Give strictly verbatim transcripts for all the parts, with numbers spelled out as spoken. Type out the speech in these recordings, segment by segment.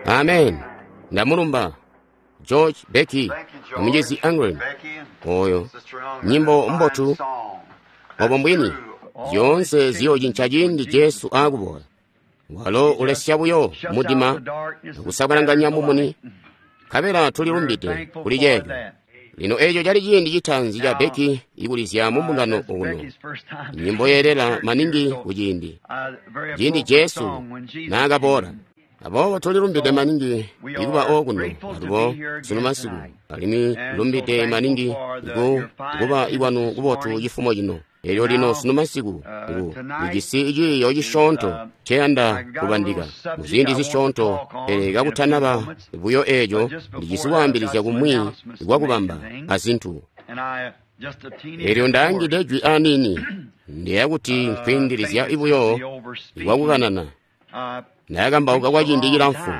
Amen. Ndamulumba George, Becky, amucizi Angren. Oyo nyimbo mbotu. Obo mbwini zyoonse ziyocinca ciindi Jesu aakuboola. Walo ulesya buyo mudima akusabalanganya mumuni, nkabela tulilumbide kuli ceeco. Lino eeco cali ciindi citaanzi ca Becky ikulizya mu mbungano okuno, nyimbo yeelela maningi kuciindi ciindi Jesu naakaboola. Aboobo tulilumbide maningi ikuba okuno alubo sunu masiku, alimwi lumbide maningi iku kuba ikwanu kubotu cifumo cino. Elyo lino sunu masiku ngu ndijisi ciiyo cisyoonto nceyanda kubandika mu ziindi zisyoonto, pele kakutanaba buyo eeco ndijisi kwaambilizya kumwi kwakubamba azintu. Elyo ndaangide jwi aniini, ndiyeeya kuti nkwiindilizya buyo kwakukanana. Ndakambauka kwa ciindi cilamfu,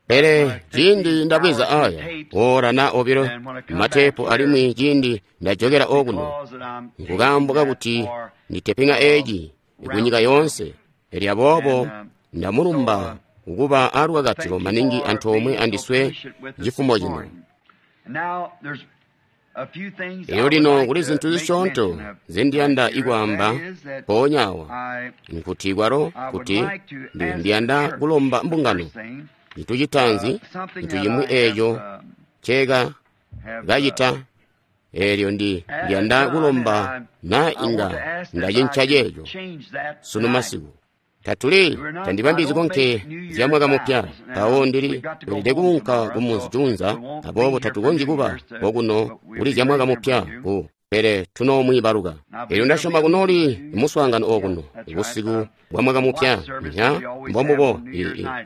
pele ciindi ndabweza aya oora na obilo matepu, alimwi ciindi ndajokela okuno nkukaambo kakuti nditepinga eeci kunyika yoonse. Elyo aboobo ndamulumba kukuba alukakatilo maningi antoomwe andiswe cifumo cino. Elyo lino kuli zintu zisyoonto nzendiyanda ikwaamba mpoonya awa, nkuti kwalo kuti ndiyanda kulomba mbungano cintu citaanzi, cintu cimwi eeco nceeka kacita. Eelyo ndi ndiyanda kulomba na inga ndacinca ceeco sunu masiku. Tatuli tandibambizi konke zya mwaka mupya, mpawo ndili elede kuunka ku munzi juunza, aboobo tatukonzyi kuba okuno kuli zya mwaka mupya ku, pele tunoomwiibaluka. Elyo ndasyoma kunooli muswaangano okuno busiku bwa mwaka mupya, nya mbombubo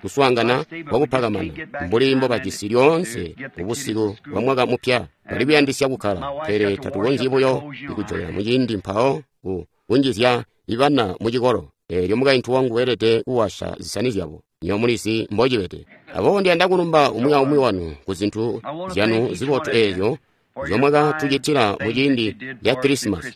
kuswaangana kwakupakamana mbuli mbobajisi lyoonse busiku bwa mwaka mupya. Bali kuyandisya kukkala, pele tatukonzyi buyo ikujokela muciindi mpawo ku kunjizya ibana mu cikolo. Elyo mukaintu wangu weelede kuwasha zisani zyabo, nyo mulizi mbocibede. Aboobo ndiyanda kulumba umwi aumwi wanu ku zintu zyanu zibotu eezyo nzyomwakatucitila muciindi ca Kilisimasi.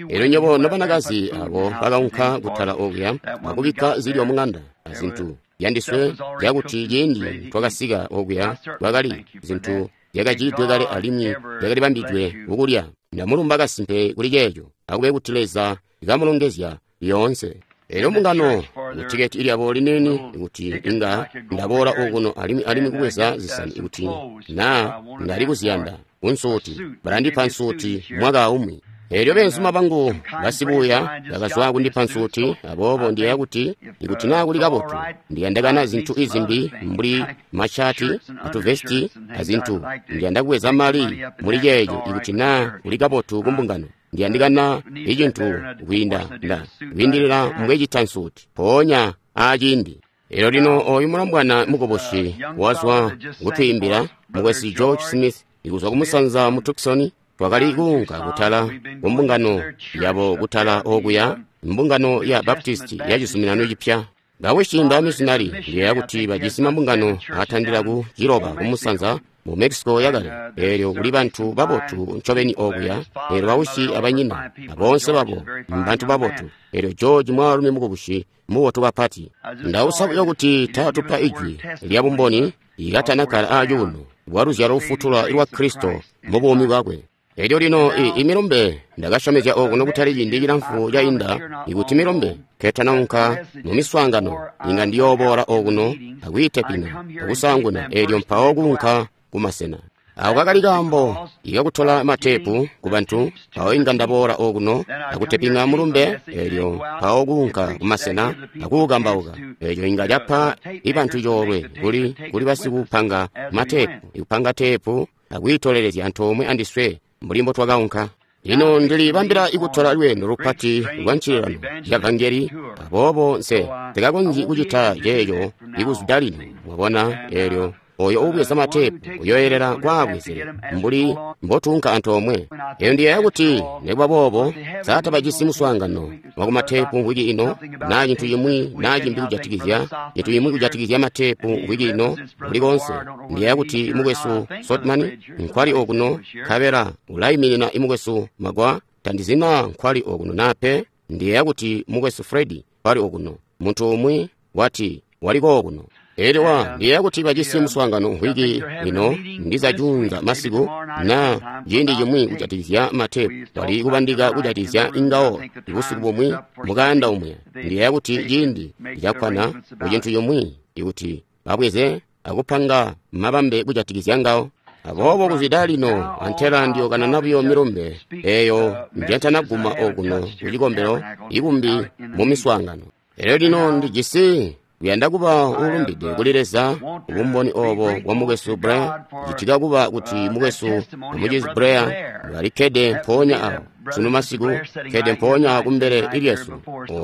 Elyo nywebo nobanakazi abo bakaunka kutala okuya akubikka zilyo muŋanda azintu yandiswe zyakuti ciindi twakasika okuya kwakali zintu zyakacitidwe kale alimwi zyakalibambidwe kukulya. Ndamulumba kasimpe kuli ceeco, akube kuti Leza kamulongezya lyoonse. Elyo mbungano mutiketi lyabo liniini kuti inga ndaboola okuno alimwi alimwi kubweza zisani kuti na ndali kuziyanda kunsuuti, balandipa nsuuti mwaka aumwi. Elyo beenzuma bangu basibuuya bakazwa kundipa nsuuti, aboobo ndiyeeya kuti ikuti naa kuli kabotu ndiyandakana zintu izimbi mbuli mashati atuvesti azintu. Ndiyanda kubweza mali muli ceeco ikuti naa kuli kabotu kumbungano. Ndiyandikana icintu kwiinda nda kwiindilila mbwecita nsuuti mpoonya aciindi. Elyo lino oyu mulombwana mukubusi wazwa kutwiimbila, mukwesu George Smith, ikuzwa kumusanza mu Tucson. Twakali kuunka kutala kumbungano yabo kutala okuya, mbungano ya Baptist ya Cizuminano Cipya. Bawishi mba missionary, ndiyeeya kuti bajisi mambungano atandila ku ciloba kumusanza mu Mexico yakale. Elyo kuli bantu babotu ncobeni okuya. Elyo bawishi abanyina aboonse babo mbantu babotu. Elyo George mwaalumi mukubusi mubotu kapati. Ndausa buyo kuti taatupa ijwi lya bumboni ikatanakkala acuuno bwa luzyalo lufutula lwa Kristo mu buumi bwakwe. Elyo lino imilumbe ndakasyomezya okuno kutali ciindi cilamfu cainda ikuti milumbe nketanaunka mu miswaangano inga ndiyooboola okuno akwiitepina akusaanguna, elyo mpawo kuunka kumasena. Ako kakali kaambo ikakutola matepu ku bantu, mpawo inga ndaboola okuno akutepinga mulumbe, elyo mpawo kuunka kumasena akuukambauka. Elyo inga capa ibantu coolwe kuli kuli basikupanga matepu, ikupanga tepu akwiitolelezya antoomwe andiswe mbuli mbo twakaunka. Lino ndilibambila ikutola lweendo lupati lwa ncililano ya vangeli, aboobo nse nsikakonzyi kucita ceeco ikuzwida lino, mwabona. Elyo oyo uubweza matepu uyoyelela kwaabwezele mbuli mbotuunka antoomwe. Elyo ndiyeeya kuti nikuba boobo satabajisi muswaangano wakumatepu mvwiki ino, naa cintu cimwi naa cimbi kujatikizya cintu cimwi kujatikizya matepu mvwiki ino kuli koonse. Ndiyeeya kuti mukwesu Sotman nkwali okuno, nkabela ulaiminina imukwesu Magwa. Tandizi naa nkwali okuno naa pe. Ndiyeeya kuti mukwesu Fred nkwali okuno. Muntu umwi wati wali kookuno. Elyo wa ndiyeeya kuti bajisi muswaangano mvwiki ino ndiza juunza masiku na ciindi cimwi kujatikizya matepu bali kubandika kujatikizya ingawo busiku bumwi mukaanda umwe. Ndiyeeya kuti ciindi cakkwana ku cintu cimwi ikuti babweze akupanga mabambe kujatikizya ngawo. Aboobo kuzwida lino antela ndiyokanana buyo milumbe eyo njentanaguma okuno kucikombelo ikumbi mu miswaangano. Elyo lino ndijisi kuyanda kuba uulumbide kuli Leza bumboni obo bwa mukwesu Blair. Citika kuba kuti mukwesu amucizi Blair balikkede mpoonya awo sunu masiku, kkede mpoonya kumbele lyesu,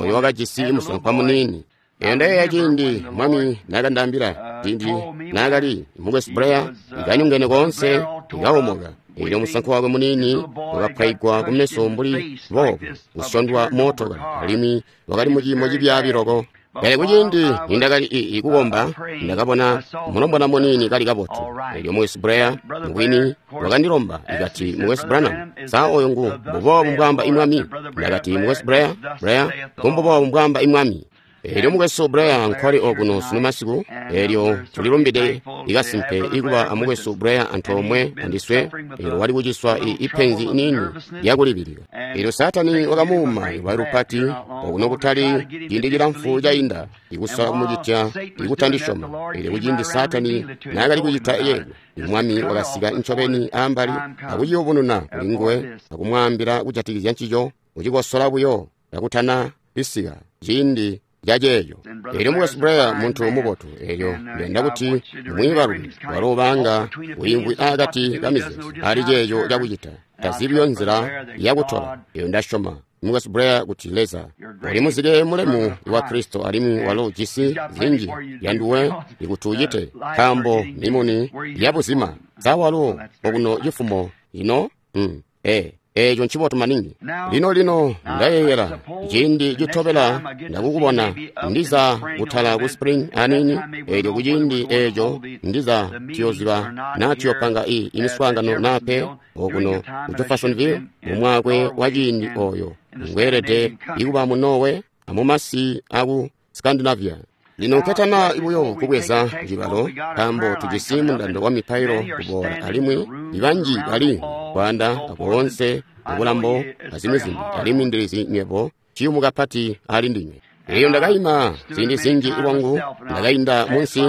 oyo wakajisi musankwa muniini. Eyo ndayeeya ciindi Mwami nakandaambila, ciindi naakali mukwesu Blair ikanyongene koonse ikawomoka. Elyo musankwa wakwe muniini wakapwaigwa kumeso mbuli boobo, kusyondwa mootokala, alimwi wakali muciimo cibyaabi loko. Pele kuciindi nindakali ii kukomba, ndakabona mulombwana muniini kali kabotu. Elyo mukwesu Blair mubwini wakandilomba, ikati, mukwesu Branham, sa oyo ngu mbuboobu mbwaamba imwami? Ndakati, mukwesu Blair, Blair, ngu mbwaamba imwami. Elyo mukwesu Blair nkwali okuno sunu masiku. Elyo tulilumbide ikasimpe ikuba amukwesu Blair antoomwe andiswe. Elyo wali kuciswa ipenzi niini lyakulibilika. Elyo Saatani wakamuuma lwayi lupati okuno kutali ciindi cilamfu cainda, ikusola kumucitya ikutandisyoma. Elyo kuciindi Saatani naakali kucita yeeyo, Mwami wakasika ncobeni ambali akuciyubununa kuli nguwe akumwaambila kujatikizya ncico, kucikosola buyo kakutana bisika ciindi caceeco. Elyo mukwesu Blair muntu mubotu. Elyo ndiyanda kuti mwiibaluke walo ubanga wiimvwi akati ka mizeezo ali ceeco cakucita, tazibiyo nzila yakutola. Elyo ndasyoma mukwesu Blair kuti Leza uli muzike mulemu wa Kristo, alimwi walo jisi zinji yanduwe ikuti ucite, nkaambo mimuni yabuzima sa walo okuno cifumo ino. Mm. Eh. Eeco ncibotu maningi. Lino lino ndayeeyela ciindi citobela ndakukubona ndiza kutala ku Spring aniini. Elyo kuciindi eeco ndiza tuyoziba naa tuyopanga i imiswaangano naa pe okuno ku Jeffersonville mumwakwe wa ciindi oyo ngweelede ikuba mu Norway amumasi aku Scandinavia. Lino nketana buyo kubweza cibalo, nkaambo tujisi mundando wa mipailo kuboola, alimwi ibanji bali kwaanda akoonse mubulambo azimwi zimbi, alimwi ndilizi nywebo ciyumu kapati ali ndinywe. Elyo ndakaima ziindi zinji lwangu, ndakainda munsi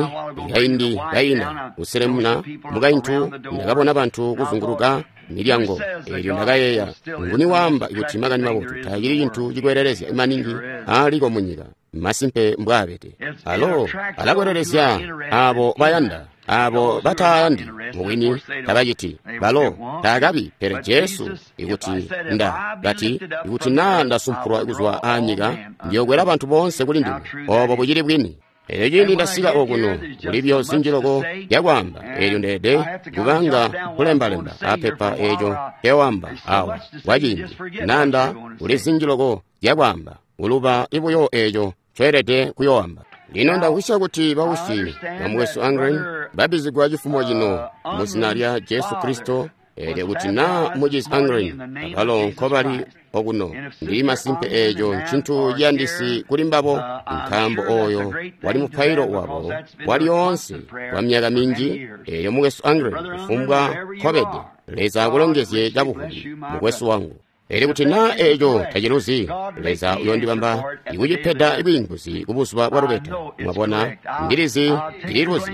kaindi kainda kuselemuna mukaintu, ndakabona bantu kuzunguluka milyango. Elyo ndakayeeya, nguni waamba kuti makani mabotu taacili cintu cikwelelezya maningi aaliko munyika? Masimpe mbwaabede. Alo alakwelelezya abo bayanda, abo batayandi mubwini tabaciti. Balo taakabi. Pele Jesu ikuti nda kati, ikuti naa ndasumpulwa kuzwa aanyika, ndiyokwela bantu boonse kuli ndime. Obo bucili bwini. Elyo ciindi ndasika okuno, kulibyo zinji loko yakwaamba. Elyo ndeede kubanga kulembalemba apepa eeco nkewamba awa kwaciindi nanda kuli zinji loko zyakwaamba, kuluba ibuyo eeco ncoelede kuyoamba. Lino ndakwisya kuti bausyi ba mukwesu Ungren babizigwa cifumo cino mu zina lya Jesu Kristo. Elyo kuti naa mucizi Ungren abalo nkobali okuno, ndili masimpe eeco ncintu ciyandisi kuli mbabo, nkaambo oyo wali mupailo wabo walyoonse kwa myaka minji. Elyo mukwesu Ungren, kufumbwa nkobede, Leza akulongezye cabuvubi, mukwesu wangu. Elyo kuti naa eeco taciluzi, Leza uyondibamba ikucipeda bwiinguzi kubuzuba bwa lubeta. Mwabona, ndilizi ndililuzi,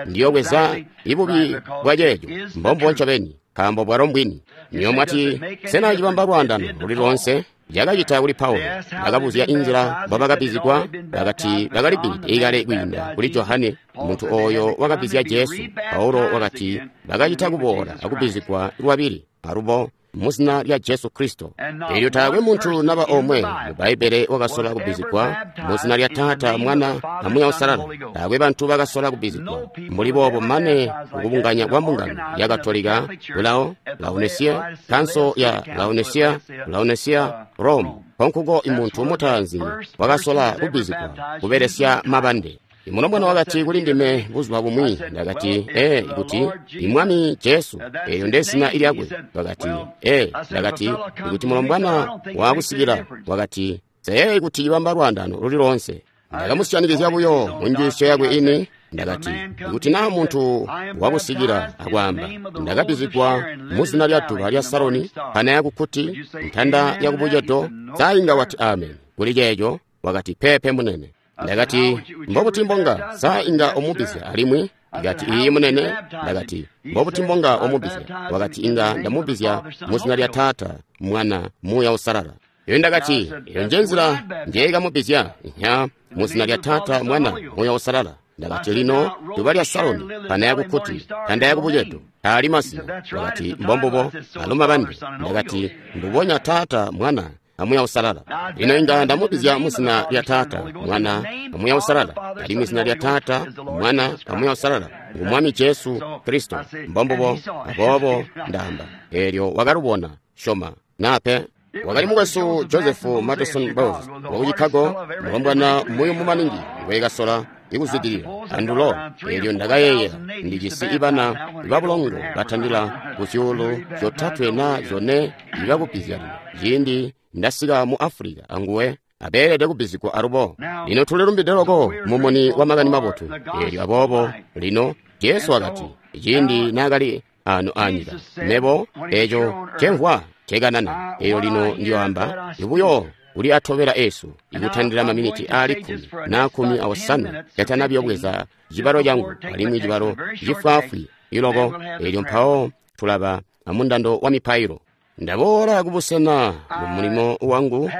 ndiyokweza ibubi bwa ceeco, mbombo ncobeni, nkaambo bwalo mbwini. Niyo mwati, sena cibamba lwaandano luli loonse? Yakacita kuli Paulo. Bakabuzya inzila mbobakabizigwa, bakati bakalibbilide ikale kwiinda kuli Johane, muntu oyo wakabizya Jesu. Paulo wakati bakacita kuboola akubizigwa lwabili alubo muzina lya Jesu Kristo. Elyo taakwe muntu naba omwe mu Bbaibbele wakasola kubizigwa muzina lya Taata, Mwana, na Muuya Uusalala. Taakwe bantu bakasola kubizigwa mbuli boobo mane kukubunganya kwa mbungano ya Katolika kulao Laodicea, kanso ya Laodicea, Laodicea, Rome. Konkuko imuntu mutaanzi wakasola kubizigwa kubelesya mabande. Imulombwana wakati kuli ndime buzuba bumwi, ndakati, ee, ikuti imwami Jesu, eyo nde zina lyakwe. Wakati, ee, ndakati, ikuti mulombwana wakusikila, wakati, seyeeyi kuti ibamba lwaandano luli loonse. Ndakamusyanikizya buyo mu njiisyo yakwe ini. Ndakati, ikuti naa muntu wakusikila akwaamba, ndakabbizigwa mu zina lya duba lya Saroni, pana yakukuti, ntanda yakubucedo, sa inga wati amen kuli ceeco? Wakati, peepe munene. Ndakati, mbobuti mbonga sa inga umubbizya alimwi? Ndakati, iiyi munene. Ndakati, mbobuti mbonga umubbizya? Wakati, inga ndamubbizya mu zina lya Taata, Mwana, Muuya Uusalala. Iyo ndakati, iyo nje nzila njeekamubbizya, nya mu zina lya Taata, Mwana, Muuya Uusalala. Ndakati, lino duba lya Saroni, pana yakukuti, ntanda yakubucedo, taali mazina. Wakati, mbombubo, aluma bandi. Ndakati, mbubonya Taata, Mwana, amuya Uusalala. Lino inga ndamubbizya mu zina lya Taata, Mwana, amuya Uusalala. Alimwi zina lya Taata, Mwana, amuya Uusalala ngu Mwami Jesu Kristo. Mbombubo, aboobo ndaamba. Eelyo wakalubona, syoma, nape. Wakali mukwesu Joseph Madison Bowles waku Chicago, mulombwana muyumu maningi ngwekasola ikuzwidilila andulo. Eelyo ndakayeeyela ndijisi ibana babulongo batandila ku zyuulu zyotatwe na zyone ibakubbizya lino. Ciindi ndasika mu Afulika anguwe abeelede kubbizigwa alubo. Lino tulilumbide loko mumuni wa makani mabotu. Eelyo aboobo lino Jesu wakati, ciindi naakali ano anyika, mebo eeco ncemvwa ncekanana. Eeyo lino ndiyoamba ibuyo kuli atobela esu ikutandila maminiti aali kkumi na kkumi awosanwe katanabiyobweza cibalo cangu, alimwi cibalo cifwaafwi iloko. Eelyo mpawo tulaba amundando wa mipailo. Ndaboola kubusena mu mulimo wangu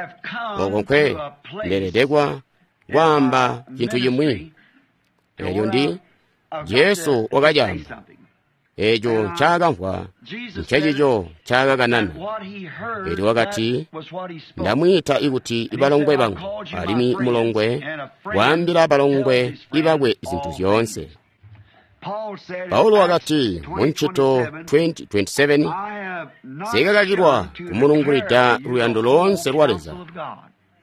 oko nkwe ndeelede kwaamba cintu cimwi. Eelyo ndi Jesu wakacaamba. Eeco ncaakamvwa ncecico ncaakakanana. Eelyo wakati, ndamwiita ikuti ibalongwe bangu, alimwi mulongwe waambila balongwe ibakwe zintu zyoonse. Paulo wakati mu Ncito twenty twenty-seven, nsikakakilwa kumulungulida luyando loonse lwa Leza.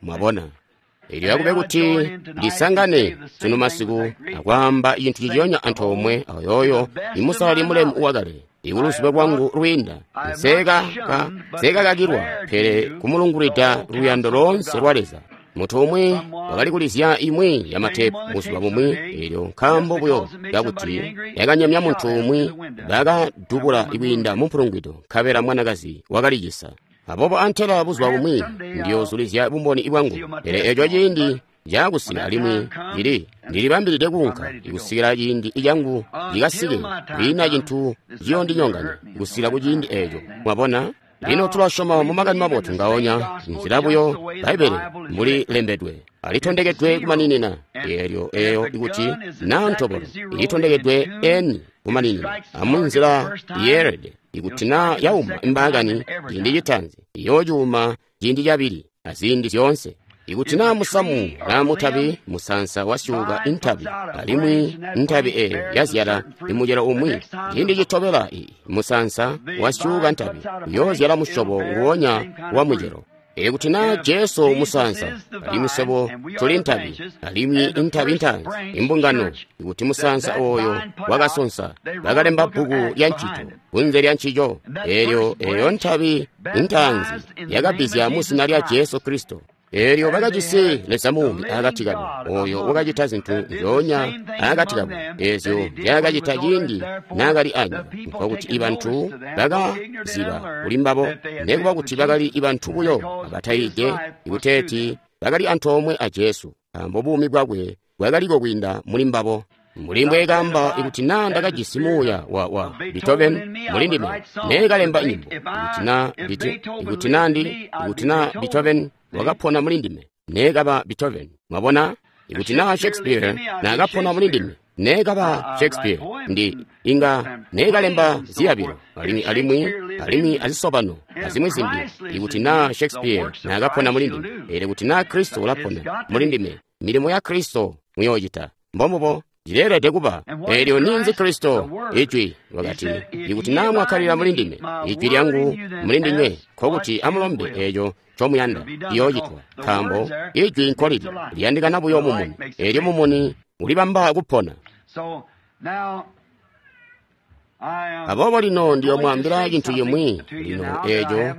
Mwabona? Eelyo akube kuti ndisangane sunu masiku akwaamba cintu ciciyonya antoomwe ayoyo imusalali mulemu wakale, ikuluziba lwangu lwiinda. Nsekakakilwa pele kumulungulida luyando loonse lwa Leza. Munthu umwe wakali kulizya imwe ya matepu buzuba bumwi, eelyo nkaambo buyo kakuti yakanyamya munthu umwi, bakadubula kwiinda mu mpulungwido, nkabela mwanakazi wakalicisa. Aboobo antela buzuba bumwi ndiyoozulizya bumboni bwangu, pele eeco ciindi caakusika alimwi ndili ndilibambilide kuunka kusikila ciindi cangu cikasike. Kwiina cintu ciyoondinyonganya kusikila ku ciindi eeco. Mwabona? Lino tulasyoma mu makani mabotu ngaonya nzila buyo Bbaibbele mbuli lembedwe, alitondekedwe kumaninina. Eelyo eeyo ikuti naa ntobolo ilitondekedwe eni kumaninina amunzila yeelede. Ikuti naa yauma imbaakani ciindi citaanzi, iyoocuuma ciindi cabili aziindi zyoonse. Ikuti naa musamu naa mutabi musansa wasyuuka intabi, alimwi ntabi eeyo yazyala imucelo umwi, ciindi citobela musansa wasyuuka ntabi uyoozyala musyobo nguwonya wa mucelo. Ikuti naa Jesu musansa, alimwi swebo tuli ntabi, alimwi intabi ntaanzi imbungano, ikuti musansa ooyo wakasonsa, bakalemba bbuku lya ncito kunze lya ncico. Eelyo eeyo ntabi ntaanzi yakabbizya mu zina lya Jesu Kristo. Eelyo bakajisi Leza muumi akati kabo, ooyo wakacita zintu nzyoonya akati kabo eezyo nzyaakacita ciindi naakali anyika. Nkokuti ibantu bakaziba kuli mbabo, nekuba kuti bakali ibantu buyo abatayiide, ikuteeti bakali antoomwe a Jesu, nkaambo buumi bwakwe bwakaliko kwiinda muli mbabo. Mbuli mbweekaamba, ikuti naa ndakajisi muuya wa wa Beethoven muli ndime, neekalemba nyimbo. Ikuti naa ikuti naa ndi ikuti naa Beethoven wakapona muli ndime, neekaba Beethoven. Mwabona? Ikuti naa Shakespeare naakapona muli ndime, neekaba Shakespeare. Ndi inga neekalemba ziyabilo alimwi alimwi alimwi azisobano azimwi zimbi. Ikuti naa Shakespeare naakapona muli ndime, pele kuti naa Kristo ulapona muli ndime, milimo ya Kristo muyoocita. Mbombubo cileelede kuba. Eelyo ninzi Kristo? Ijwi. Wakati, ikuti naa mwakkalila muli ndime, ijwi lyangu muli ndinywe, nkokuti amulombe eeco ncomuyanda, ciyoocitwa. Nkaambo ijwi nkolili liyandikana buyo mumuni, eelyo mumuni ulibamba kupona. Aboobo lino ndiyomwaambila cintu cimwi lino eeco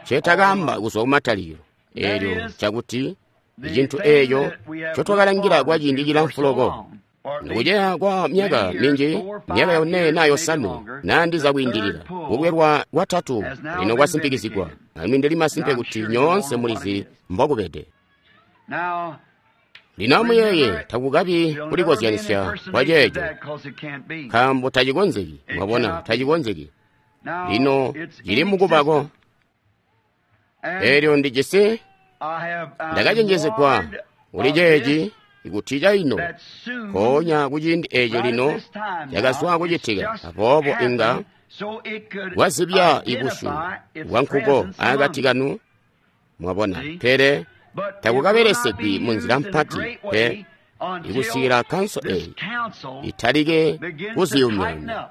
ncetakamba kuzwa kumatalikilo, eelyo ncakuti Icintu eeco ncotwakalangila kwa ciindi cilamfu loko. Ndikuceya kwa myaka minji, myaka yone naa yosanwe, naa ndiza kwiindilila, kukwelwa kwatatu lino kwasimpikizigwa, alimwi ndili masimpe kuti nyoonse mulizi mbokubede. Lino amuyeeye, takukabi kulikozyanisya kwa ceeco, nkaambo tacikonzeki, mwabona, tacikonzeki. Lino cili mukubako. Eelyo ndijisi, ndakacenjezegwa kuli ceeci ikuti caino, mpoonya kuciindi eeco lino cakazwa kucitika, aboobo inga kwazibya ibusyu bwa nkuko akati kanu, mwabona, pele takukabelesegwi munzila mpati pe ikusikila kanso eyi italike kuziyumyayumya.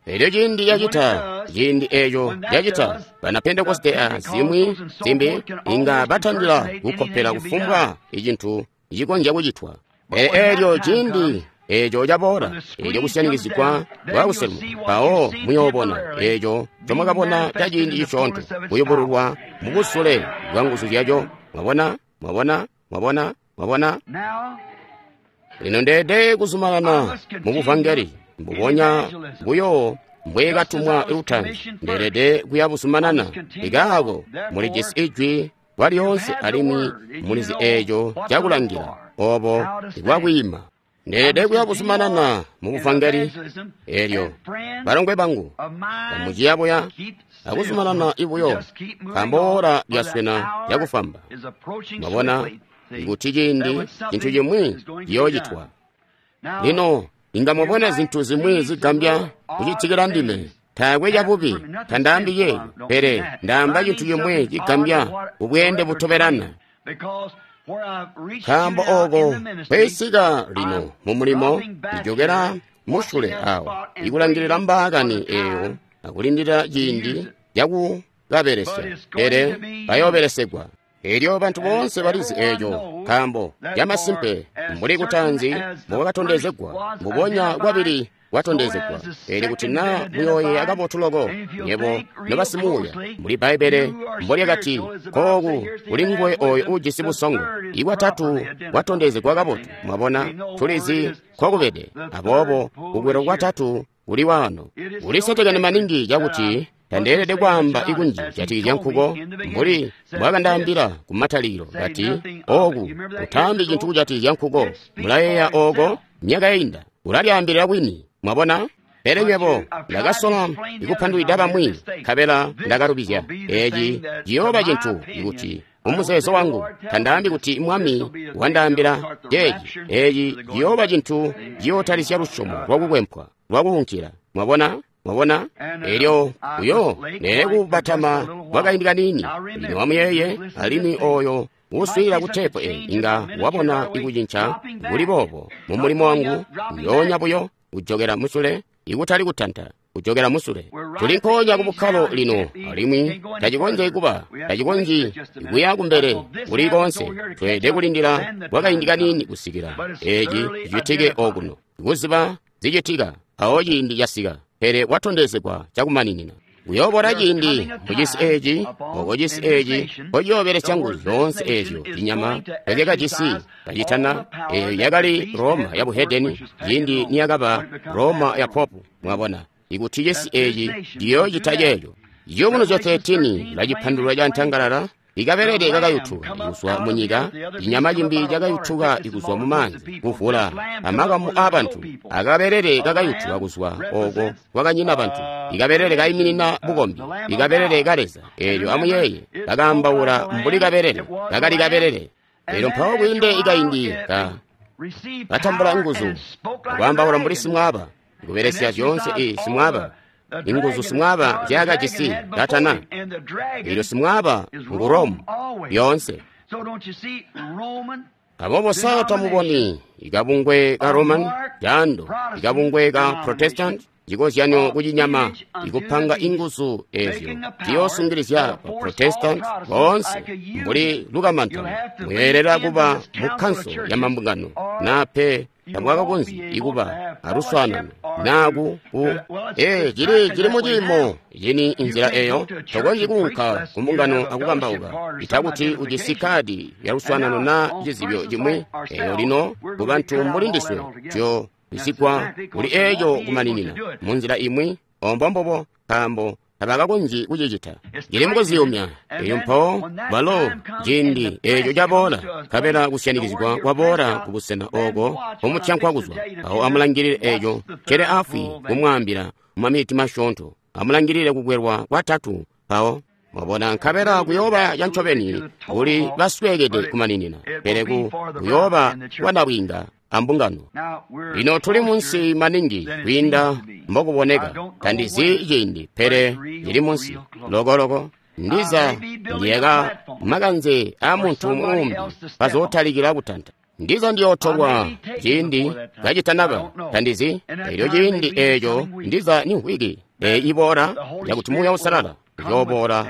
Elyo ciindi cacita, ciindi eeco cacita, bana Pentekoste a zimwi zimbi inga batandila kukkopela kufumbwa icintu cikonzya kucitwa. Pele eelyo ciindi eeco caboola, eelyo kusyanikizigwa kwakuselwa, mpawo muyoobona eeco ncomwakabona ca ciindi cisyoonto kuyubululwa mubusule bwa nguzu zyaco. Mwabona? Mwabona? Mwabona? Mwabona? Lino ndeede kuzumanana mu buvangeli mbubonya buyo mbwekatumwa lutaanzi, ndeelede kuya buzumanana. Ikaako mulijisi ijwi kwa lyoonse alimwi mulizi eeco cakulangila obo bwakwiima. Ndeelede kuya buzumanana mu buvangeli. Eelyo balongwe bangu bamuciya buya akuzumanana ibuyo, nkaambo oora lyaswena lyakufwamba. Mwabona ikuti ciindi cintu cimwi ciyoocitwa. Lino inga mwabona zintu zimwi zigambya kucitikila ndime. Taakwe cabubi, tandaambi ceeco, pele ndaamba cintu cimwi cigambya kubweende butobelana. Nkaambo ooko kwesika lino mu mulimo, ijokera musyule awo, ikulangilila mbaakani eeyo akulindila ciindi cakukabelesya, pele bayoobelesegwa. Elyo bantu boonse balizi eeco, nkaambo camasimpe mbuli kutaanzi mbokakatondezegwa, mbubonya kwabili kwatondezegwa. Elyo kuti naa muyooyeeya kabotu loko, nywebo nobasimuuya, mbuli Bbaibbele mbolyakati, kooku kuli nguwe ooyo uujisi busongo. Ikwatatu kwatondezegwa kabotu, mwabona, tulizi nkokubede. Aboobo kukwelwa kwatatu kuli waano. Kulisetekene maningi cakuti tandeelede kwaamba ikunji jatikizya nkuko, mbuli mbwakandaambila kumatalikilo kati, ooku utaambi cintu kujatikizya nkuko. Mulayeeya ooko myaka yainda, ulalyaambilila kwini, mwabona? Pele nywebo ndakasola ikupandulwida bamwi, nkabela ndakalubizya. Eeci ciyooba cintu ikuti mumuzeezo wangu tandaambi kuti Mwami wandaambila ceeci. Eeci ciyooba cintu ciyootalisya lusyomo lwakukwempwa lwakuunkila, mwabona? Mwabona? Elyo uyo neele kubatama kwa kaindi kaniini. Lino amuyeeye, alimwi oyo uuswiilila ku teepu eyi inga wabona ikucinca kuli boobo mu mulimo wangu, njoonya buyo kujokera musule, ikutali kutanta, kujokera musule. Tuli nkoonya ku bukkalo lino, alimwi tacikonzyi kuba, tacikonzyi kuya kumbele kuli koonse. Tweelede kulindila kwa kaindi kaniini kusikila eeci cicitike okuno, kuziba zicitika awo ciindi casika. Pele kwatondezegwa cakumaninina. Kuyoobola ciindi mucisi eeci, oko cisi eeci nkociyoobelesya nguzu zyoonse eezyo cinyama ncozyakajisi kacitana. Eeyo yakali Roma ya buhedeni ciindi niyakaba Roma ya popu. Mwabona ikuti cisi eeci ciyoocita ceeco. Ciyubunuzyo thirteen lacipandulula ca ntangalala. Ikabelele kakayutuka ikuzwa munyika, cinyama cimbi cakayutuka ikuzwa mu maanzi, kuvula amakamu aabantu. Akabelele kakayutuka kuzwa oko kwakanyina bantu. Ikabelele kaiminina bukombi, ikabelele ka Leza. Eelyo amuyeeye, kakaambaula mbuli kabelele, kakali kabelele. Eelyo mpawo kwiinde ikaindi ka katambula nguzu, akwaambaula mbuli simwaaba, kubelesya zyoonse i simwaaba. Inguzu simwaaba nzyaakajisi katana. Elyo simwaaba ngu Rome yoonse. Aboobo sa tamuboni ikabungwe ka Roman jando, ikabungwe ka Protestant, cikozyanyo kucinyama, ikupanga inguzu ezyo ziyoosungilizya ba Protestant boonse mbuli lukamantano. Muyeelela kuba mu kanso ya mambungano, naa pe tamwakakonzyi ikuba aluswaanano naa ku ku ee cili cili mu ciimo cini inzila eyo tokonzyi kuunka ku mbungano akukambauka ita kuti ujisi kadi ya luswaanano na cizibyo cimwi. Eyo lino ku bantu mbuli ndiswe tuyo bisigwa kuli eco kumaninina mu nzila imwi ombo mbobo, nkaambo tabakakonzyi kucicita. Cili mukuziyumya. Eyo mpawo balo ciindi eco caboola, nkabela kusyanikizigwa kwaboola ku busena oko omutyankwa kuzwa. Awo amulangilile eco cele afwi kumwaambila mumaminiti masyoonto. Amulangilile kukwelwa kwatatu mpawo. Mwabona, nkabela kuyooba cancobeni kuli basweekede kumaninina, pele ku kuyooba kwanabwiinga ambungano. Lino tuli munsi maningi kwiinda mbokuboneka. Tandizi ciindi, pele cili munsi lokoloko. Ndiza ndiyeka makanze a muntu muumbi bazootalikila kutanta. Ndiza ndiyootolwa ciindi kacitanaba. Tandizi elyo ciindi eeco ndiza ni mvwiki eyi iboola yakuti Muuya Uusalala uyooboola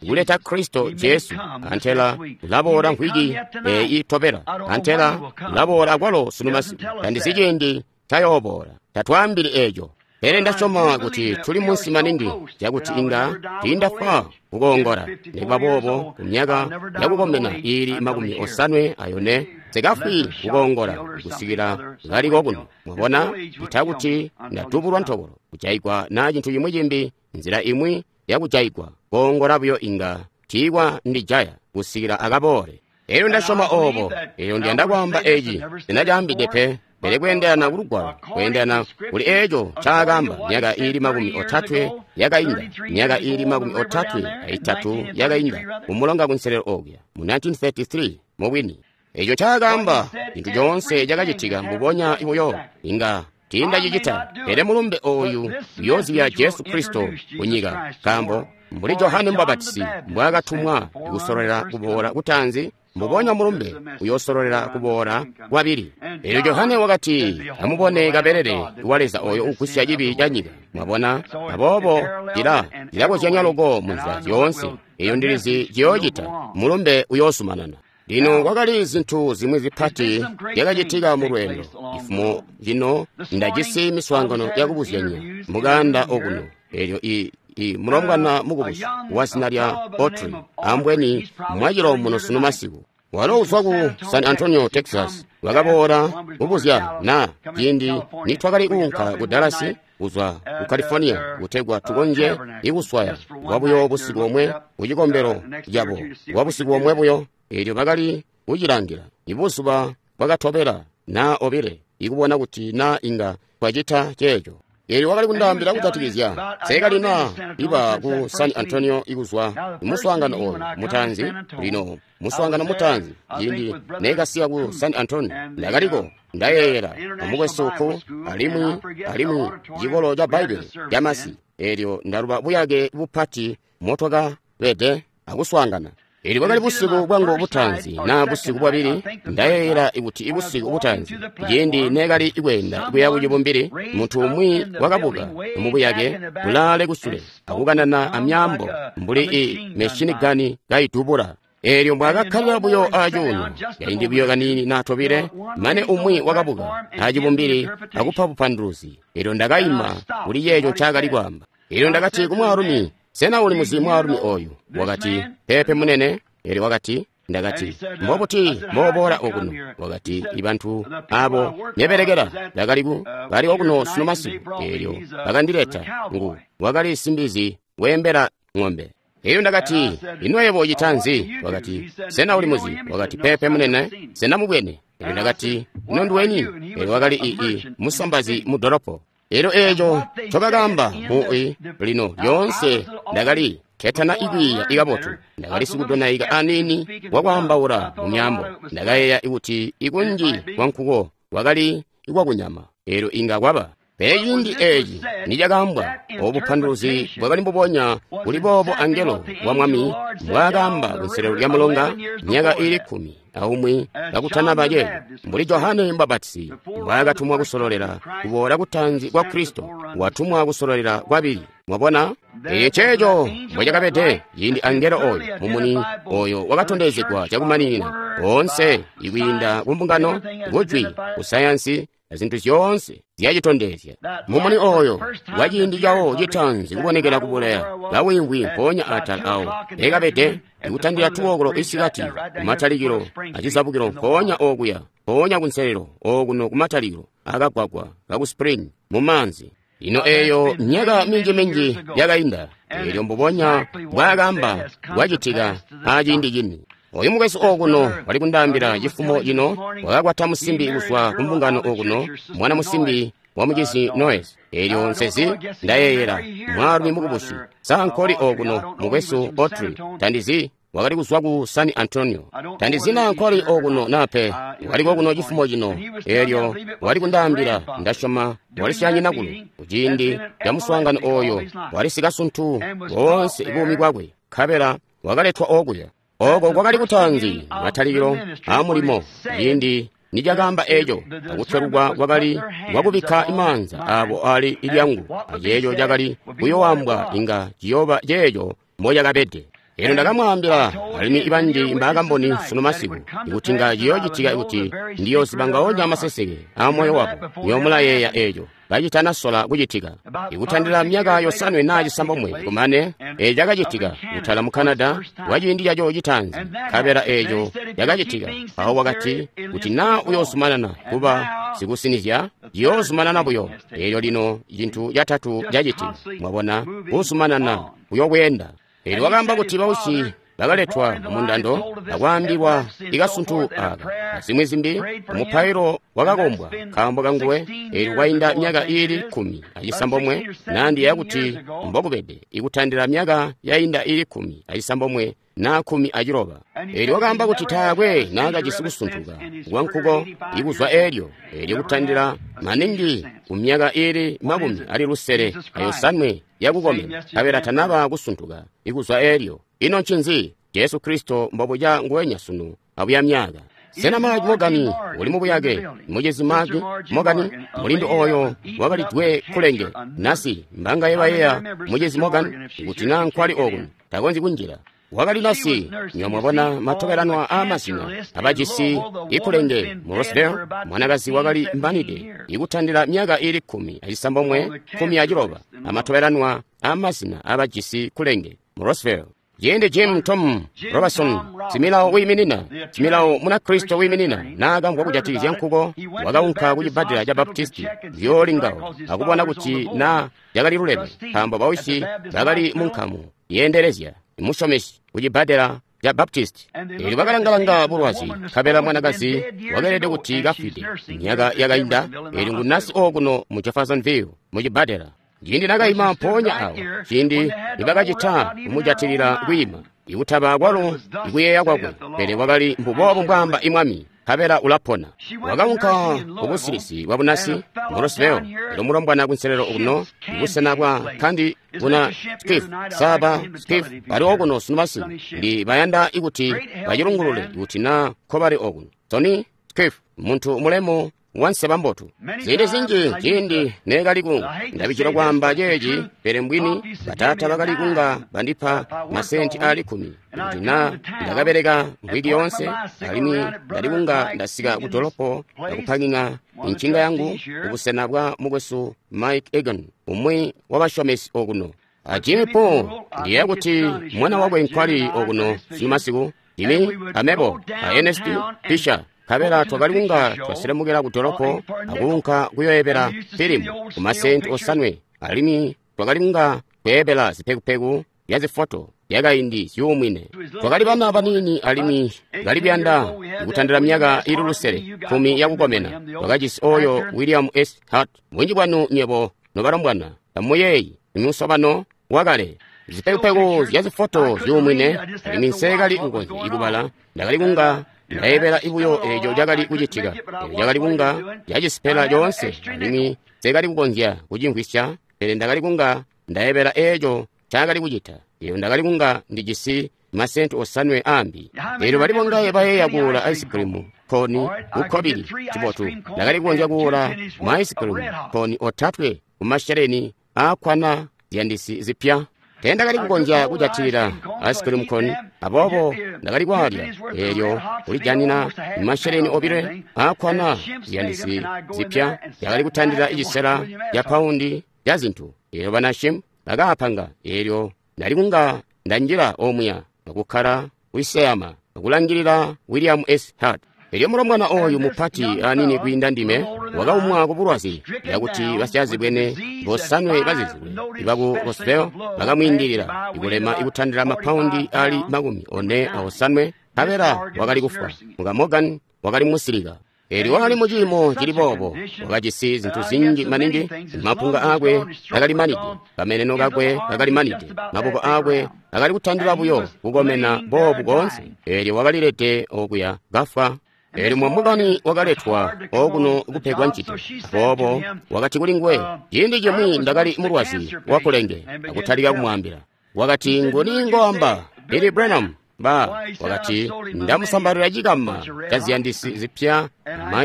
kuleta Kristo Jesu. Antela ulaboola mvwiki eyi itobela. Antela ulaboola akwalo sunu masiku. Tandizi ciindi tayooboola. Tatwaambili eeco. Pele ndasyoma kuti tuli munsi maningi cakuti inga tiindafwa kukoongola. Nikuba boobo, ku myaka yakukomena iili makumi osanwe ayone, nsikafwi kukoongola kusikila kaliko kuno. Mwabona, ita kuti ndatubulwa ntobolo, kujaigwa naa cintu cimwi cimbi, nzila imwi yakujaigwa. Koongola buyo inga tiikwa ndijaya kusikila akaboole. Elyo ndasyoma oobo. Elyo ndiyanda kwaamba eci, sinacaambide pe. Pele kweendelana ku Lugwalo, kweendelana kuli eco ncaakaamba myaka iili makumi otatwe yakainda, myaka iili makumi otatwe aitatu yakainda, kumulonga kunselelo okuya mu nineteen thirty-three mubwini. Eco ncaakaamba, cintu coonse cakacitika mbubonya buyo, inga tiindacicita. Pele mulumbe ooyu uyoozibya Jesu Kristo kunyika, nkaambo mbuli Johane Mubapatizi mbwaakatumwa kusololela kuboola kutaanzi, mbubonya mulumbe uyosololela kuboola kwabili. Elyo Johane wakati, amubone kabelele wa Leza oyo ugusya cibi ca nyika. Mwabona, aboobo cila cilakozyanya loko munzila zyoonse. Eyo ndilizi ciyoocita, mulumbe uyoozumanana. Lino kwakali zintu zimwi zipati zyakacitika mu lweendo. Ifumo lino ndajisi miswaangano yakubuzyanya mukaanda okuno. Elyo i i mulombwana mukubusi wa zina lya Autry, ambweni mwacilo muno sunu masiku. Walo uzwa ku San Antonio, Texas, wakaboola kubuzya na ciindi nitwakali kuunka ku Dallas kuzwa ku California kutegwa tukonzye ikuswaya kwabuyo busiku bomwe ku cikombelo cabo kwa busiku bomwe buyo. Elyo bakali kucilangila ibuzuba bwakatobela na obile ikubona kuti na inga twacita ceeco. Elyo wakali kundaambila kujatikizya sekalina iba ku San Antonio ikuzwa muswaangano oyu mutaanzi. Lino muswaangano mutaanzi ciindi nekasiya ku San Antonio, ndakaliko ndayeeyela amukwesu ku alimwi alimwi cikolo ca Bbaibbele camasi. Elyo ndaluba buyake bupati motwakabede akuswaangana. Elyo bwakali busiku bwangu butaanzi na busiku bwabili, ndayeeyela kuti ibusiku butaanzi ciindi nekali kweenda kuya ku cibumbili, muntu umwi wakabuka mubuyake kulaale kusule akukanana amyaambo mbuli i machine gun kaidubula. Elyo mbwaakakkalila buyo acuuno kaindi buyo kaniini na tobile, mane umwi wakabuka acibumbili akupa bupanduluzi. Elyo ndakaima kuli ceeco ncaakali kwaamba. Elyo ndakati ku mwaalumi, sena uli muzi mwaalumi oyu? Wakati, peepe munene. Elyo wakati, ndakati, mbobuti mbooboola okuno? Wakati, ibantu abo nebelekela ndakali ku bali okuno sunu masiku. Elyo bakandileta ngu wakali simbizi weembela ng'ombe. Elyo ndakati, ino yebo ucita nzi? Wakati, sena uli muzi? Wakati, peepe munene, sena mubwene. Elyo ndakati, ino nduweni? Elyo wakali ii musambazi mu dolopo. Elyo eeco ncobakaamba mu i lino lyoonse ndakali ketana ikwiiya ikabotu. Ndakali sikudonaika aniini wakwaambaula mu myaambo. Ndakayeeya kuti ikunji kwankuko kwakali ikwakunyama. Elyo inga kwaba. Pele ciindi eeci nicakaambwa, obu bupanduluzi bwakali mbubonya kuli boobo angelo wa Mwami mbwaakaamba kunselelo lya mulonga myaka iili kkumi aumwi kakutanaba ceeco, mbuli Johane Mubapatizi mbwaakatumwa kusololela kuboola kutaanzi kwa Kristo, watumwa kusololela kwabili. Mwabona, eco ceeco mbwecakabede ciindi angelo oyo mumuni oyo wakatondezegwa cakumaninina oonse ikwiinda ku mbungano, kujwi, ku sayansi, azintu zyoonse zyacitondezya. Mumuni oyo wa ciindi cawo citaanzi kubonekela kubuleya, kawimvwi mpoonya atala awo ekabede, ikutandila tuwokolo isikati kumatalikilo acizabukilo mpoonya okuya, mpoonya kunselelo okuno kumatalikilo akagwagwa kaku Spring mu maanzi. Ino eyo myaka minji-minji yakainda, eelyo mbubonya bwakamba bwacitika aciindi cini. Oyu mukwesu okuno wali kundaambila cifumo cino, wakakwata musimbi kuzwa kumbungano okuno, mwana musimbi wa mucizi Noyes. Eelyo nsezi ndayeeyela mwaalumi mukubusi sankoli okuno mukwesu Autry, tandizi wakali kuzwa ku San Antonio. Tandizi naa nkoli okuno nape, wali kokuno cifumo cino. Eelyo wali kundaambila, ndasyoma wali syanyinakulu kuciindi ca muswaangano oyo, wali sikasuntu boonse buumi bwakwe, nkabela wakaletwa okuya. Oko kwakali kutaanzi matalikilo a mulimo ciindi nicakaamba eco, akutwelukwa kwakali kwakubikka maanza abo ali ilyangu, aceeco cakali kuyoambwa inga ciyooba ceeco mbocakabede. Elyo ndakamwaambila alimwi banji mbaakamboni sunu masiku, ikuti nga ciyoocitika kuti ndiyooziba ngaonya amaseseke a moyo wabo. Nyoomulayeeya eco kacitanasola kucitika. Ikutandila myaka yosanwe naa cisambomwe kumane, eco cakacitika kutala mu Canada kwa ciindi caco citaanzi, nkabela eco cakacitika. Mpawo wakati kuti naa uyoozumanana kuba sikusinizya, ciyoozumanana buyo. Eelyo lino cintu catatu cacitika, mwabona, kuzumanana kuyobweenda. Eelyo wakaamba kuti bausyi bakaletwa mumundando akwaambilwa ikasuntu aka azimwi zimbi, mupailo wakakombwa nkaambo kanguwe. Eelyo kwainda myaka iili kkumi acisambomwe, nandiyeeya kuti mbokubede, ikutandila myaka yainda iili kkumi acisambomwe naa kkumi aciloba. Eelyo wakaamba kuti taakwe naakajisi kusuntuka kwankuko ikuzwa eelyo, eelyo kutandila maningi kumyaka iili makumi ali lusele ayosanwe yakukomena, nkabela tanaba kusuntuka ikuzwa eelyo. Ino ncinzi? Jesu Kristo mbobuca nguwenya sunu abuya myaka. Sena Mark Morgan uli mubuyake? Mucizi Mark Morgan, mulindu oyo wakalidwe kulenge nasi mbangaye bayeeya mucizi Morgan kuti naa nkwali okuno takonzyi kunjila. Wakali nasi, nyo mwabona matobelanwa aamazina abajisi ikulenge mu Rosedale, mwanakazi wakali mbanide ikutandila myaka iili kkumi acisambomwe kkumi aciloba, amatobelanwa aamazina abajisi kulenge mu Rosedale. Ciindi Jim Tom Robertson, similawo wiiminina, similawo Munakristo wiiminina, naakamvwa kujatikizya nkuko, wakaunka kucibbadela ca Baptisti ziyoolingawo akubona kuti naa cakali luleme, nkaambo bausyi bakali mu nkamu yeendelezya musyomesi kucibbadela ca Baptisti. Eelyo bakalangalanga bulwazi, nkabela mwanakazi wakeelede kuti kafwide myaka yakainda. Eelyo ngu nasi okuno mu Jeffersonville mu cibbadela. Ciindi nakaima mpoonya awo, ciindi nibakacita kumujatilila kwiima, ikutaba kwalo ikuyeeya kwakwe, pele kwakali mbuboobu mbwaamba imwami, nkabela ulapona. Wakaunka kubusilisi bwa bunasi mu Rosedale, elyo mulombwana kunselelo okuno, ibusena bwa kandi buna Skiff, saba Skiff, bali okuno sunu masiku, ndi bayanda ikuti bacilungulule kuti naa nkobali okuno. Tony Skiff, muntu mulemu wanseba mbotu. Ziindi zinji ciindi neekali ku ndabicila kwaamba ceeci, pele mbwini bataata bakali kunga bandipa masenti aali kkumi kuti naa ndakabeleka mvwiki yoonse, alimwi ndali kunga ndasika ku dolopo akupaking'a incinga yangu kubusena bwa mukwesu Mike Egan, umwi wabasyomesi okuno. A Jimmy Paul, ndiyeeya kuti mwana wakwe nkwali okuno sunu masiku, Jimmy, amebo, a Ernest Fisher, nkabela twakali kunga twasilemukela ku dolopo akuunka kuyoyebela filimu ku masenti osanwe, alimwi twakali kunga kweebela zipekupeku zya zifoto zyakaindi zyuumwine. Twakali bana baniini alimwi kali kuyanda kutandila myaka iili lusele kkumi yakukomena. Twakajisi oyo William S. Hart, bunji bwanu nywebo nobalombwana tamuyeeyi imusobano wakale. Zipekupeku zya zifoto zyuumwine, alimwi nseekali kukonzya kubala, ndakali kunga ndayebela ibuyo eco cakali kucitika. Eco cakali kunga cacisipela coonse, alimwi nseekali kukonzya kucimvwisya, pele ndakali kunga ndayebela eco ncaakali kucita. Eyo ndakali kunga ndijisi masenti osanwe aambi. Eelyo bali bongaye bayeeya kuula ice cream koni kukkobili cibotu, ndakali kukonzya kuula ma ice cream koni otatwe kumasheleni aakkwana ziyandisi zipya. Teendakali kukonzya kujatilila ice cream cone, aboobo ndakali kwaalya. Eelyo kulijanina masheleni obile aakkwana ziyandisi zipya yakali kutandila cisela ca paundi ya zintu. Eelyo bana Shim bakaapanga. Eelyo ndali kunga ndanjila omuya akukkala kwiseyama akulangilila William S. Hart. Elyo mulombwana oyu mupati anini kwiinda ndime wakaumwa ku bulwazi yakuti basyaazibwene bosanwe bazizilwe ibaku Roswell bakamwiindilila ikulema ikutandila mapaundi ali makumi one aosanwe nkabela wakali kufwa. Muka Morgan wakali musilika. Elyo wakali mu ciimo cili boobo, wakajisi zintu zinji maningi, mapunga aakwe akali manide, kameneno kakwe kakali manide, maboko aakwe akali kutandila buyo kukomena boobu koonse. Elyo wakalilede okuya kafwa. Elyo mwamukani wakaletwa okuno kupegwa ncito. Aboobo wakati kuli nguwe, ciindi cimwi ndakali mulwazi wakulenge, akutalika kumwaambila. Wakati, nguni ngoamba? Billy Branham. Ba, wakati, ndamusambalira cikama ca ziyandisi zipya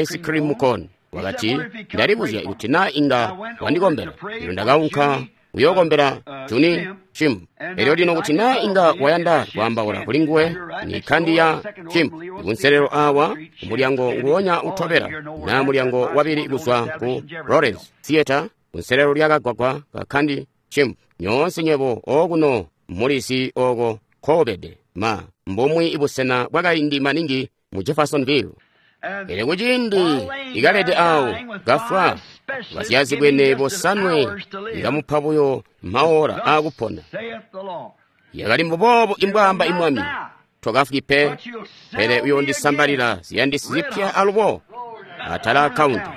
ice cream cone. Wakati, ndalibuzya kuti na inga wandikombela. Elyo ndakaunka kuyookombela Juni Shim. Elyo lino kuti na inga wayanda kwaambaula kuli nguwe, ni kandi ya Shim. Kunselelo awa, kumulyango nguwonya utobela, na mulyango wabili kuzwa ku Lawrence Theater, kunselelo lyakagwagwa ka kandi Shim. Nyoonse nywebo okuno mulisi oko koobede. Ma, mbumwi ibusena bwakaindi maningi mu Jeffersonville. Elyo kuciindi ikalede awo kafwa, basyazibwene bosanwe ikamupa buyo maora aakupona. Yakali mbuboobo imbwaamba imwami, tokafwi pe, pele uyondisambalila ziyandisi zipya alubo atala akaunta.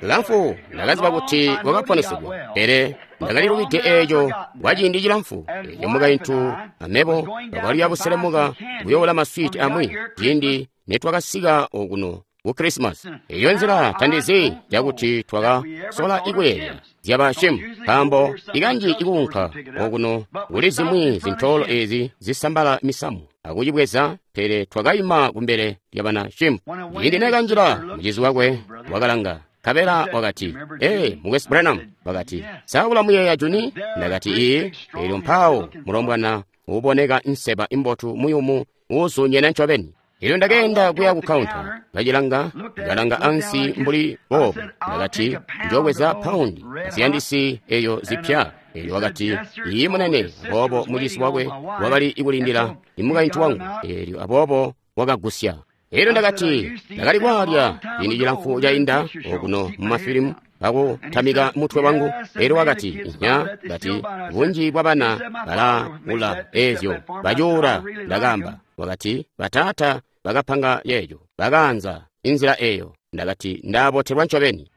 Lamfu ndakaziba kuti wakaponesegwa, pele ndakalilubide eeco kwa ciindi cilamfu. Elyo mukaintu amebo twakali buselemuka kuyoola maswiti amwi ciindi netwakasika okuno ku Christmas. Eyo nzila tandizi cakuti twakasola ikuyeeya zyaba Shim, nkaambo ikanji ikuunka okuno kuli zimwi zintoolo ezi zisambala misamu akucibweza, pele twakaima kumbele lyabana Shim. Ciindi nekanjila, mucizi wakwe wakalanga. Kabela wakati, ee, Mukwesu Branham, wakati, sa ulamuyeeya Juni? Ndakati, ii. Elyo mpawo mulombwana uboneka nseba imbotu muyumu uuzuunyene ncobeni. Elyo ndakeenda kuya ku kaunta, kacilanga, kalanga ansi mbuli boobu. Ndakati, njobweza paundi ziyandisi eyo zipya. Elyo wakati, ii munene. Aboobo mucisi wakwe wakali ikulindila imukaintu wangu. Elyo aboobo wakagusya. Elyo ndakati, ndakali kwaalya ciindi cilamfu cainda okuno mu mafilimu akutamika mutwe wangu. Elyo wakati, inya, kati, bunji bwa bana balaula ezyo bacuula. Ndakamba, wakati, bataata bakapanga yeejo, bakaanza inzila eyo. Ndakati, ndabotelwa ncobeni.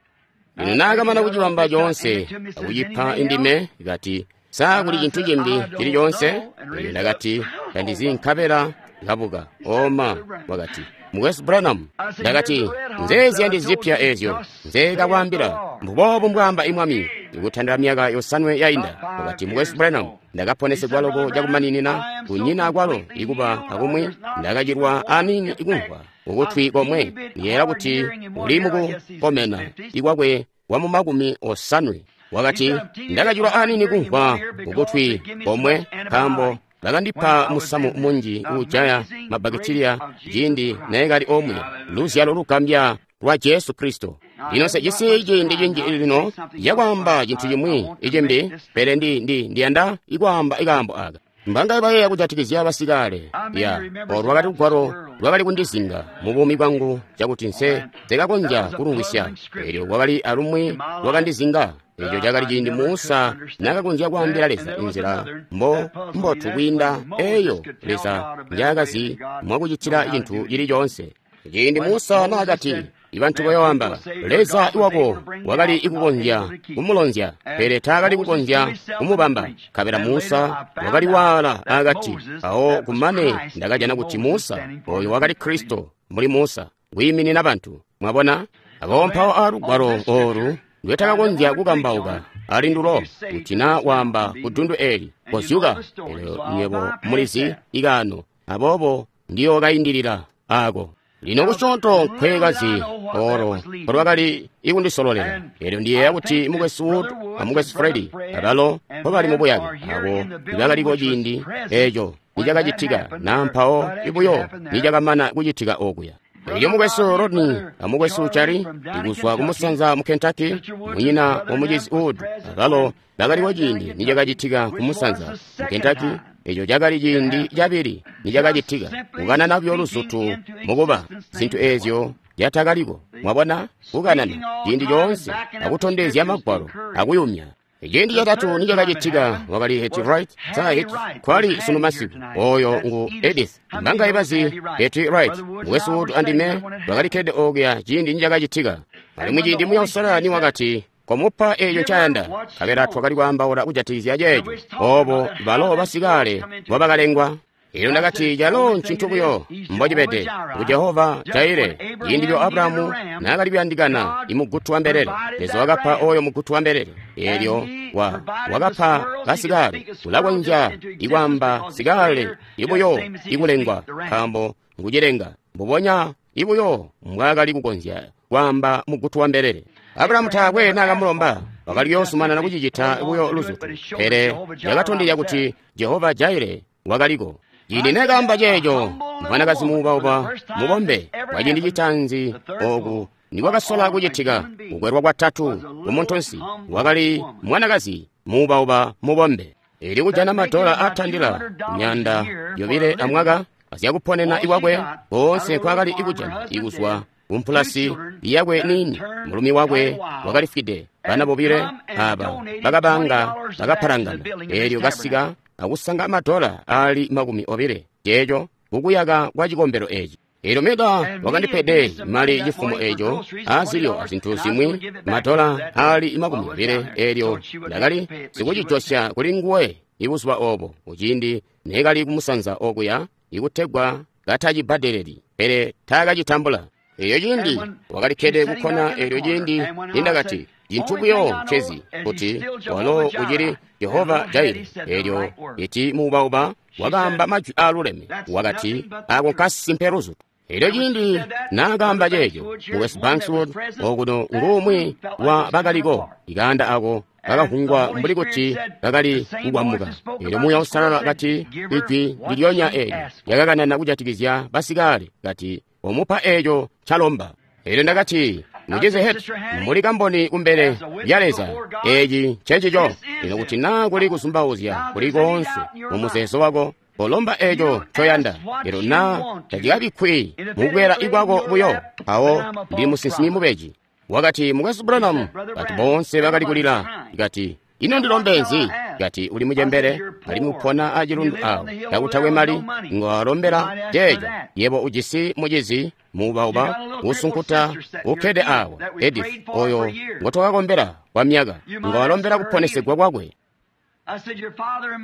Lino naakamana kucibamba coonse akucipa indime, kati, sa kuli cintu cimbi cili coonse? Elyo ndakati, tandizi nkabela kabuka. Oma, wakati, Mukwesu Branham. Ndakati, nzeezi zipya ezyo nzeekakwaambila, mbuboobu mbwaamba imwami, ikutandila myaka yosanwe yainda. Wakati, Mukwesu Branham, ndakaponesegwa loko cakumaninina, kunyina kwalo ikuba akumwi, ndakacilwa anini ikumvwa kukutwi komwe. Ndiyeeya kuti uli mukukomena ikwakwe wa mu makumi osanwe. Wakati, ndakacilwa anini kumvwa kukutwi komwe, nkaambo bakandipa musamu munji uujaya mabakitiliya ciindi neekali omwe. Luzyalo lugambya lwa Jesu Kristo. Lino sejisi ciindi cinji lino cakwaamba cintu cimwi icimbi, pele ndi ndi ndiyanda ikwaamba ikaambo aka. Mbangaye bayeeya kujatikizya basikale ya olwakali lugwalo lwakali kundizinga mu buumi bwangu cakuti nse nzekakonzya kulumvwisya. Elyo kwakali alumwi lwakandizinga. Eco cakali ciindi Musa nakakonzya kwaambila Leza inzila mbo mbotu kwiinda eyo Leza njaakazi mwakucitila cintu cili coonse. Ciindi Musa naakati, ibantu bayoamba, Leza iwako wakali ikukonzya kumulonzya, pele taakali kukonzya kumubamba. Nkabela Musa wakali waala akati, awo kumane ndakajana kuti Musa oyo wakali Kristo muli Musa, kwiiminina bantu. Mwabona? Abo mpawo alugwalo olu ndwetakakonzya kukambauka ali ndulo, kuti na waamba ku dundu eli, kozyuka. Elyo nywebo mulizi ikaano, aboobo ndiyookaindilila ako. Lino kusyoonto nkwekazi olo lwakali ikundisololela. Elyo ndiyeeya kuti Mukwesu Wood a Mukwesu Freddy abalo mpobali mu buyake abo ibakaliko ciindi eco nicakacitika na mpawo ibuyo nicakamana kucitika okuya. Elyo mukwesu Rodney amukwesu Charlie ikuzwa kumusanza mu Kentucky, munyina wa mucizi Wood, abalo bakaliko ciindi nicakacitika kumusanza mu Kentucky. Eco cakali ciindi cabili nicakacitika, kukanana buyo luzutu mukuba zintu ezyo zyatakaliko. Mwabona, kukanana ciindi coonse akutondezya magwalo akuyumya. Ciindi catatu nicakacitika wakali Hetty Wright. Sa Hetty kwali sunu masiku oyo ngu Edith. Mbangaye bazi Hetty Wright? Mukwesu Wood andime twakalikkede okuya ciindi nicakacitika. Alimwi ciindi Muuya Uusalala niwakati komupa eeco ncayanda, nkabela twakali kwaambaula kujatikizya ceeco obo balo basikale mbobakalengwa. Elyo ndakati calo ncintu buyo mbocibede ku Jehova Jaire. Ciindi lyo Abrahamu naakali kuyandikana imugutu wa mbelele, Leza wakapa oyo mugutu wa mbelele. Elyo wa wakapa basikale, ulakonzya ikwaamba sikale ibuyo ikulengwa, nkaambo ngucilenga mbubonya ibuyo mbwaakali kukonzya kwaamba mugutu wa mbelele. Abrahamu taakwe naakamulomba, wakali kuyoozumanana kucicita buyo luzutu, pele yakatondezya kuti Jehova Jaire wakaliko. Ciindi nekaamba ceeco, mwanakazi muubauba mubombe kwa ciindi citaanzi oku nikwakasola kucitika kukwelwa kwatatu kumuntunsi, wakali mwanakazi muubauba mubombe. Eli kujana madola atandila myanda yobile amwaka azyakuponena ikwakwe koonse nkwaakali ikujana ikuzwa kumpulasi yakwe niini. Mulumi wakwe wakalifwide, bana bobile aba bakabanga bakapalangana. Elyo kasika akusanga madola ali makumi obile ceeco kukuyaka kwa cikombelo eci. Elyo Meda wakandipede mali cifumo eco azilyo azintu zimwi madola ali makumi obile. Elyo ndakali sikucijosya kuli nguwe ibuzuba obo kuciindi nekali kumusanza okuya ikutegwa katacibbadeleli, pele taakacitambula. Elyo ciindi wakalikkede kukkona. Elyo ciindi nindakati cintu buyo ncezi kuti walo ucili Jehova Jaire. Elyo iti muubauba wakaamba majwi aaluleme, wakati ako nkasimpe luzutu. Elyo ciindi naakaamba ceeco, mukwesu Bankswood okuno ngumwi wa bakaliko, ikaanda ako kakavungwa mbuli kuti kakali kukwamuka. Elyo Muuya Uusalala kati ijwi ndilyonya eelyo lyakakanana kujatikizya basikale, kati omupa eeco ncalomba. Elyo ndakati, mucizi Hetty, muli kamboni kumbele lya Leza, eci ncencico. Lino kuti naa kuli kuzumbauzya kuli koonse mu muzeezo wako, kolomba eeco ncoyanda. Elyo naa tacikabikkwi mukukwela ikwako buyo, mpawo ndi musinsimi mubeji. Wakati, mukwesu Branham, bantu boonse bakali kulila. Kati, ino ndilombe nzi? Kati, uli mucembele alimwi upona acilundu awo, kakutakwe mali, ngwalombela ceeco. Yebo ujisi mucizi muubauba usunkuta ukkede awo, Edith, oyo ngotwakakombela kwa myaka, ngwalombela kuponesegwa kwakwe.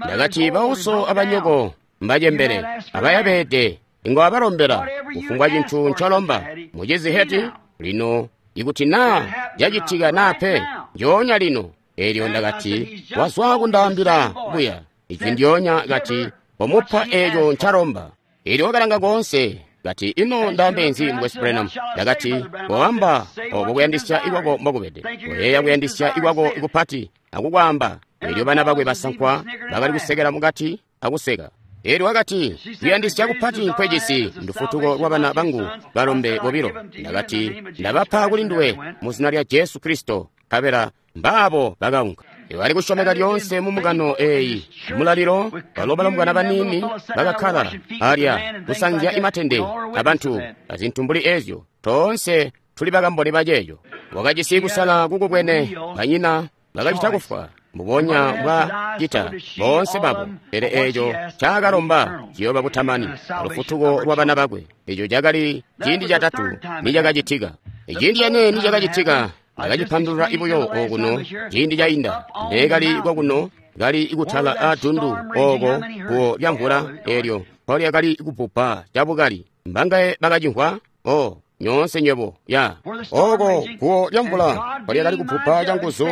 Ndakati, bauso abanyoko mbacembele abayabede, ngwabalombela kufumbwa cintu ncolomba. Mucizi Hetty, lino ikuti naa cacitika naa pe, njoonya lino. Elyo ndakati, wazwa kundaambila buya ijwi ndyonya, kati omupa eeco ncalomba. Elyo wakalanga koonse, kati, ino ndaambe nzi mukwesu Branham? Ndakati, koamba obo kuyandisya ikwako mbokubede, koyeeya kuyandisya ikwako ikupati akukwaamba. Elyo bana bakwe basankwa bakali kusekela mukati akuseka. Elyo wakati, kuyandisya kupati nkwejisi ndufutuko lwa bana bangu balombe bobilo. Ndakati, ndabapa kuli nduwe mu zina lya Jesu Kristo. Nkabela mbaabo bakaunka. Bali kusyomeka lyoonse mu mbungano eeyi. Mulalilo balo balombwana baniini bakakkala alya kusanzya imatende abantu azintu mbuli ezyo. Toonse tuli bakamboni baceeco. Wakajisi kusala kukubwene, banyina bakacita kufwa mbubonya bwa cita boonse babo, pele eeco caakalomba ciyooba butamani alufutuko lwa bana bakwe. Eco cakali ciindi catatu nicakacitika. Ciindi cane nicakacitika ndakacipandulula ibuyo okuno ciindi cainda. Ndeekali kwakuno kali ikutala atundu ooko guwo lya mvula eelyo mpo lyakali kupupa cabukali. Mbangaye bakacimvwa? O nyoonse nywebo ya ooko guwo lya mvula mpo lyakali kupupa canguzu.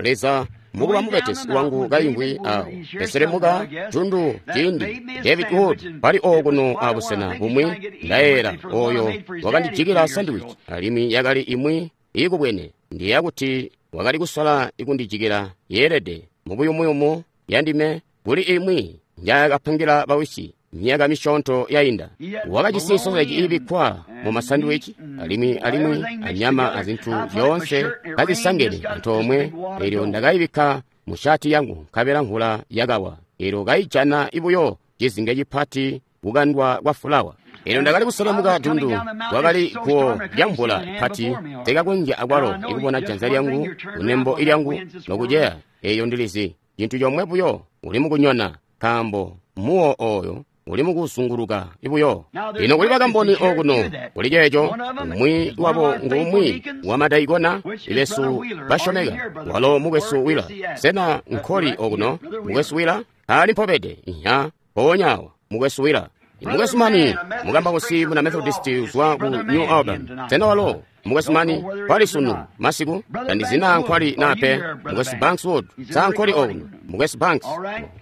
Leza mukuba mubetesi wangu kaimvwi awo eselemuka tundu ciindi David Wood pali okuno abusena bumwi ndayeera oyo wakandijikila sandwich alimwi yakali imwi ikubwene ndiya kuti wakali kusola ikundijikila yeelede mubuyumuyumu yandime kuli imwi njaakapangila bawisi myaka misyoonto yainda. Wakajisi soseji iibikkwa mu masandiwici alimwi alimwi anyama azintu zyoonse kazisangene antoomwe. Eelyo ndakayibikka mu shati yangu nkabela mvula yakawa, eelyo kaijana buyo cizinge cipati kukandwa kwa fulawa. Eelyo ndakali kuselemuka dundu, kwakali guwo lya mvula pati, tekakonzya akwalo ikubona janza lyangu kunembo lyangu nokuceya. Eeyo ndilizi cintu comwe buyo, uli mukunyona, nkaambo muwo oyo uli mukuzunguluka buyo. Lino kuli bakamboni okuno kuli ceeco, umwi wabo ngumwi wamadaikona besu basyomeka, walo mukwesu Wila. Sena nkoli okuno mukwesu Wila? Ali mpobede inya mpoonya awa mukwesu Wila. Mukwesu Mani, mukambausi muna Methodist uzwa ku New Albany. Sena walo mukwesu Mani kwali sunu masiku? Tandizina nkwali nape. Mukwesu Banks Wood sa nkoli okuno? Mukwesu Banks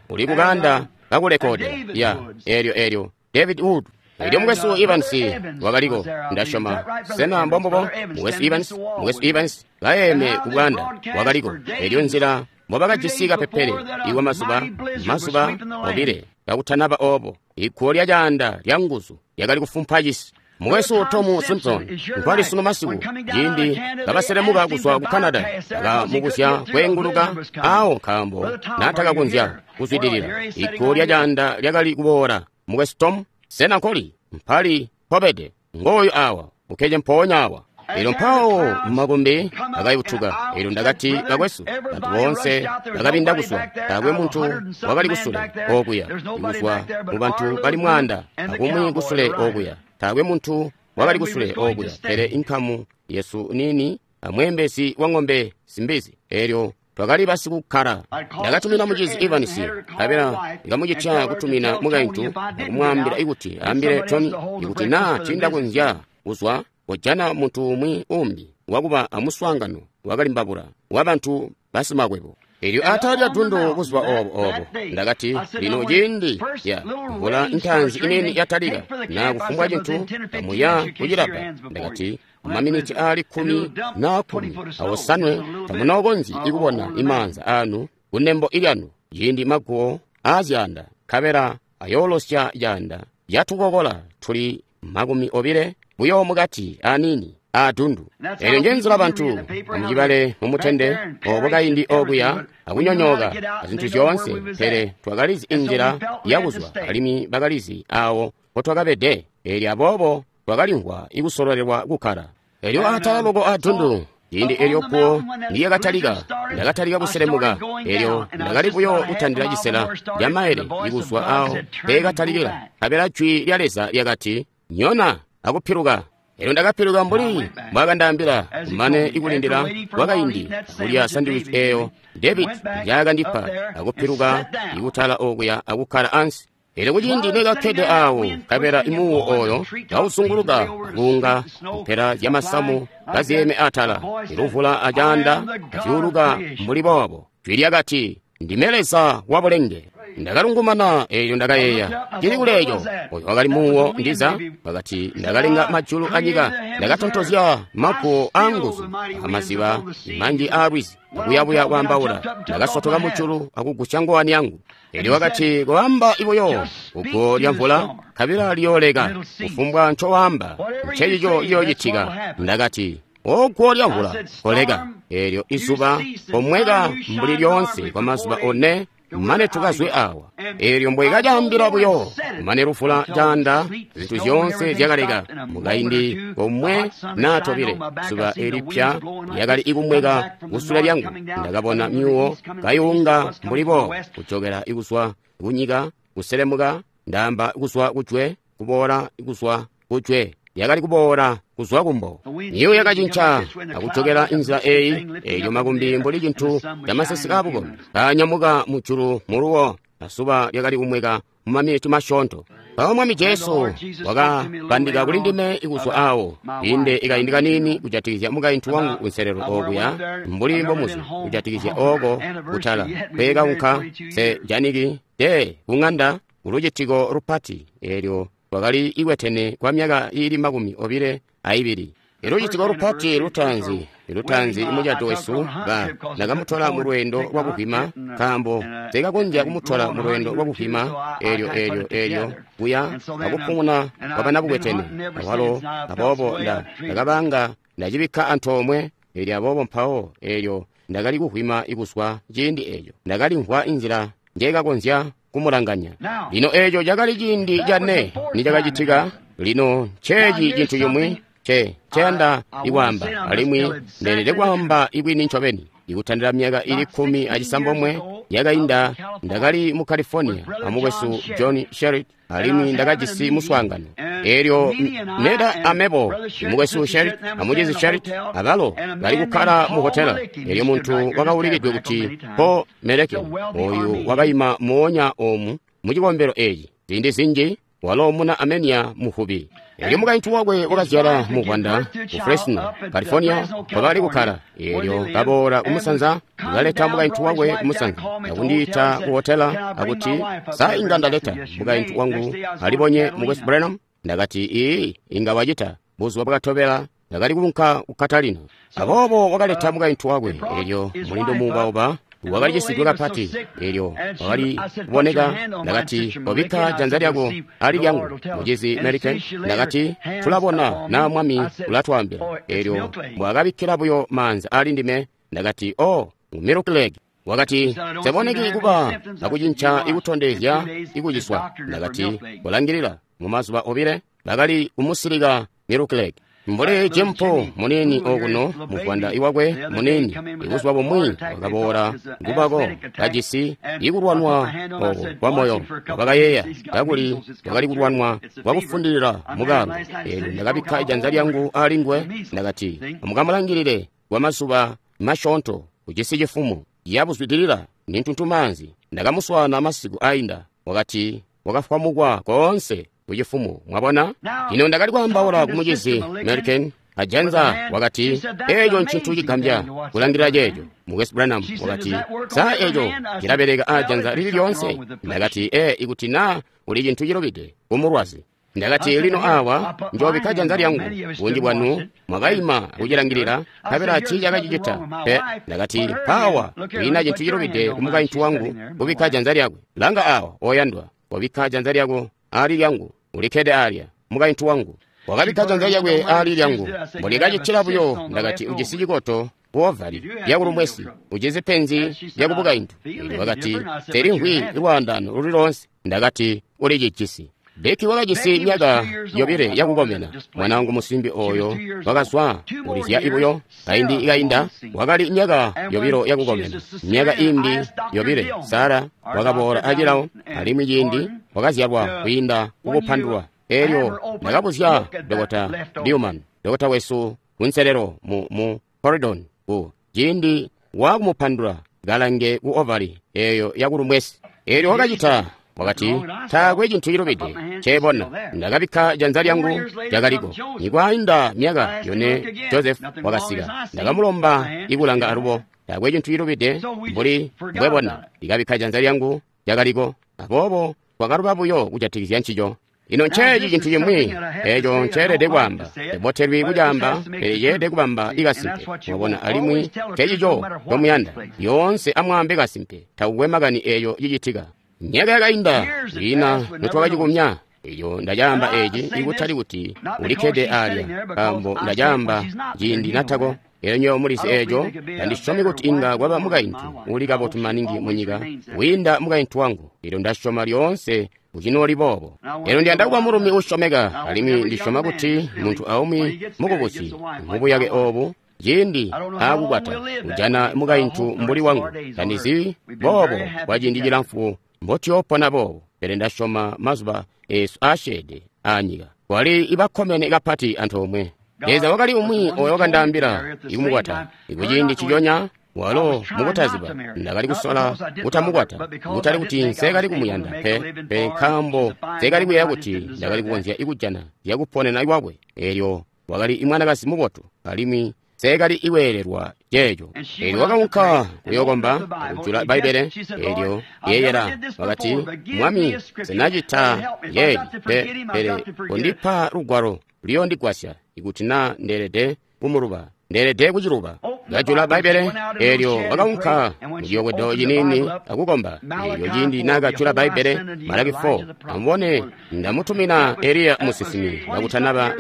uli kuganda kakulekoda ya elyo elyo David Wood. Elyo mukwesu Evans wakaliko, ndasyoma. Sena mbombubo? Mukwesu Evans, mukwesu Evans kayeeme ku bwanda wakaliko. Elyo nzila mbobakajisi kapepele iwa mazuba mazuba obile kakutanaba obo, iguwo lya caanda lya nguzu lyakali kufumpa cisi. Mukwesu Tom Simpson nkwali sunu masiku, ciindi kabaselemuka kuzwa ku Canada, bakamubuzya kweenguluka awo nkaambo naatakakonzya kuzwidilila. Iguwo lya caanda lyakali kuboola. Mukwesu Tom, sena nkoli? Mpali mpobede. Ngooyu awa, ukkede mpoonya awa. Elyo mpawo makumbi akayutuka. Elyo ndakati, bakwesu, bantu boonse bakabinda kuzwa, taakwe muntu wakali kusule okuya, kuzwa mu bantu bali mwaanda akumwi kusule okuya, taakwe muntu wakali kusule okuya, pele inkamu yesu nini amweembezi wa ng'ombe simbizi. Elyo twakali basikukkala. Ndakatumina mucizi Evans, nkabela ndikamucitya kutumina mukaintu akumwaambila ikuti aambile Tony ikuti naa tiindakonzya kuzwa, kojana muntu umwi umbi wakuba amuswaangano wakalimbabula wabantu basimakwebo. Elyo atala lya dundu buzuba obo obo ndakati, lino ciindi ya mvula ntaanzi inini yatalika na kufumbwa cintu kamuya kucilabba, ndakati maminiti aali kkumi na kkumi awosanwe tamunookonzyi ikubona imaanza anu kunembo ilyanu ciindi maguwo aazyanda nkabela ayoolosya caanda yatukokola tuli makumi obile buyo mukati anini adundu. Elyo njenzila bantu amucibale mumutende obo kaindi okuya akunyonyooka azintu zyoonse, pele twakalizi inzila yakuzwa alimwi bakalizi awo mpotwakabede. Elyo aboobo twakalimvwa ikusololelwa kukkala. Elyo atala loko adundu ciindi elyo guwo ndiyakatalika, ndakatalika kuselemuka. Elyo ndakali buyo kutandila cisela lya maele ikuzwa awo peekatalikila, nkabela jwi lya Leza lyakati, nyona akupiluka. Elyo ndakapiluka mbuli mbwakandaambila, kumane ikulindila kwakaindi kulya sandiwici eyo David njaakandipa, akupiluka ikutala okuya akukkala ansi. Elyo kuciindi nekakkede awo, nkabela imuwo oyo kauzunguluka akuunga mpela zyamasamu kaziyeeme atala, iluvula acaanda kazyuuluka mbuli boobo. Jwi lyakati, ndime Leza wa bulenge. Ndakalungumana, elyo ndakayeeya, cili kuleeco oyo wakali muwo ndiza. Wakati, ndakalenga majulu anyika, ndakatontozya maguwo aanguzu amaziba manji aalwizi, akuyabuya kwaambaula. Ndakasotoka mujulu akugusya ngowani yangu. Elyo wakati, koamba ibuyo kuguwo lya mvula, nkabela liyooleka. Kufumbwa ncowaamba ncencico ciyoocitika. Ndakati, oguwo lya mvula, koleka. Elyo izuba komweka mbuli lyoonse kwa mazuba one mane tukazwe awa. Elyo mbwekacaambila buyo, mane lufula caanda zintu zyoonse zyakaleka. Mukaindi komwe naa tobile, zuba elipya lyakali ikumweka kusule lyangu. Ndakabona myuwo kayuunga mbuli boobo, kujokela ikuzwa kunyika kuselemuka, ndaamba kuzwa kujwe kuboola kuzwa kujwe, yakali kuboola kuzwa kumbo. Myuwo yakacinca akujokela inzila eyi. Elyo makumbi mbuli cintu camaseseke aabukombi kaanyamuka mujulu muluwo, azuba lyakali kumweka mumaminiti masyoonto. Mpawo Mwami Jesu wakabandika kuli ndime ikuzwa awo inde ikaindi kaniini kujatikizya mukaintu wangu kunselelo okuya, mbuli mbomuzi kujatikizya oko kutala peekaunka se janiki te kung'anda kulucitiko lupati. Elyo twakali ikwetene kwa myaka iili makumi obile aibili. Ilucitiko lupati lutaanzi Lutaanzi mucato wesu, ba ndakamutola mu lweendo lwa kuvwima, nkaambo nseekakonzya kumutola mu lweendo lwa kuvwima eelyo eelyo eelyo kuya akupumuna kwa banabukwetene awalo. Aboobo nda ndakabanga ndacibikka antoomwe, eelyo aboobo mpawo eelyo ndakali kuvwima kuzwa ciindi eeco. Ndakalimvwa inzila njeekakonzya kumulanganya. Lino eeco cakali ciindi cane nicakacitika. Lino nceeci cintu cimwi nce nceyanda ikwaamba, alimwi ndeelede kwaamba ibwini ncobeni. Ikutandila myaka ili kkumi acisambomwe yakainda, ndakali mu California amukwesu John Sherritt, alimwi ndakajisi muswaangano. Eelyo Meda amebo, mukwesu Sherritt amucizi Sherritt abalo bali kukkala mu hotela. Eelyo muntu wakaulikidwe kuti Paul Melekin, oyu wakaima moonya oomu mu cikombelo eeci ziindi zinji, walo muna Armenia muvubi. Eelyo mukaintu wakwe wakazyala muvwanda ku Fresno, California, kwakali kukkala. Eelyo kaboola kumusanza, kaleta mukaintu wakwe kumusanza, akundiita ku hotela akuti, sa inga ndaleta mukaintu wangu alibonye mukwesu Branham? Ndakati, ii, inga wacita. Buzuba bwakatobela ndakali kuunka ku Catalina. Aboobo wakaleta mukaintu wakwe. Eelyo mulindu muubauba wakali kapati, eelyo wakali kuboneka. Ndakati, kobikka janza lyako ali lyangu, mucizi Merican. Ndakati, tulabona naa Mwami ulatwaambila. Eelyo mbwakabikkila buyo maanza ali ndime, ndakati, oh, Milk Lake. Wakati, nseboneki kuba akucinca ikutondezya ikuciswa. Ndakati, kolangilila. Mu mazuba obile bakali kumusilika Milk Lake. Mbuli Jimpo munini okuno muvwanda iwakwe munini, ibuzuba bumwi wakaboola ngubako kajisi ikulwanwa oko kwa moyo. Wakayeeya kakuli wakali kulwanwa kwakufundilila mukalo. Eelyo ndakabikka ijanza lyangu ali nguwe, ndakati, amukamulangilile kwa mazuba masyoonto, ujisi cifumo yabuzwidilila ni ntuntumaanzi. Ndakamuswaana masiku ainda, wakati wakafwamukwa koonse kucifumo. Mwabona? Lino ndakali kwaambaula ku mucizi American ajanza, wakati, eeco ncintu cigambya kulangilila ceeco. Mukwesu Branham wakati, sa eeco cilabeleka ajanza lili lyoonse? Ndakati, ee, ikuti naa uli cintu cilubide kumulwazi. Ndakati, lino awa njoobikka janza lyangu. Bunji bwanu mwakaima kucilangilila, nkabela tiicakacicita pe. Ndakati, mpaawa kwiina cintu cilubide ku mukaintu wangu kubikka janza lyakwe. Langa awa, oyandwa, wabikka janza lyako ali lyangu, ulikkede alya, mukaintu wangu. Wakabikka janza lyakwe ali lyangu. Mbondikacitila buyo, ndakati, ujisi cikoto ku ovali lyakulumwesi, ujisi penzi lyakubukaintu. Eelyo wakati, telimvwi lwaandano luli loonse. Ndakati, ulicijisi. Becky wakajisi myaka yobile yakukomena. Mwanaangu musimbi oyo wakazwa kulizya ibuyo kaindi ikainda, wakali myaka yobilo yakukomena. Myaka imbi yobile Sara wakaboola acilawo, alimwi ciindi wakazyalwa kwiinda kukupandulwa. Eelyo ndakabuzya Dokota Newman, dokota wesu kunselelo mu, mu Corridon, ku ciindi wakumupandula kalange ku ovali eyo yakulumwesi. Eelyo wakacita. Wakati, taakwe cintu cilubide nceebona. Ndakabikka janza lyangu lyakaliko. Nikwainda myaka yone Joseph wakasika. Ndakamulomba ikulanga alubo. Taakwe cintu cilubide mbuli mbwebona. Ndikabikka janza lyangu lyakaliko. Aboobo twakaluba buyo kujatikizya ncico. Lino nceeci cintu cimwi eeco nceelede kwaamba. Tebotelwi kucaamba, pele ceelede kubamba ikasimpe. Mwabona, alimwi ncecico ncomuyanda. Lyoonse amwaambe kasimpe, takukwe makani eeco cicitika. Myaka yakainda kwiina notwakacikumya. Eeco ndacaamba eeci ikutali kuti ulikkede alya, nkaambo ndacaamba ciindi natako. Eelyo nywebo mulizi eeco, tandisyomi kuti inga kwaba mukaintu uli kabotu maningi munyika wiinda mukaintu wangu. Eelyo ndasyoma lyoonse ucinooli boobo. Eelyo ndiyanda kuba mulumi uusyomeka, alimwi ndisyoma kuti muntu aumwi mukubusi mubuyake oobu ciindi aakukwata ujana mukaintu mbuli wangu. Tandizi boobo kwa ciindi cilamfu mbotuyoopona boobo, pele ndasyoma mazuba eesu aasyeede aanyika twali ibakkomene kapati antoomwe. Leza wakali umwi oyo wakandaambila ikumukwata. Ikuciindi ciconya walo mukutaziba ndakali kusola kutamukwata, kutali kuti nseekali kumuyanda pe, pe nkaambo nseekali kuyeeya kuti ndakali kukonzya ikujana zyakuponena iwakwe. Eelyo wakali imwanakazi mubotu, alimwi nseekali iweelelwa ceeco. Eelyo wakaunka kuyookomba akujula Bbaibbele. Eelyo yeeyela wakati, Mwami, nsenacita yeeli pe, pele kondipa lugwalo luyondigwasya ikuti naa ndeelede kumuluba. Ndeelede kuciluba. Kajula Bbaibbele, eelyo wakaunka muciyobwedo ciniini akukomba. Eelyo ciindi naakajula Bbaibbele, Malaki four, amubone, ndamutumina Eliya musinsimi kakutanaba.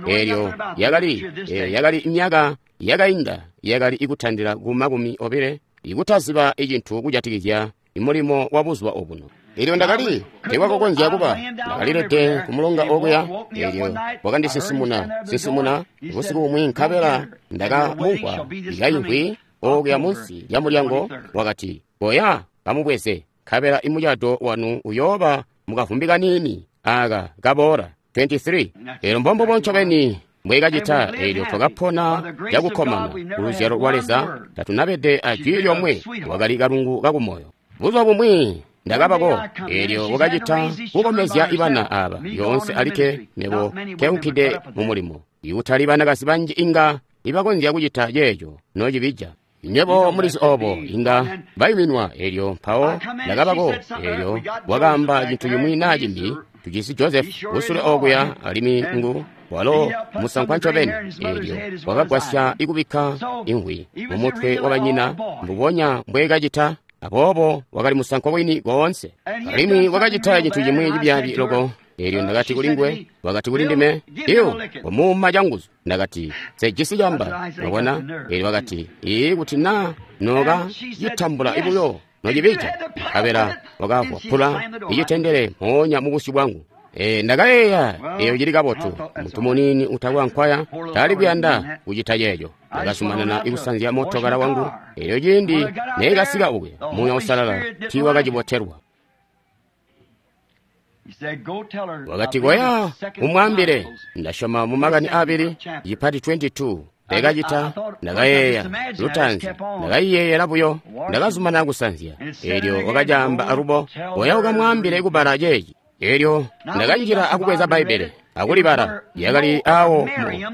Eelyo yakali yakali myaka yakainda yakali ikutandila ku makumi obile, ikutaziba icintu kujatikizya mulimo wa buzuba obuno. Eelyo ndakali tekwakakonzya kuba, ndakalilede kumulonga okuya. Eelyo wakandisinsimuna sinsimuna busiku bumwi, nkabela ndakamumvwa kaimvwi okuya munsi lya mulyango. Wakati, koya kamubweze, nkabela imucado wanu uyooba mukavumbi kaniini aka kaboola. twenty-three. Eelyo mbombubo ncobeni mbwekacita. Eelyo twakapona cakukkomana ku luzyalo lwa Leza, tatunabede ajwi lyomwe. Wakali kalungu kakumoyo. Buzuba bumwi ndakabako, eelyo wakacita kukomezya ibana aba yoonse alikke, mebo nkeunkide mu mulimo. Ikutali banakazi banji inga ibakonzya kucita ceeco nocibija. Nywebo mulizi obo, inga bayuminwa. Eelyo mpawo ndakabako, eelyo wakaamba cintu cimwi naa cimbi. Tujisi Joseph kusule okuya, alimwi ngu walo musankwa ncobeni. Eelyo wakagwasya ikubikka imvwi mumutwe wabanyina mbubonya mbwekacita. Aboobo wakali musankwa wini koonse, alimwi wakacita cintu cimwi cibyaabi loko. Eelyo ndakati kuli nguwe, wakati kuli ndime, "Iwo wamuuma canguzu." Ndakati, "Sejisi camba." Wabona? Eelyo wakati, "Ii, kuti naa noka citambula ibuyo nocibija." Nkabela wakavwapula icitendele mpoonya mubusyu bwangu. E, ndakayeeya, eyo cili kabotu. Muntu muniini utakwa nkwaya tali kuyanda kucita ceeco. Ndakazumanana ikusanzya mootokala wangu. Eelyo ciindi neekasika okuya, Muuya Uusalala tiiwakacibotelwa. Wakati, koya umwaambile. Ndasyoma mu makani abili cipati twenty-two. Ndakacita, ndakayeeya lutaanzi, ndakayiyeeyela buyo, ndakazumanana kusanzya. Eelyo wakacaamba alubo, koya ukamwaambile kubala ceeci. Eelyo ndakanjila akubweza Bbaibbele akulibala. Yakali awo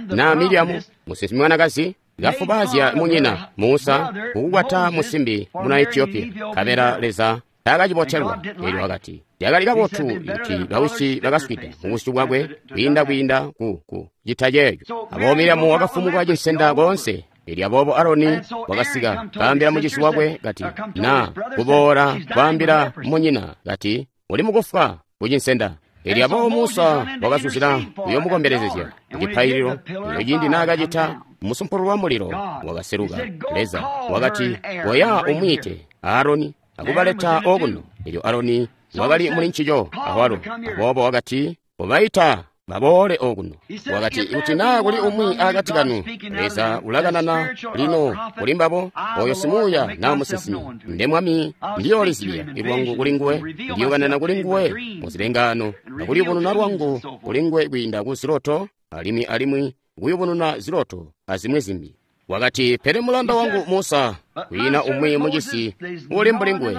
na Miriamu musinsimi mwanakazi kafubaazya munyina Musa kukukwata musimbi muna Ethiopia, nkabela Leza taakacibotelwa. Eelyo wakati, yakali kabotu kuti bawisi bakaswida mubusyu bwakwe kwiinda kwiinda ku ku cita ceeco. Aboobo Miriamu wakafumuka cinsenda koonse. Eelyo aboobo Aroni wakasika kaambila mucizi wakwe kati, na kuboola kwaambila munyina kati, uli mukufwa kucinsenda. Eelyo aboobo Musa wakazuzila kuyomukombelezezya kucipaililo. Eelyo ciindi naakacita, musumpulu wa mulilo wakaseluka. Leza wakati, koya umwiite Aroni akubaleta okuno. Eelyo Aroni wakali muli ncico awalo. Aboobo wakati, kobaita baboole okuno. Wakati, kuti naa kuli umwi akati kanu, Leza ulakanana lino kuli mbabo, oyo simuuya naa musinsimi, nde Mwami ndiyoolizibya lwangu kuli nguwe, ndiyokanana kuli nguwe muzilengaano, akuliyubununa lwangu kuli nguwe kwiinda ku ziloto, alimwi alimwi kuyubununa ziloto azimwi zimbi. Wakati, pele mulanda wangu Musa, kwiina umwi mucisi uli mbuli nguwe.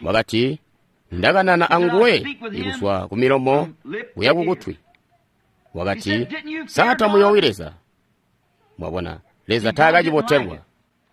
Wakati, ndakanana anguwe ikuzwa ku milomo kuya kukutwi. Wakati, sa tamuyowi Leza? Mwabona, Leza taakacibotelwa.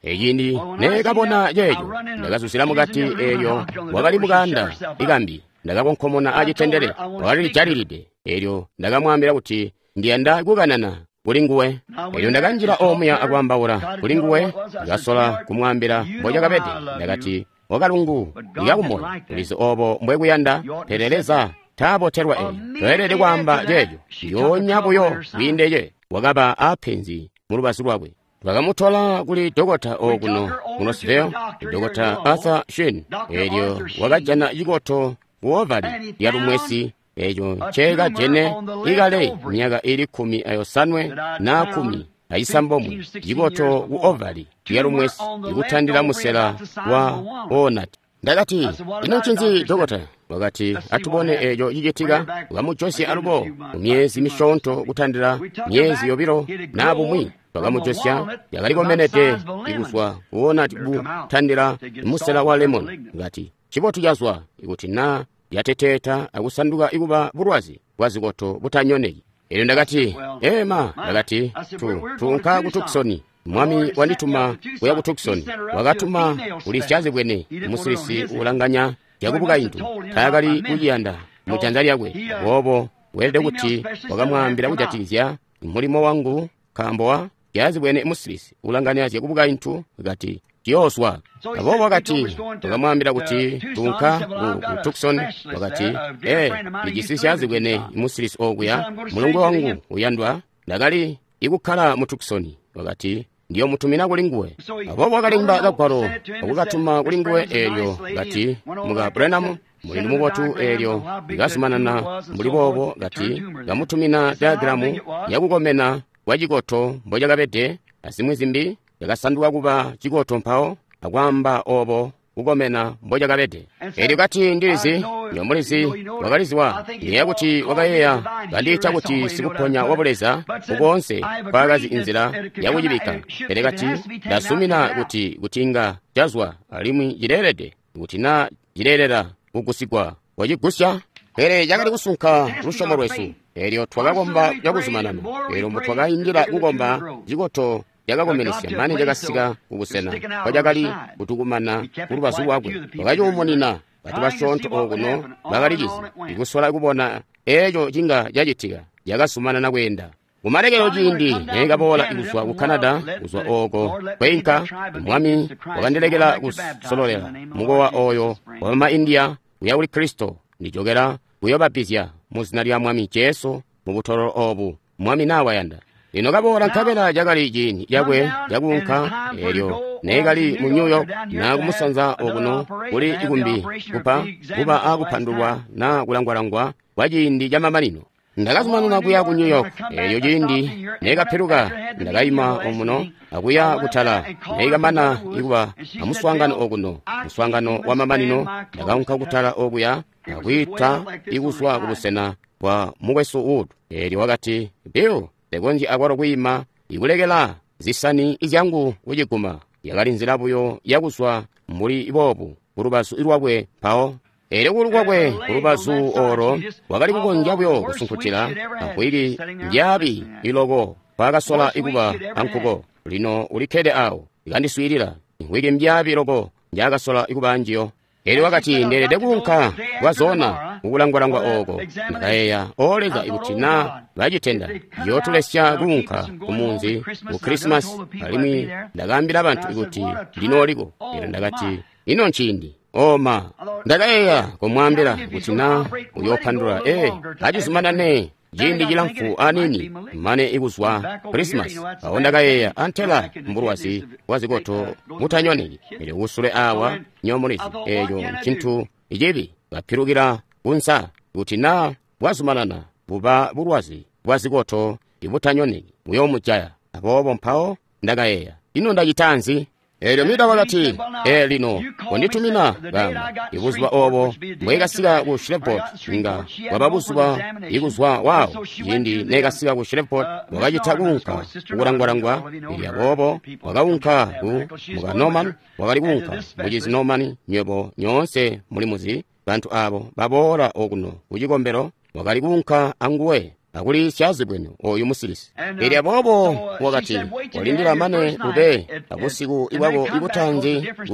Eciindi neekabona ceeco, ndakazuzila mukati. Eelyo wakali mukanda ikambi, ndakakonkomona acitendele, wakalijalilide. Eelyo ndakamwaambila kuti ndiyanda kukanana kuli nguwe. Eelyo ndakanjila omuya akwaambaula kuli nguwe, ndakasola kumwaambila mbocakabede. Ndakati, wakalungu lyakumoyo, ulizi obo mbwekuyanda, pele Leza taabotelwa eeyo. Toelede kwaamba ceeco. Ndiyoonya buyo kwiindece. Wakaba aapenzi mu lubazu lwakwe. Bakamutola kuli dokota okuno mu Louisville, Dokota Arthur Shin. Eelyo wakajana cikoto ku ovali lya lumwesi, eeco nceekajene ikale myaka ili kkumi ayosanwe na kkumi acisambomwe, cikoto ku ovali lya lumwesi ikutandila musela wa onat. Ndakati, ino ncinzi dokota? Wakati, atubone eeco cicitika. Wakamujosya alubo mu myezi misyoonto kutandila myezi yobilo naa bumwi. Wakamujosya, yakalikomenede ikuzwa kuona butandila musela wa lemon. Ngati, cibotu cazwa ikuti naa yateteeta akusanduka ikuba bulwazi bwa zikoto butanyoneki. Eelyo ndakati, ema, ndakati, tu, tuunka ku Tucson. Mwami wandituma kuya ku Tucson. Wakatuma kuli syazibwene musilisi ulanganya zyakubukaintu, taakali kuciyanda mu janza lyakwe. Aboobo weelede kuti wakamwaambila kujatikizya mulimo wangu, nkaambo wa Syaazibwene musilisi ulanganya zyakubukaintu kati ciyoozwa. Aboobo wakati, wakamwaambila kuti tuunka ku Tucson. Wakati, ee, ndijisi syaazibwene musilisi okuya, mulongwe wangu uyandwa, ndakali ikukkala mu Tucson. Wakati, ndiyomutumina kuli nguwe. Aboobo wakalemba kagwalo akukatuma kuli nguwe eelyo kati, muka Branham, mulindu mubotu, eelyo likazumanana mbuli boobo, kati kamutumina diagramu yakukomena kwa cikoto mbocakabede azimwi zimbi, yakasanduka kuba cikoto mpawo akwaamba obo kukomena mbocakabede. Eelyo kati, ndilizi, nyomulizi wakaliziwa, ndiyeeya kuti wakayeeya kandiita kuti sikuponya wa buleza kukoonse kwaakazi inzila yakucibikka. Pele kati, ndasumina kuti kuti inga cazwa alimwi cileelede kuti naa cileelela kugusigwa wacigusya. Pele cakali kusunka lusyomo lwesu. Eelyo twakakomba cakuzumanana. Eelyo mbutwakaindila kukomba, cikoto cakakomenesya mane cakasika kubusena kwacakali kutukumana kulubazu lwakwe. Wakacuumunina bantu basyoonto okuno bakalicizi, ikusola kubona eeco cinga cacitika. Cakazumanana kweenda. Kumalekelo ciindi neekaboola kuzwa ku Canada, kuzwa ooko kweinka, Mwami wakandilekela kusololela mukowa oyo wabama India kuya kuli Kristo. Ndijokela kuyoobapizya mu zina lya Mwami Jesu mu butololo obu, Mwami nawayanda. Lino kaboola nkabela cakali ciindi cakwe cakuunka. Eelyo neekali mu New York na kumusanza okuno kuli ikumbi kupa kuba akupandulwa na kulangwalangwa kwa ciindi camamanino. Ndakazumanana kuya ku New York. Eelyo ciindi neekapiluka, ndakaima omuno akuya kutala. Neekamana ikuba amuswaangano okuno, muswaangano wa mamanino, ndakaunka kutala okuya akwiita ikuzwa kubusena bwa mukwesu Wood. Eelyo wakati, Bill, ndekonzyi akwalo kwiima ikulekela zisani zyangu kuciguma. Yakali nzila buyo yakuzwa mbuli boobu kulubazu lwakwe mpawo. Eelyo kulu kwakwe kulubazu olo wakali kukonzya buyo kusunkutila amvwiki ndyaabi iloko kwaakasola ikuba ankuko. Lino ulikkede awo ikandiswiilila, imvwiki mbyaabi loko njaakasola ikuba anjiyo. Eelyo wakati, ndeelede kuunka kwazona kukulangwalangwa ooko. Ndakayeeya, o Leza, ikuti naa bacitenda yootulesya kuunka kumunzi ku Krisimasi, alimwi ndakaambila bantu kuti ndinooliko. Eelyo ndakati, ino nciindi oma. Ndakayeeya kumwaambila kuti naa uyoopandula, ee, acizumanane ciindi cilamfu aniini mane ikuzwa Krisimasi. Awo ndakayeeya, antela mbulwazi bwa zikoto mutanyoneki. Eelyo kusule awa nyomulizi, eeco ncintu cibi kapilukila kunsa kuti naa bwazumanana buba bulwazi bwa zikoto ibutanyoneki buyoomujaya. Aboobo mpawo ndakayeeya, ino ndacita nzi? Eelyo Mida wakati, ee, lino konditumina kamba ibuzuba obo mbwekasika ku Shreveport inga bwaba buzuba ikuzwa waawo. Ciindi neekasika ku Shreveport, wakacita kuunka kukulangwalangwa. Eelyo aboobo wakaunka ku muka Norman, wakali kuunka mucizi Norman, nywebo nyoonse mulimuzi bantu aabo baboola okuno kucikombelo, wakali kuunka anguwe akuli syaazibwene oyu musilisi. Eelyo aboobo wakati, walindila mane ube abusiku ibwako ibutanzi kuku.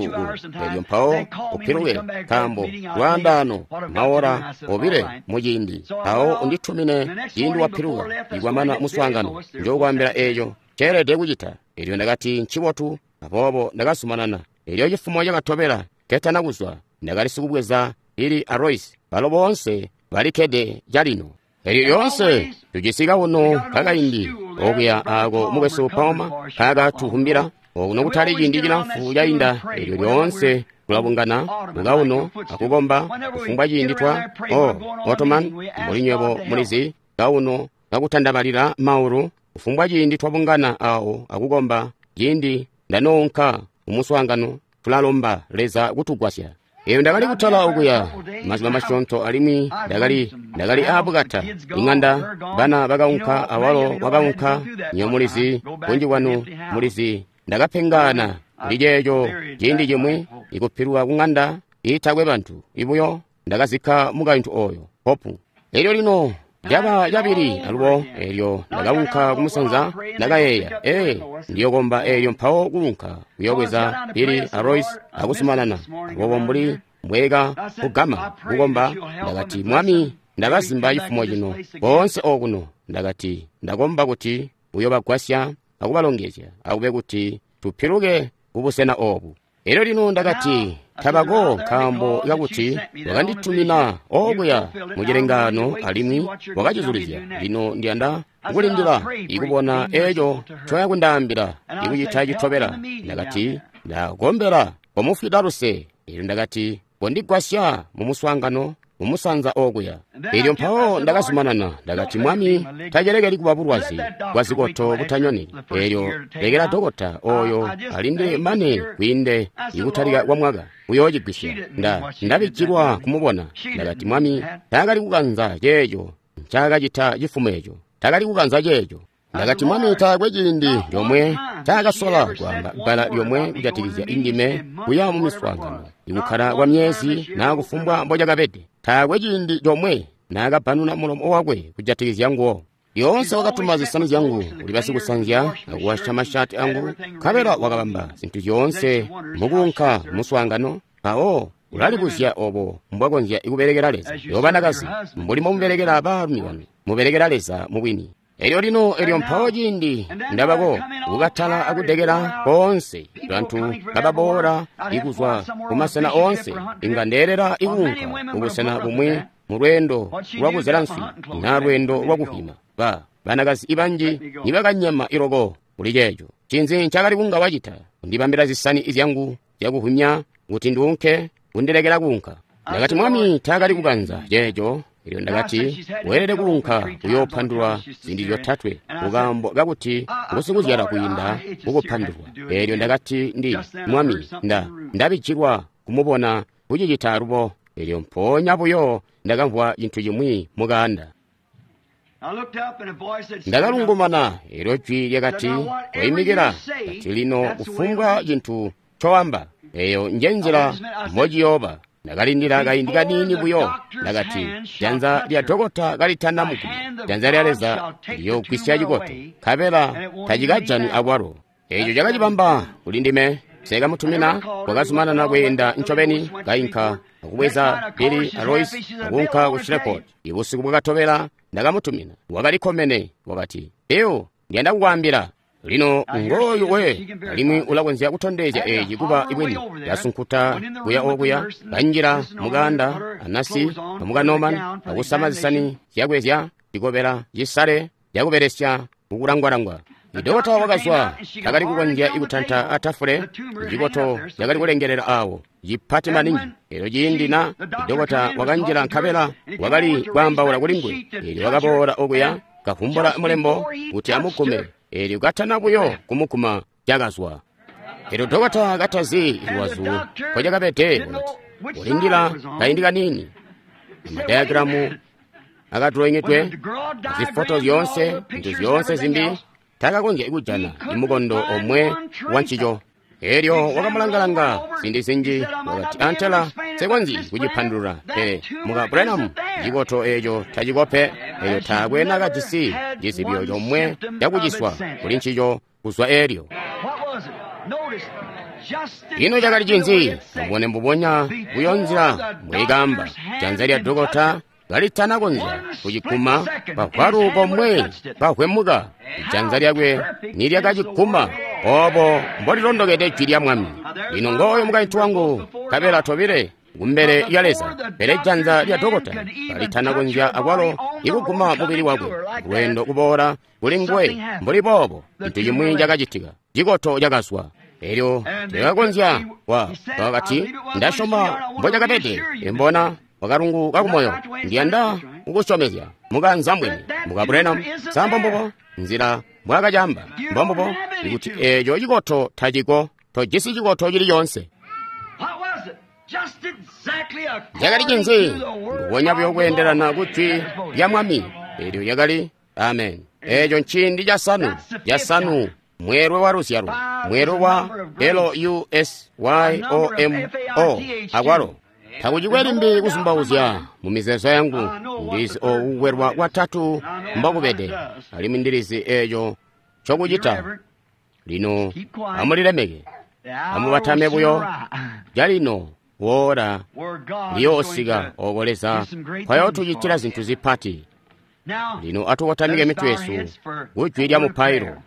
Eelyo mpawo upiluke, nkaambo lwaandaano maora obile muciindi. Mpawo unditumine ciindi wapiluka ikwamana muswaangano, njookwaambila eeco ceelede kucita. Eelyo ndakati, ncibotu. Aboobo ndakazumanana. Eelyo cifumo cakatobela ketana kuzwa, ndakali sikubweza ili a Royce, balo boonse balikkede calino. Eelyo lyoonse tujisi kauno kakaindi okuya aako mukwesu Palmer kaakatukumbila okuno kutali ciindi cilamfu cainda. Eelyo lyoonse tulabungana mukauno akukomba kufumbwa ciindi twa o Ottoman, mbuli nywebo mulizi, kauno kakutandabalila maulu. Kufumbwa ciindi twabungana awo akukomba, ciindi ndanoonka kumuswaangano, tulalomba Leza kutugwasya. Eyo ndakali kutala okuya mazuba masyoonto, alimwi ndakali ndakali aabukata ing'anda, bana bakaunka awalo wakaunka. Nyo mulizi, bunji bwanu mulizi, ndakapengana kuli ceeco ciindi cimwi ikupiluka kung'anda iitakwe bantu ibuyo. Ndakazikka mukaintu oyo Hopu. Eelyo lino caba cabili alubo. Eelyo ndakaunka kumusanza, ndakayeeya, ee, ndiyokomba. Eelyo mpawo kuunka kuyobweza Billy a Royce akuzumanana. Aboobo mbuli mbweka kugama kukomba, ndakati, Mwami, ndakazimba cifumo cino boonse okuno. Ndakati, ndakomba kuti uyobagwasya akubalongezya, akube kuti tupiluke kubusena obu. Elyo lino ndakati, tabako nkaambo kakuti wakanditumina okuya mucilengaano alimwi wakacizulizya. Lino ndiyanda kulindila ikubona eco ncoya kundaambila ikucita citobela. Ndakati, ndakombela komufwida luse. Elyo ndakati, kondigwasya mu muswaangano mumusanza okuya. Elyo mpawo ndakazumanana, ndakati, Mwami, tacelekeli kuba bulwazi bwa zikoto butanyoni. Elyo lekela dokota oyo alindile mane kwiinde ikutalika kwa mwaka uyoocigwisya. Nda ndabijilwa kumubona. Ndakati, Mwami, taakali kukanza ceeco ncaakacita cifumo eco. Taakali kukanza ceeco. Ndakati, Mwami, taakwe ciindi lyomwe taakasola kwaamba bbala lyomwe kujatikizya indime kuya mu miswaangano, ikukkala kwa myezi naa kufumbwa mbocakabede. Taakwe ciindi lyomwe naakabbanuna mulomo wakwe kujatikizya nguwo. Lyoonse wakatuma zisani zyangu kuli basikusanzya akuwasha mashati angu, nkabela wakabamba zintu zyoonse mukuunka muswaangano. Mpawo ulalibuzya obo mbwakonzya kubelekela Leza. Yo banakazi, mbuli mbomubelekela baalumi banu, mubelekela Leza mubwini. Elyo lino, elyo mpawo ciindi ndabako kukatala akudekela koonse, bantu kababoola ikuzwa kumasena oonse, inga ndeelela ikuunka kubusena bumwi mu lweendo lwakuzela nswi na lweendo lwakuhwima. Ba banakazi ibanji nibakanyema iloko kuli ceeco. Ncinzi ncakali kunga wacita? Kundibambila zisani zyangu zyakuhwimya kuti nduunke, kundilekela kuunka. Ndakati, Mwami, taakali kukanza ceeco. Elyo ndakati, weelede kuunka kuyoopandulwa ziindi zyotatwe kukaambo kakuti ngusikuzyala kwiinda kukupandulwa. Elyo ndakati, ndi Mwami, nda ndabijilwa kumubona kucicita alubo. Elyo mpoonya buyo ndakamvwa cintu cimwi mukaanda. Ndakalungumana, elyo jwi lyakati, koimikila. Kati, lino kufumbwa cintu ncoamba, eyo nje nzila mbociyooba. Ndakalindila kaindi kaniini buyo. Ndakati, janza lya dokota kalitana muguma, janza lya Leza liyoogwisya cikoto, nkabela tacikajani akwalo. Eco cakacibamba kuli ndime. Sekamutumina wakazumanana kweenda ncobeni, kainka akubweza Billy a Royce akuunka ku Shreveport. Ibusiku bwakatobela ndakamutumina, wakalikkomene, wakati, Bill, ndiyanda kukwaambila. Lino ngooyu we, alimwi ulakonzya kutondezya eci kuba bwini. Yasunkuta kuya okuya, kanjila mukanda anasi amuka Norman, akusama zisani zyakwe zya cikobela cisale zyakubelesya kukulangwalangwa. Idokota wakazwa, takali kukonzya kutanta atafule, cikoto cakali kulengelela awo, cipati maningi. Elyo ciindi na idokota wakanjila nkabela wakali kwaambaula kuli nguwe. Elyo wakaboola okuya, kavumbula mulembo kuti amugume. Elyo katana buyo kumuguma cakazwa. Elyo dokota katazi luwazu nkocakabede, wakati, kulindila kaindi kaniini. Amadayagiramu akadulonyedwe, zifoto zyoonse, zintu zyoonse zimbi, takakonzya kujana imukondo omwe wa ncico. Elyo wakamulangalanga ziindi zinji, wakati, antela nsekonzyi kucipandulula, pele muka Branham, cikoto eco tacikope. Elyo taakwe nakajisi cizibyo comwe cakuciswa kuli ncico kuzwa elyo. Ino cakali cinzi? Mubone mbubonya buyo nzila mbwikamba, janza lya dokota kalitana konzya kuciguma pavwalu komwe pahwemuka, janza lyakwe nilyakaciguma. Obo mbolilondokede jwi lya Mwami. Lino ngooyo mukaintu wangu, nkabela tobile kumbele lya Leza, pele janza lya dokota kalitana konzya akwalo ikuguma mubili wakwe. Lweendo kuboola kuli nguwe mbuli boobo, cintu cimwi cakacitika, cikoto cakazwa. Elyo tekakonzya wa wakati, ndasyoma mbocakabede, imbona wakalungu kakumoyo, ndiyanda kukusyomezya mukanza mwini muka Branham. Sa mbubo nzila mbwakacamba, mbombubo ikuti eco cikoto taciko, tojisi cikoto cili coonse. Cakali cinzi? Mbubonya buyo kweendelana ku jwi lya Mwami. Elyo lyakali amen. Eco nciindi casanu, casanu, mweelwe wa luzyalo, mweelwe wa L U S Y O M O akwalo. Takucikwe limbi kuzumbauzya mu mizeezo yangu, ndizi oku kukwelwa kwatatu mbokubede, alimwi ndilizi eco ncokucita. Lino amulilemeke, amubatame buyo. Calino wora liyoosika oko Leza kwayootucitila zintu zipati. Lino atukotamike mitwe yesu ku jwi lya mupailo.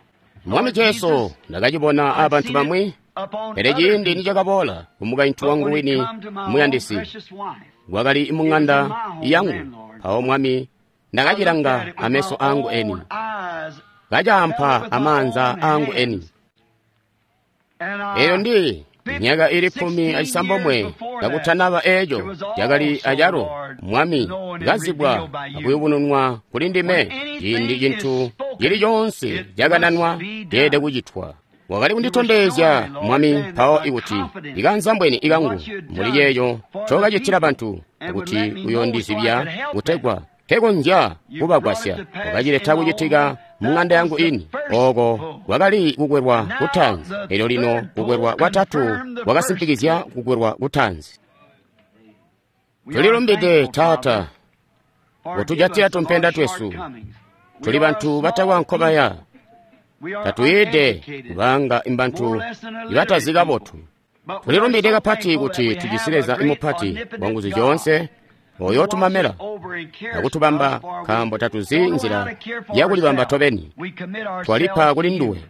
Mwami Jesu, ndakacibona abantu bamwi, pele ciindi nicakaboola kumukaintu wangu wini muyandisi, wakali mung'anda yangu, mpawo Mwami ndakacilanga ameso angu eni, kacaampa amaanza angu eni. Eyo ndi myaka ili kkumi acisambomwe kakutanaba eeco cakali acalo Mwami kazibwa akuyubununwa kuli ndime ciindi cintu cili coonse cakananwa ceelede kucitwa. Wakali kunditondezya Mwami mpawo ikuti ikanzambweni ikangu muli ceeco ncokacitila bantu kuti uyondizibya kutegwa nkekonzya kubagwasya. Wakacileta kucitika mung'anda yangu ini. Oko kwakali kukwelwa kutaanzi, elyo lino kukwelwa kwatatu kwakasimpikizya kukwelwa kutaanzi. Tulilumbide Taata kutujatila tumpenda twesu. Tuli bantu batakwa nkobaya, tatuyide kubanga imbantu ibatazi kabotu. Tulilumbide kapati kuti tujisi Leza imupati wanguzu zyoonse oyo tumamela akutubamba, nkaambo tatuzi nzila yakulibamba tobeni. Twalipa kuli nduwe.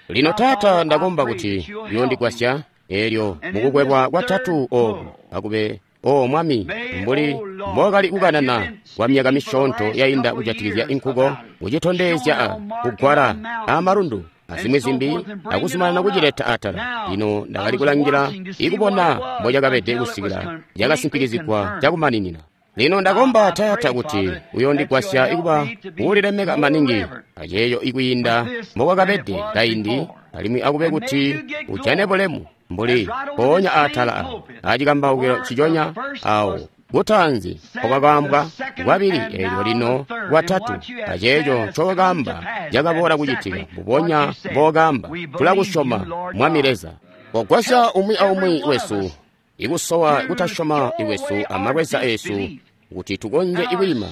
Lino Taata, ndakomba kuti uyondigwasya elyo mukukwelwa kwatatu oku akube o Mwami, mbuli mbokali kukanana kwa myaka misyoonto yainda kujatikizya inkuko, kucitondezya a kugwala amalundu azimwi zimbi, akuzumanana kucileta atala. Lino ndakali kulangila ikubona mbocakabede kusikila cakasimpikizigwa cakumaninina. Lino ndakomba Taata kuti uyondigwasya ikuba uulilemeka maningi aceeyo ikwiinda mbokwakabede kaindi, alimwi akube kuti ujane bulemu mbuli mpoonya atala awo acikambaukilo ciconya awo kutaanzi mpokwakaambwa, kwabili, eelyo lino kwatatu, aceeco ncokakaamba cakaboola kucitika mbubonya mbookaamba. Tulakusyoma Mwami Leza. Kogwasya umwi aumwi wesu ikusowa kutasyoma iwesu amalweza esu kuti tukonzye ikwiima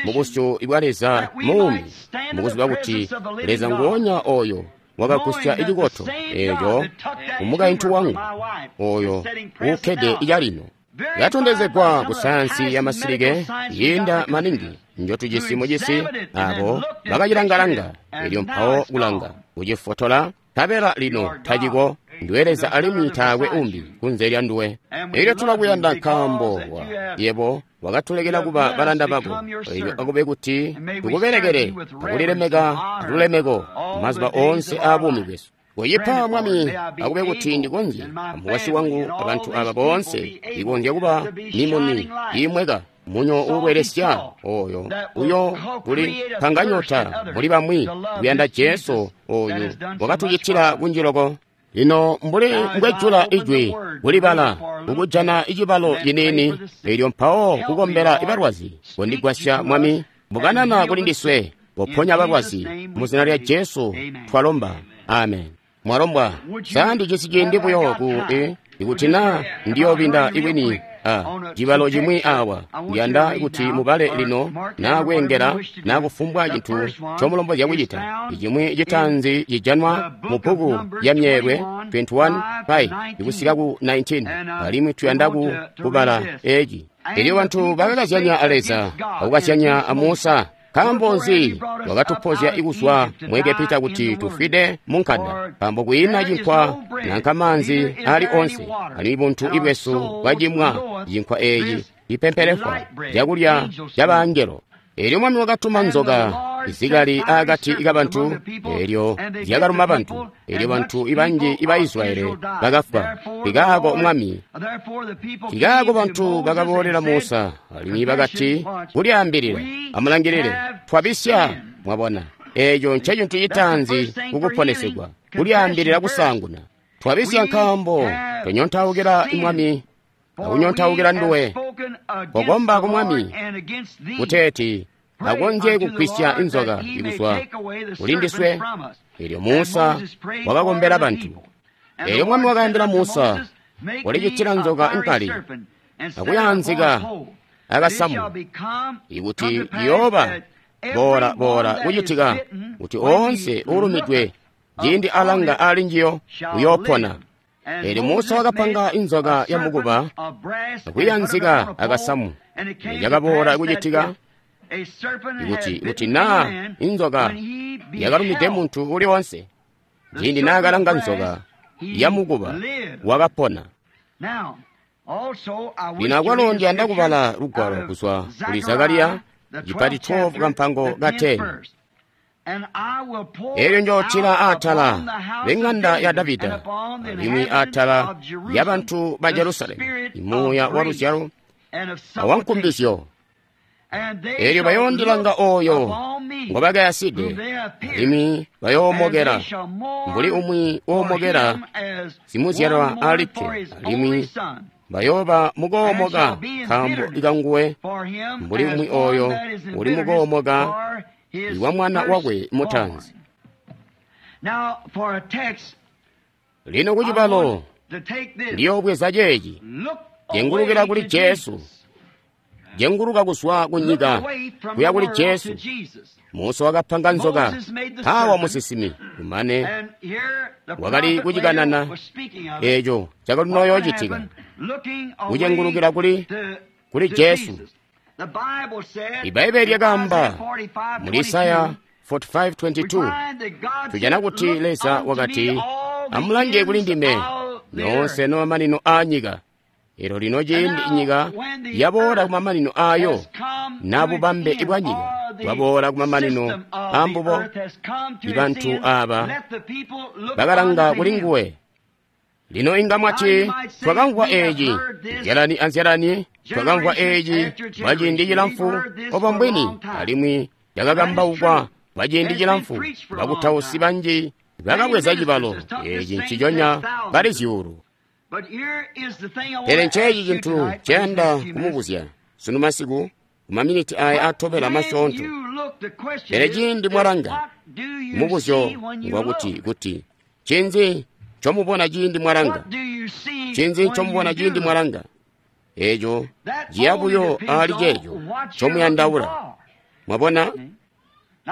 mubusyu bwa Leza muumi, mukuziba kuti Leza nguonya oyo wakagusya icikoto eeco kumukaintu wangu oyo uukkede icalino. Yatondezegwa ku sayansi ya masilike yiinda maningi njotujisi mucisi, abo bakacilangalanga elyo mpawo kulanga kucifotola, nkabela lino taciko. Ndiwe Leza alimwi taakwe umbi kunze lya nduwe. Elyo tulakuyanda nkaambo wa yebo wakatulekela kuba balanda bako, elyo akube kuti tukubelekele akulilemeka lulemeko mazuba oonse aabuumi bwesu. Koyipa Mwami, akube kuti ndikonzye amukwasyi wangu abantu aba boonse ikonzya kuba mimuni iimweka munyo uubwelesya oyo uyo kuli panganyota muli bamwi kuyanda Jesu oyu wakatucitila kunji loko. Lino mbuli mbwejula ijwi kulibala kukujana icibalo ciniini, elyo mpawo kukombela ibalwazi, kondigwasya Mwami, mbukanana kuli ndiswe, poponya balwazi mu zina lya Jesu twalomba, amen. Mwalombwa sa ndijisi ciindi buyo ku e, ikuti na ndiyobinda iwini a cibalo cimwi awa, ndiyanda kuti mubale lino na kweengela na kufumbwa cintu ncomulombozya kucita. Icimwi citaanzi cijanwa mu bbuku ya Myeelwe twenty-one five ikusika ku nineteen, alimwi tuyanda ku kubala eci. Elyo bantu bakakazyanya a Leza akukazyanya a Musa. Nkaambo nzi wakatupozya ikuzwa mu Egepita kuti tufwide mu nkanda? Nkaambo kwiina cinkwa nanka maanzi ali onse, alimwi buntu ibwesu bwacimwa cinkwa eeci cipempelefwa cakulya cabangelo. Elyo Mwami wakatuma nzoka izikali akati kabantu, elyo zyakaluma bantu, elyo bantu ibanji iba Israyeli bakafwa. Kikaako Mwami, kikaako bantu bakaboolela Musa, alimwi bakati, kulyaambilila, amulangilile, twabisya. Mwabona, eeco ncecintu citaanzi kukuponesegwa, kulyaambilila kusaanguna. Twabisya nkaambo twanyontaukila Mwami akunyontawukila nduwe. Kokomba ku Mwami kuteeti akonzye kugwisya inzoka ikuzwa kuli ndiswe. Elyo Musa wakakombela bantu. Elyo Mwami wakaambila Musa, walicitila nzoka inkali akuyaanzika akasamu, ikuti iyooba boola boola kucitika kuti oonse uulumidwe ciindi alanga ali njiyo uyoopona. Elyo Musa wakapanga inzoka ya mukuba akuyanzika akasamu. Yakaboola kucitika ikuti kuti naa inzoka yakalumide muntu uli wonse Ciindi naakalanga nzoka yamukuba, wakapona. Lino akwalo ndiyanda kubala lugwalo kuzwa kuli Zakariya cipati twelve kampango ka ten. Elyo njootila atala b'eŋanda ya Davida alimwi atala yabantu ba Jerusalemu imuuya wa luzyalo awankumbizyo. Elyo bayoondilanga oyo ngobakayaside, alimwi bayoomokela mbuli umwi woomokela simuzyalwa alikke, alimwi bayooba mukoomoka nkaambo kanguwe mbuli umwi oyo uli mukoomoka iwa mwana wakwe mutaanzi. Lino kucibalo ndiyoobweza ceeci, jengulukila kuli Jesu, jenguluka kuzwa ku nyika kuya kuli Jesu. Musa wakapanga nzoka mpawa musinsimi, kumane wakali kucikanana eeco cakali noyoocitika, kucengulukila kuli kuli Jesu. Ibaibbele lyakaamba muli Isaya forty-five twenty-two, tujana kuti Leza wakati, amulange kuli ndime nyoonse nomamanino aanyika. Elyo lino ciindi nyika yaboola kumamanino aayo, na bubambe bwa nyika bwaboola kumamanino aambubo, ibantu aaba bakalanga kuli nguwe. Lino inga mwati, twakamvwa eeci nzyalani anzyalani, twakamvwa eeci kwa ciindi cilamfu, obo mbwini, alimwi cakakambaukwa kwa ciindi cilamfu. Bakutausi banji bakabweza cibalo eeci nciconya bali zyuulu. Pele nceeci cintu nceyanda kumubuzya sunu masiku, kumaminiti aya atobela masyoonto. Pele ciindi mwalanga, mubuzyo ngwakuti kuti ncinzi ncomubona ciindi mwalanga? Ncinzi ncomubona ciindi mwalanga? Eeco ciya buyo aali ceeco ncomuyandaula. Mwabona?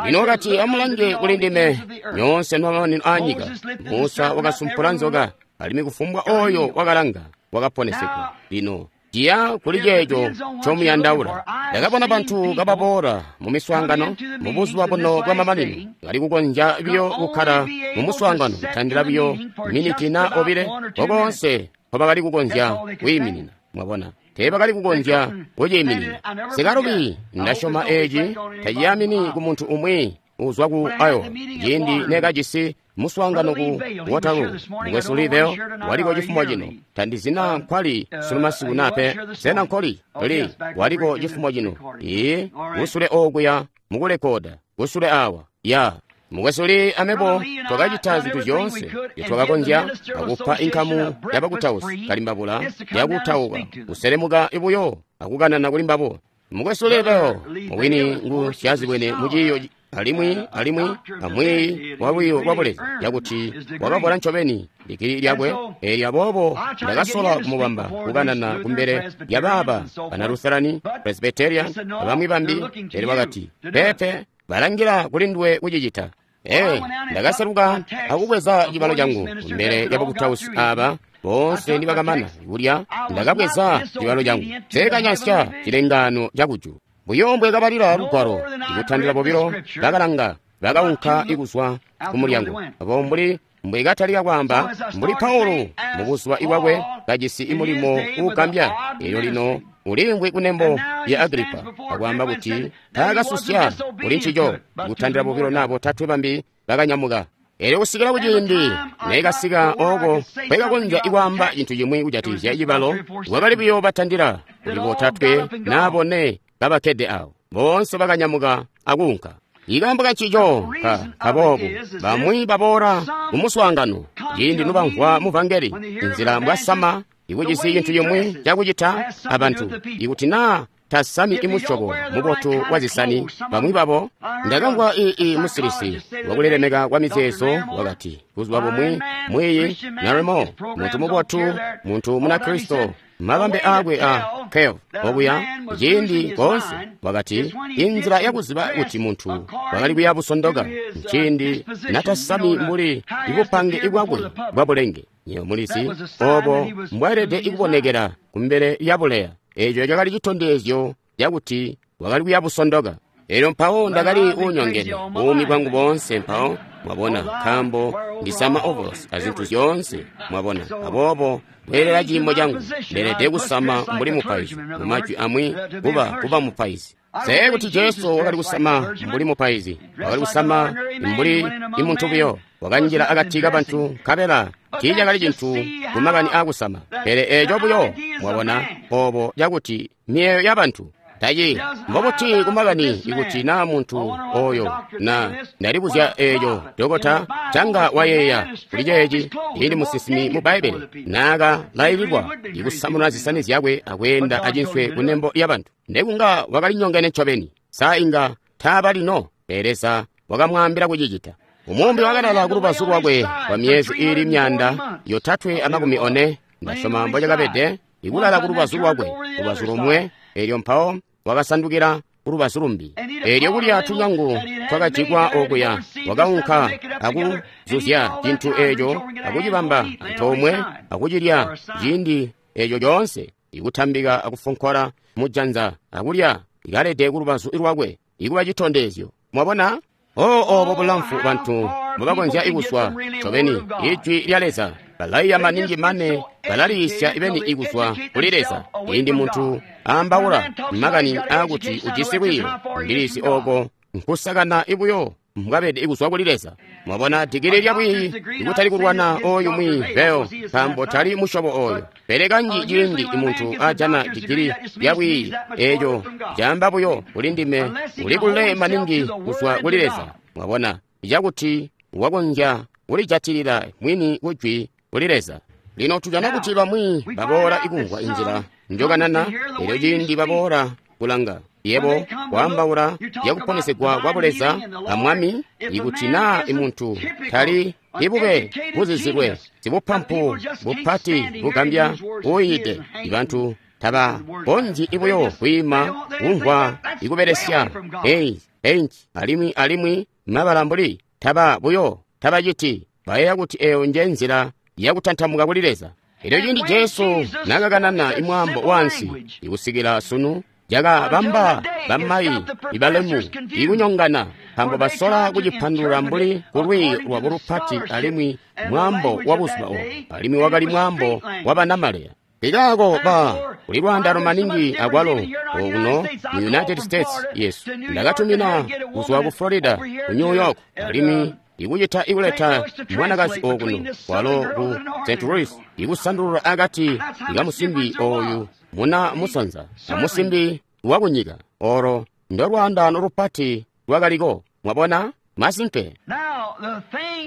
Lino wakati, amulange kuli ndime nyoonse nomamanino aanyika. Musa wakasumpula nzoka, alimwi kufumbwa oyo wakalanga wakaponesegwa. Lino ciya kuli ceeco ncomuyandaula. Ndakabona bantu kababoola mu miswaangano mu buzuba buno bwamamanino, bali kukonzya biyo kukkala mu muswaangano kutandila biyo miniti na obile kokonse nkobakali kukonzya kwiiminina. Mwabona, teebakali kukonzya kuciiminina. Sikalubi, ndasyoma eeci taciyamini ku muntu umwi uzwa ku Iowa, ciindi nekajisi muswaangano ku Waterloo. Mukwesu Liddell waliko cifumo cino, tandizina nkwali sunu masiku nape. Sena nkoli li waliko cifumo cino? Ee, kusule okuya mukulekoda, kusule awa ya Mukwesu Lee amebo twakacita zintu zyoonse twakakonzya akupa inkamu yabakutausi kalimbabula yakutauka kuselemuka ibuyo akukanana kuli mbabo. Mukwesu Liddell mubwini ngu syazibwene muciiyo alimwi alimwi amwiiyi wa lwiiyo lwa buleza yakuti wakavola ncobeni ligili lyakwe. Eelyo aboobo ndakasola kumubamba kukanana kumbele lya baaba bana Lutherani, Presbyterian abamwi bambi, pele wakati, peepe, balangila kuli nduwe kucicita. Ee, ndakaseluka akubweza cibalo cangu kumbele lyabakutausi aaba boonse nibakamana kulya. Ndakabweza cibalo cangu seekanyansya cilengaano cakujulu. Buyo mbwe kabalila lugwalo ikutandila bobilo bakalanga, bakaunka ikuzwa ku mulyango. Abo mbuli mbwe katalika kwaamba mbuli Paulo mu buzuba bwakwe kajisi imulimo uugambya. Elyo lino uliimvwi kunembo ya Agripa akwaamba kuti taakasusya kuli ncico. Kutandila bobilo na botatwe bambi bakanyamuka. Elyo kusikila kuciindi nekasika ooko kwekakonzya ikwaamba cintu cimwi kujatikizya cibalo, wakali buyo batandila kuli botatwe na bone kabakkede awo. Boonse bakanyamuka akuunka. Ikaambo kancico ka kaboobu, bamwi baboola mu muswaangano ciindi nobamvwa muvangeli nzila mbwasama ikujisi cintu cimwi cakucita abantu, ikuti naa tasami imusyobo mubotu wa zisani. Bamwi babo ndakamvwa ii musilisi wakulilemeka kwa mizeezo wakati buzuba bumwi mwiiyi Naremo, muntu mubotu, muntu Munakristo, mabambe aakwe a Kev okuya ciindi koonse, wakati inzila yakuziba kuti muntu wakali kuya busondoka nciindi natasami mbuli ibupange bwakwe bwa bulenge. Nyo mulizi obo mbwaelede ikubonekera kumbele ya buleya. Eeco cakali citondezyo cakuti wakali kuya busondoka. Elyo mpawo ndakali uunyongene buumi bwangu boonse. Mpawo Mwabona, nkaambo ndisama ovolosi azintu zyoonse, mwabona. Aboobo kweelela ciimo cangu, ndeelede kusama mbuli mupaizi, mu majwi amwi kuba kuba mupaizi. Nse kuti Jesu wakali kusama mbuli mupaizi, wakali kusama mbuli imuntu buyo, wakanjila akati kabantu nkabela tiicakali cintu kumakani aakusama. Pele eeco buyo, mwabona, obo cakuti miyeeyo yabantu taci mbobuti kumakani ikuti naa muntu oyo na ndalibuzya eeco dokota canga wayeeya kuli ceeci ili musinsimi mu Bbaibbele naaka laililwa ikusamuna zisani zyakwe akweenda acinswe kunembo lyabantu, ndekunga wakali nyongene ncobeni. Sa inga taaba lino, pele Leza wakamwaambila kucicita. Umumbi wakalala kulubazu lwakwe kwa myezi iili myanda yotatwe amakumi one, ndasyoma mbocakabede, ikulala kulubazu lwakwe, lubazu lomwe, elyo mpawo wakasandukila kulubazu lumbi. Elyo kulya tunyangu twakajikwa okuya, wakaunka akuzuzya cintu eeco akucibamba antoomwe akucilya ciindi eeco coonse, ikutambika akufonkola mujanza akulya ikalede kulubazu lwakwe, ikuba citondezyo. Mwabona? Oh, obo bulamfu bantu mbobakonzya ikuswa ncobeni ijwi lya Leza. Balaiya maningi mane balaliisya ibeni ikuswa kuli Leza. Ciindi muntu aambaula makani aakuti ujisi lwiiyo, ndilisi oko nkusakana ibuyo mbwabede ikuswa kuli Leza. Mwabona, digili lya bwiiyi ikutali kulwana oyu mwi beo, nkaambo tali musyobo oyo. Pele kanji ciindi muntu ajana digili lya bwiiyi, eeco caamba buyo kuli ndime uli kule maningi kuzwa kuli Leza. Mwabona, cakuti wakonzya kulijatilila mwini kujwi kuli Leza. Lino tujana kuti bamwi baboola ikumvwa inzila njokanana, elyo ciindi baboola kulanga yebo kwaambaula yakuponesegwa kwa Buleza a Mwami, ikuti naa imuntu tali ibube buzizilwe sibupampu bupati bugambya uyiide, ibantu tabakonzyi ibuyo kwiima kumvwa ikubelesya ei enci alimwi alimwi mabala mbuli taba buyo tabaciti, bayeeya kuti eyo nje nzila yakutantamuka kuli Leza. Elyo ciindi Jesu nakakanana imwaambo wansi ikusikila sunu, jakabamba bamayi ibalemu ikunyongana, nkaambo basola kucipandulula mbuli kulwiiyo lwabo lupati alimwi mwaambo wa buzuba obo, alimwi wakali mwaambo wa banamaleya. Ikaako ba kuli lwaandano maningi akwalo okuno mu United States yesu. Ndakatumina kuzwa ku Florida ku New York, alimwi ikucita ikuleta mwanakazi okuno kwalo ku Saint Louis, ikusandulula akati ikamusimbi oyu muna musanza amusimbi wakunyika. Olo ndo lwaandano lupati lwakaliko. Mwabona? Masimpe.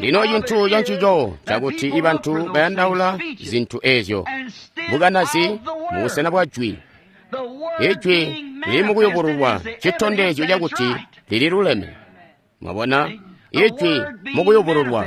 Lino cintu cancico cakuti ibantu bayandaula zintu ezyo bukanazi mubusena bwa jwi. Ijwi lili mukuyubululwa citondezyo cakuti lili luleme. Mwabona? Ijwi mukuyubululwa.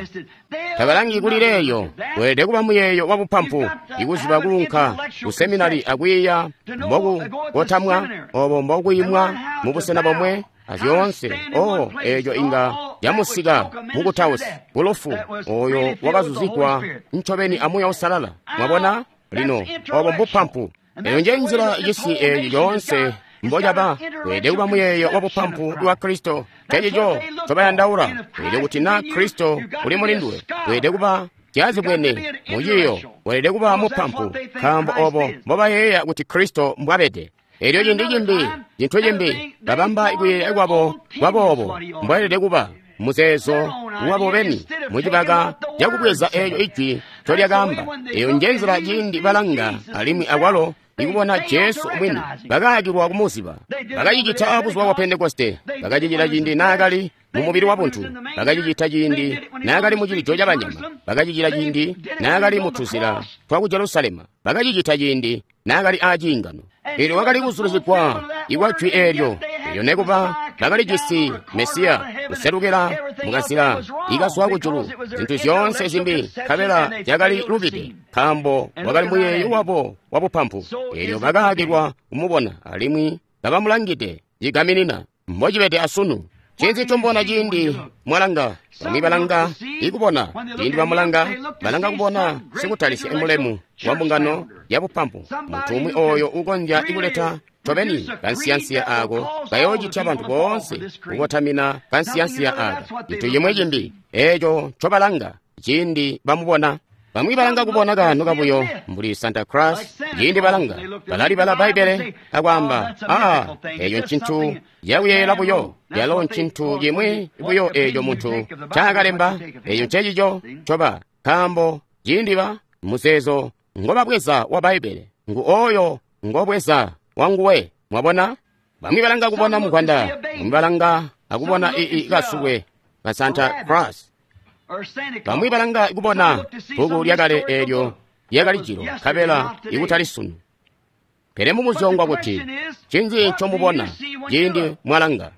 Tabalangi kuli leeyo, weelede kuba muyeeyo wa bupampu, ikuziba kulunka ku seminari akwiiya mbokukotamwa, obo mbokuyimwa mubusena bomwe azyoonse. Oh, eeco inga yamusika mukutausi kulufu oyo wakazuzigwa ncobeni a Muuya Uusalala. Mwabona? Lino obo mbupampu. Eyo nje nzila cisi eeci coonse mbocaba. Weelede kuba muyeeyo wa bupampu wa Kristo. Ncencico ncobayandaula. Weelede kuti na Kristo uli mulinduwe, weelede kuba syazibwene muciyo, weelede kuba mupampu, nkaambo obo mbobayeeya kuti Kristo mbwabede. Elyo cindi cimbi, cintu cimbi, babamba ikuyeeya kwabo kwaboobo mbwelede kuba muzeezo wabo beni mucibaka cakubweza eeco ijwi ncolyakaamba. Eyo nje nzila ciindi balanga alimwi akwalo ikubona Jesu mwini, bakaakilwa kumuziba. Bakacicita abuzuba bwa Pentekoste, bakacicita ciindi naakali mu mubili wa buntu, bakacicita ciindi naakali mu cilijo cabanyama, bakacicita ciindi naakali mu tuzila twa ku Jerusalema, bakacicita ciindi naakali aaciingano. Elyo wakali kuzulizigwa ikwa jwi eelyo. Elyo nekuba bakalijisi Mesiya kuselukila mukazila ikazwa kujulu, zintu zyoonse zimbi nkabela zyakali lubide, nkaambo wakali muyeeyo wabo wa bupampu. Elyo bakaakilwa kumubona alimwi kabamulangide cigaminina mbocibede asunu. Ncinzi ncombona ciindi mwalanga? Bamwi balanga ikubona. Ciindi bamulanga, balanga kubona sikutalisya imulemu wa mbungano ya bupampu, muntu umwi oyo ukonzya ikuleta ncobeni kansiyansiya aako kayoocitya bantu boonse kukotamina kansiyansiya aaka. Cintu cimwi cimbi eeco ncobalanga ciindi bamubona. Bamwi balanga kubona kaano kabuyo mbuli Santa Claus. Ciindi balanga balalibala Bbaibbele akwaamba, aa, eeco ncintu cakuyeeyela buyo, yalo ncintu cimwi buyo eeco muntu ncaakalemba. Eeco ncecico ncoba, nkaambo ciindi ba muzeezo ngobabweza wa Bbaibbele ngu oyo ngobweza wanguwe. Mwabona? Bamwi balanga kubona mugwanda, bamwi balanga akubona ii kasukwe ka Santa Claus. Bamwi balanga kubona bbuku lyakale eelyo lyakali jilo, nkabela ikutali sunu. Pele mubuzyo kuti, ncinzi ncomubona ciindi mwalanga?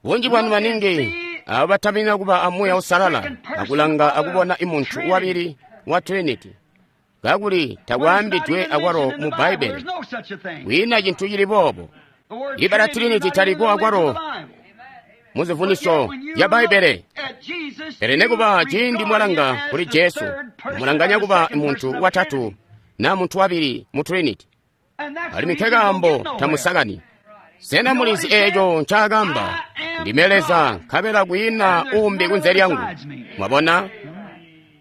Bunji bwanu maningi abo batamina kuba a Muuya Uusalala akulanga akubona imuntu wabili wa Trinity, kakuli takwaambidwe akwalo mu Bbaibbele. Kwiina cintu cili boobo. Ibala Trinity taliko akwalo muzivunisyo zya Bbaibbele. Pele nekuba ciindi mwalanga kuli Jesu, mulanganya kuba muntu watatu na muntu wabili mu Trinity. Alimwi nkekaambo tamusakani. Sena mulizi eeco ncaakamba? Ndime Leza, nkabela kwiina uumbi kunze lyangu. Mwabona?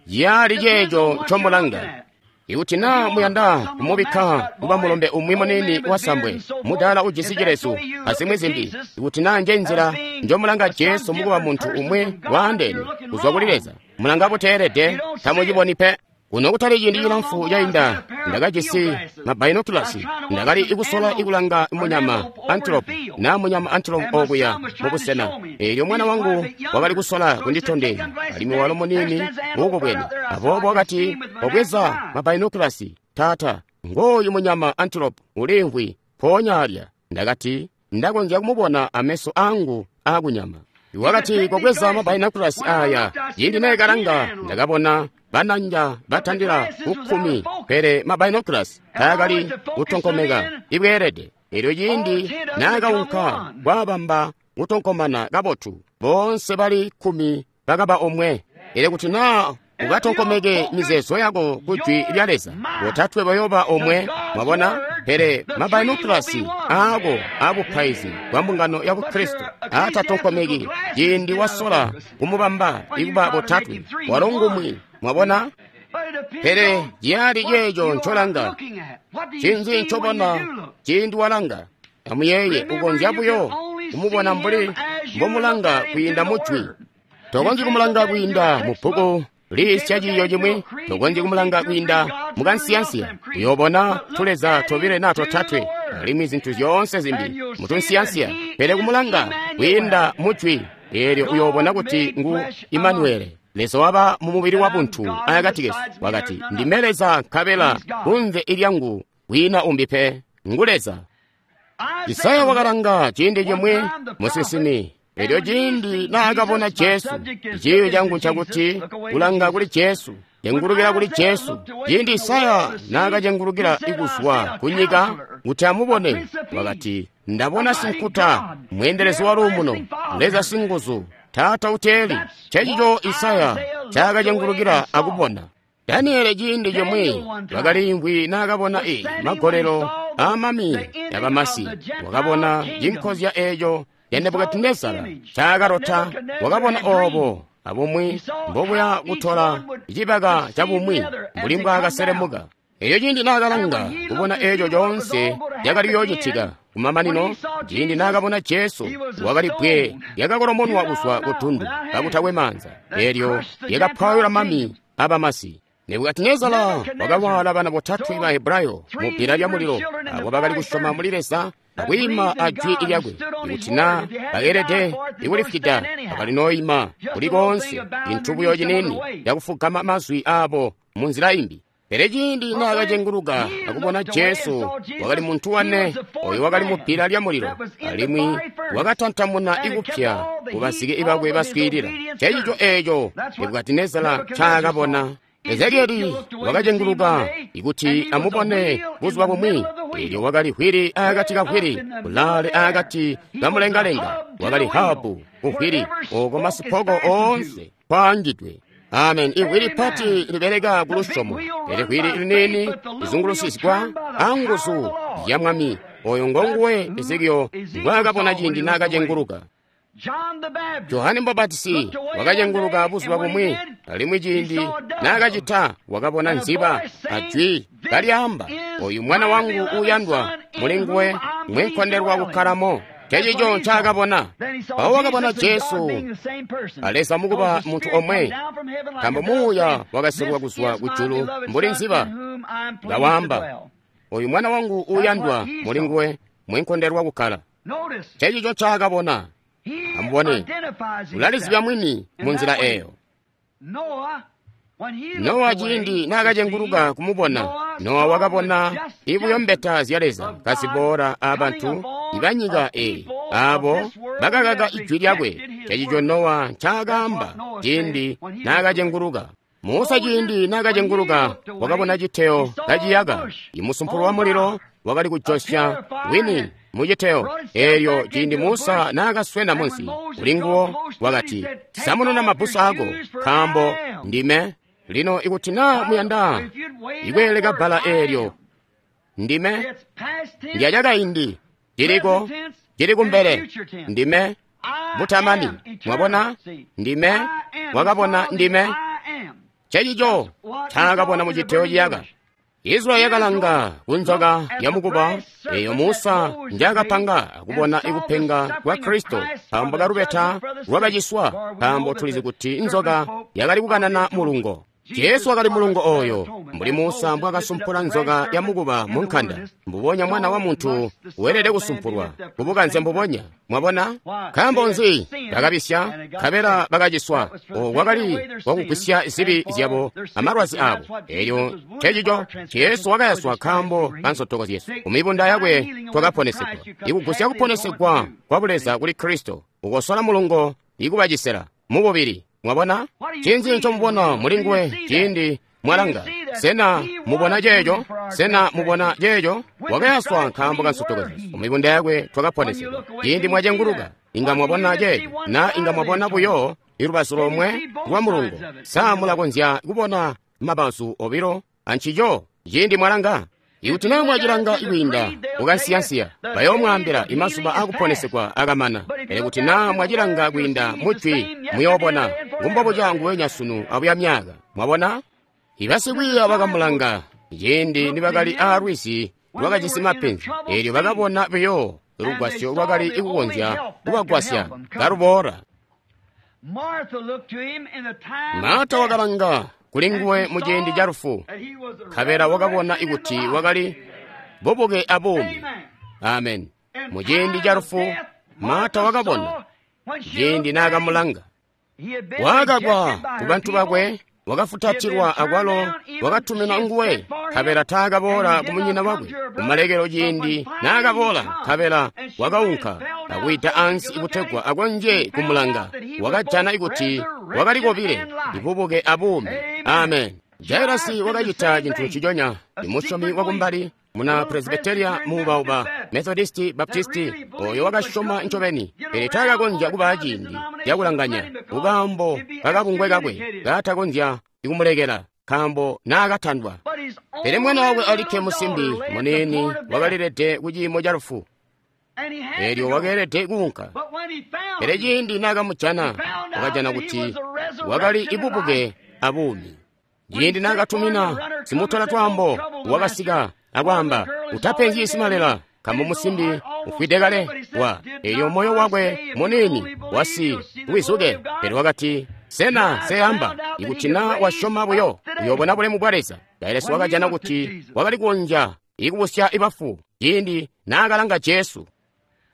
Yali ceeco ncomulanga. Ikuti naa muyanda kumubikka kuba mulombe umwi munini wasambwe, mudaala ujisi cilezu azimwi zimbi, ikuti naa nje nzila njomulanga Jesu mukuba muntu umwi waandeene kuzwa kuli Leza, mulanga buteelede, tamuciboni pe. Kuno kutali ciindi cilamfu cainda, ndakajisi mabinoculars, ndakali ikusola ikulanga munyama antelope na munyama antelope okuya mubusena. Eelyo mwana wangu wakali kusola kunditondezya, alimwi walo munini uukubwene. Aboobo wakati, "Obweza mabinoculars, taata, ngooyu munyama antelope uliimvwi mpoonya alya." Ndakati, "Ndakonzya kumubona ameso angu aakunyama." Wakati, "Kobweza mabinoculars aya." Ciindi neekalanga, ndakabona bananja batandila kukkumi, pele mabinoculars taakali kutonkomeka ibweelede. Elyo ciindi naakaunka kwaabamba kutonkomana kabotu, boonse bali kkumi bakaba omwe. Elyo kuti naa ukatonkomeke mizeezo yako ku Jwi lya Leza, botatwe bayoba omwe. Mwabona? Pele mabinoculars aako aabupaizi bwa mbungano ya Bukristo aatatonkomeki ciindi wasola kumubamba ikuba botatwe, walo ngumwi. Mwabona? Pele ciyali ceeco ncolanga. Ncinzi ncobona ciindi walanga? Amuyeeye, ukonzya buyo kumubona mbuli mbomulanga kwiinda mu Jwi. Tokonzyi kumulanga kwiinda mu bbuku liisya ciiyo cimwi, tokonzyi kumulanga kwiinda mukansiyansiya. Uyoobona tuleza tobile naa totatwe, alimwi zintu zyoonse zimbi mutunsiyansiya. Pele kumulanga kwiinda mu Jwi, eelyo uyoobona kuti ngu Imanuele, Leza waba mu mubili wa buntu akati kesu. Wakati, "Ndime Leza, nkabela kunze ilyangu kwiina umbi pe, ngu Leza." Isaya wakalanga ciindi cimwi musinsimi. Elyo ciindi naakabona Jesu, ciiyo cangu ncakuti kulanga kuli Jesu, cengulukila kuli Jesu. Ciindi Isaya naakacengulukila ikuzwa kunyika kuti amubone, wakati, "Ndabona sinkuta, mweendelezi wa luumuno, Leza singuzu, Taata uteeli." Ncencico Isaya ncaakacengulukila akubona. Daniele ciindi cimwi wakaliimvwi naakabona i magolelo aamami yabamasi, wakabona cinkozya eeco ya Nebukadinezara ncaakalotta. Wakabona oobo abumwi mbobuya kutola cibaka cabumwi mbuli mbwaakaselemuka. Elyo ciindi naakalanga kubona eeco coonse cakali kuyoocitika kumamanino, ciindi naakabona Jesu, wakali bbwe lyakakolomonwa kuzwa ku tundu kakutakwe maanza, eelyo lyakapwayula mami abamasi. Nebukadinezara wakawaala bana botatwe ba Hebrayo mu bbila lyamulilo, abo bakali kusyoma muli Leza akwiima a Jwi lyakwe. Ikuti naa bakeelede ikulifwida, bakali nooyima kuli koonse, cintu buyo ciniini cakufugama mazwi aabo munzila imbi. Pele ciindi naakacenguluka akubona Jesu, wakali muntu wane oyo wakali mu bbila lyamulilo, alimwi wakatantamuna ikupya kubazike bakwe baswiilila. Ncencico eeco Nebukadinezara ncaakabona. Ezekieli wakacenguluka ikuti amubone buzuba bumwi, eelyo wakali hwili aakati ka hwili, kulaale aakati kamulengalenga, wakali habu ku hwili, ooko masipoko oonse kwaangidwe. Amen. Ivwili pati libeleka ku lusyomo, pele vwili liniini lizungulusyigwa anguzu ya Mwami. Oyo ngonguwe Ezekiyo ngwaakabona ciindi naakacenguluka. Johane Mubapatizi wakacenguluka buzuba bumwi, alimwi ciindi naakacita wakabona nziba ajwi kalyaamba, oyu mwana wangu uuyandwa, mulinguwe mwenkondelwa kukkalamo. Ncencico ncaakabona. Mpawo wakabona Jesu a Leza mukuba muntu omwe, nkaambo Muuya wakaselwa kuzwa kujulu mbuli nziba, kawaamba, oyu mwana wangu uuyandwa, mulinguwe mwenkondelwa kukkala. Ncencico ncaakabona. Amubone, ulalizibya mwini munzila eyo. Nowa ciindi naakacenguluka kumubona, Nowa wakabona ibuyo mbeta zya Leza kaziboola abantu ibanyika eyi, aabo bakakaka ijwi lyakwe. Ncencico Nowa ncaakaamba ciindi naakacenguluka. Musa ciindi naakacenguluka wakabona citeyo kaciyaka, imusumpulo wa mulilo wakali kujosya wini muciteyo. Eelyo ciindi Musa naakaswena munsi kulinguwo wakati, samununa mabbusu ako, nkaambo ndime. Lino ikuti naa muyanda ikweeleka bbala eelyo, ndime, ndyacakaindi, ciliko, cili kumbele, ndime, butamani. Mwabona, ndime, wakabona ndime. Ncencico ncaakabona muciteyo ciyaka. Israeli yakalanga kunzoka yamukuba eyo Musa njaakapanga akubona ikupenga kwa Kristo nkaambo kalubeta lwakaciswa, nkaambo tulizi kuti nzoka yakali kukanana mulungo. Jesu wakali mulungo oyo, mbuli Musa mbwaakasumpula nzoka yamukuba mu nkanda, mbubonya Mwana wa Muntu weelede kusumpulwa kubukanze mbubonya. Mwabona? Nkaambo nzi? Bakabisya, nkabela bakaciswa. Owo kwakali kwakugwisya zibi zyabo amalwazi abo. Elyo ncencico Jesu wakayaswa nkaambo ka nsotoko zyesu. Kumibunda yakwe twakaponesegwa. Ikugusya kuponesegwa kwa Buleza kuli Kristo, ukosola mulungo ikubacisela mububili. Mwabona? Ncinzi ncomubona mulinguwe ciindi mwalanga? Sena mubona ceeco? Sena mubona ceeco? Wakayaswa nkaambo ka nsotoko zyesu. Kumibunda yakwe twakaponesegwa. Ciindi mwacenguluka, inga mwabona ceeco, na inga mwabona buyo ilubazu lomwe lwa mulungo. Sa mulakonzya kubona mabazu obilo ancico ciindi mwalanga? Ikuti naa mwacilanga kwiinda kukansiyansiya, bayoomwaambila imazuba akuponesegwa akamana. Pele kuti naa mwacilanga kwiinda mujwi, muyoobona ngumbobuca nguwenya sunu abuya myaka. Mwabona? Ibasikwiiya bakamulanga ciindi nibakali aalwizi lwakajisi mapenzi, eelyo bakabona buyo lugwasyo lwakali kukonzya kubagwasya kaluboola. Marta wakalanga kulinguwe muciindi ca lufu, nkabela wakabona ikuti wakali bubuke abuumi. Amen. Muciindi ca lufu, Marta wakabona ciindi naakamulanga. Wakakwa kubantu bakwe, wakafutatilwa akwalo wakatuminwa nguwe, nkabela taakaboola kumunyina wakwe. Kumalekelo ciindi naakaboola, nkabela wakaunka akwiita ansi kutegwa akonzye kumulanga. Wakajana ikuti wakali kobile, ibubuke abuumi. Amen. Jairasi wakacita cintu nciconya. Imusyomi wakumbali, muna Presbyteria muubauba, Methodisti, Baptisti, oyo wakasyoma ncobeni, pele taakakonzya kuba ciindi cakulanganya kukaambo kakabungwe kakwe kaatakonzya kumulekela, nkaambo naakatandwa. Pele mwana wakwe alikke musimbi muniini wakalilede ku ciimo ca lufu, eelyo wakeelede kuunka. Pele ciindi naakamujana, wakajana kuti wakali ibubuke abuumi. Ciindi naakatumina simutola twaambo, wakasika akwaamba, utapenzyi simalela, nkaambo musimbi ufwide kale wa. Eelyo moyo wakwe muniini wasi wizuke. Pele wakati, sena seyamba ikuti naa wasyoma buyo uyoobona bulemu bwa Leza. Jairasi wakajana kuti wakali kukonzya ikubusya ibafu ciindi naakalanga Jesu.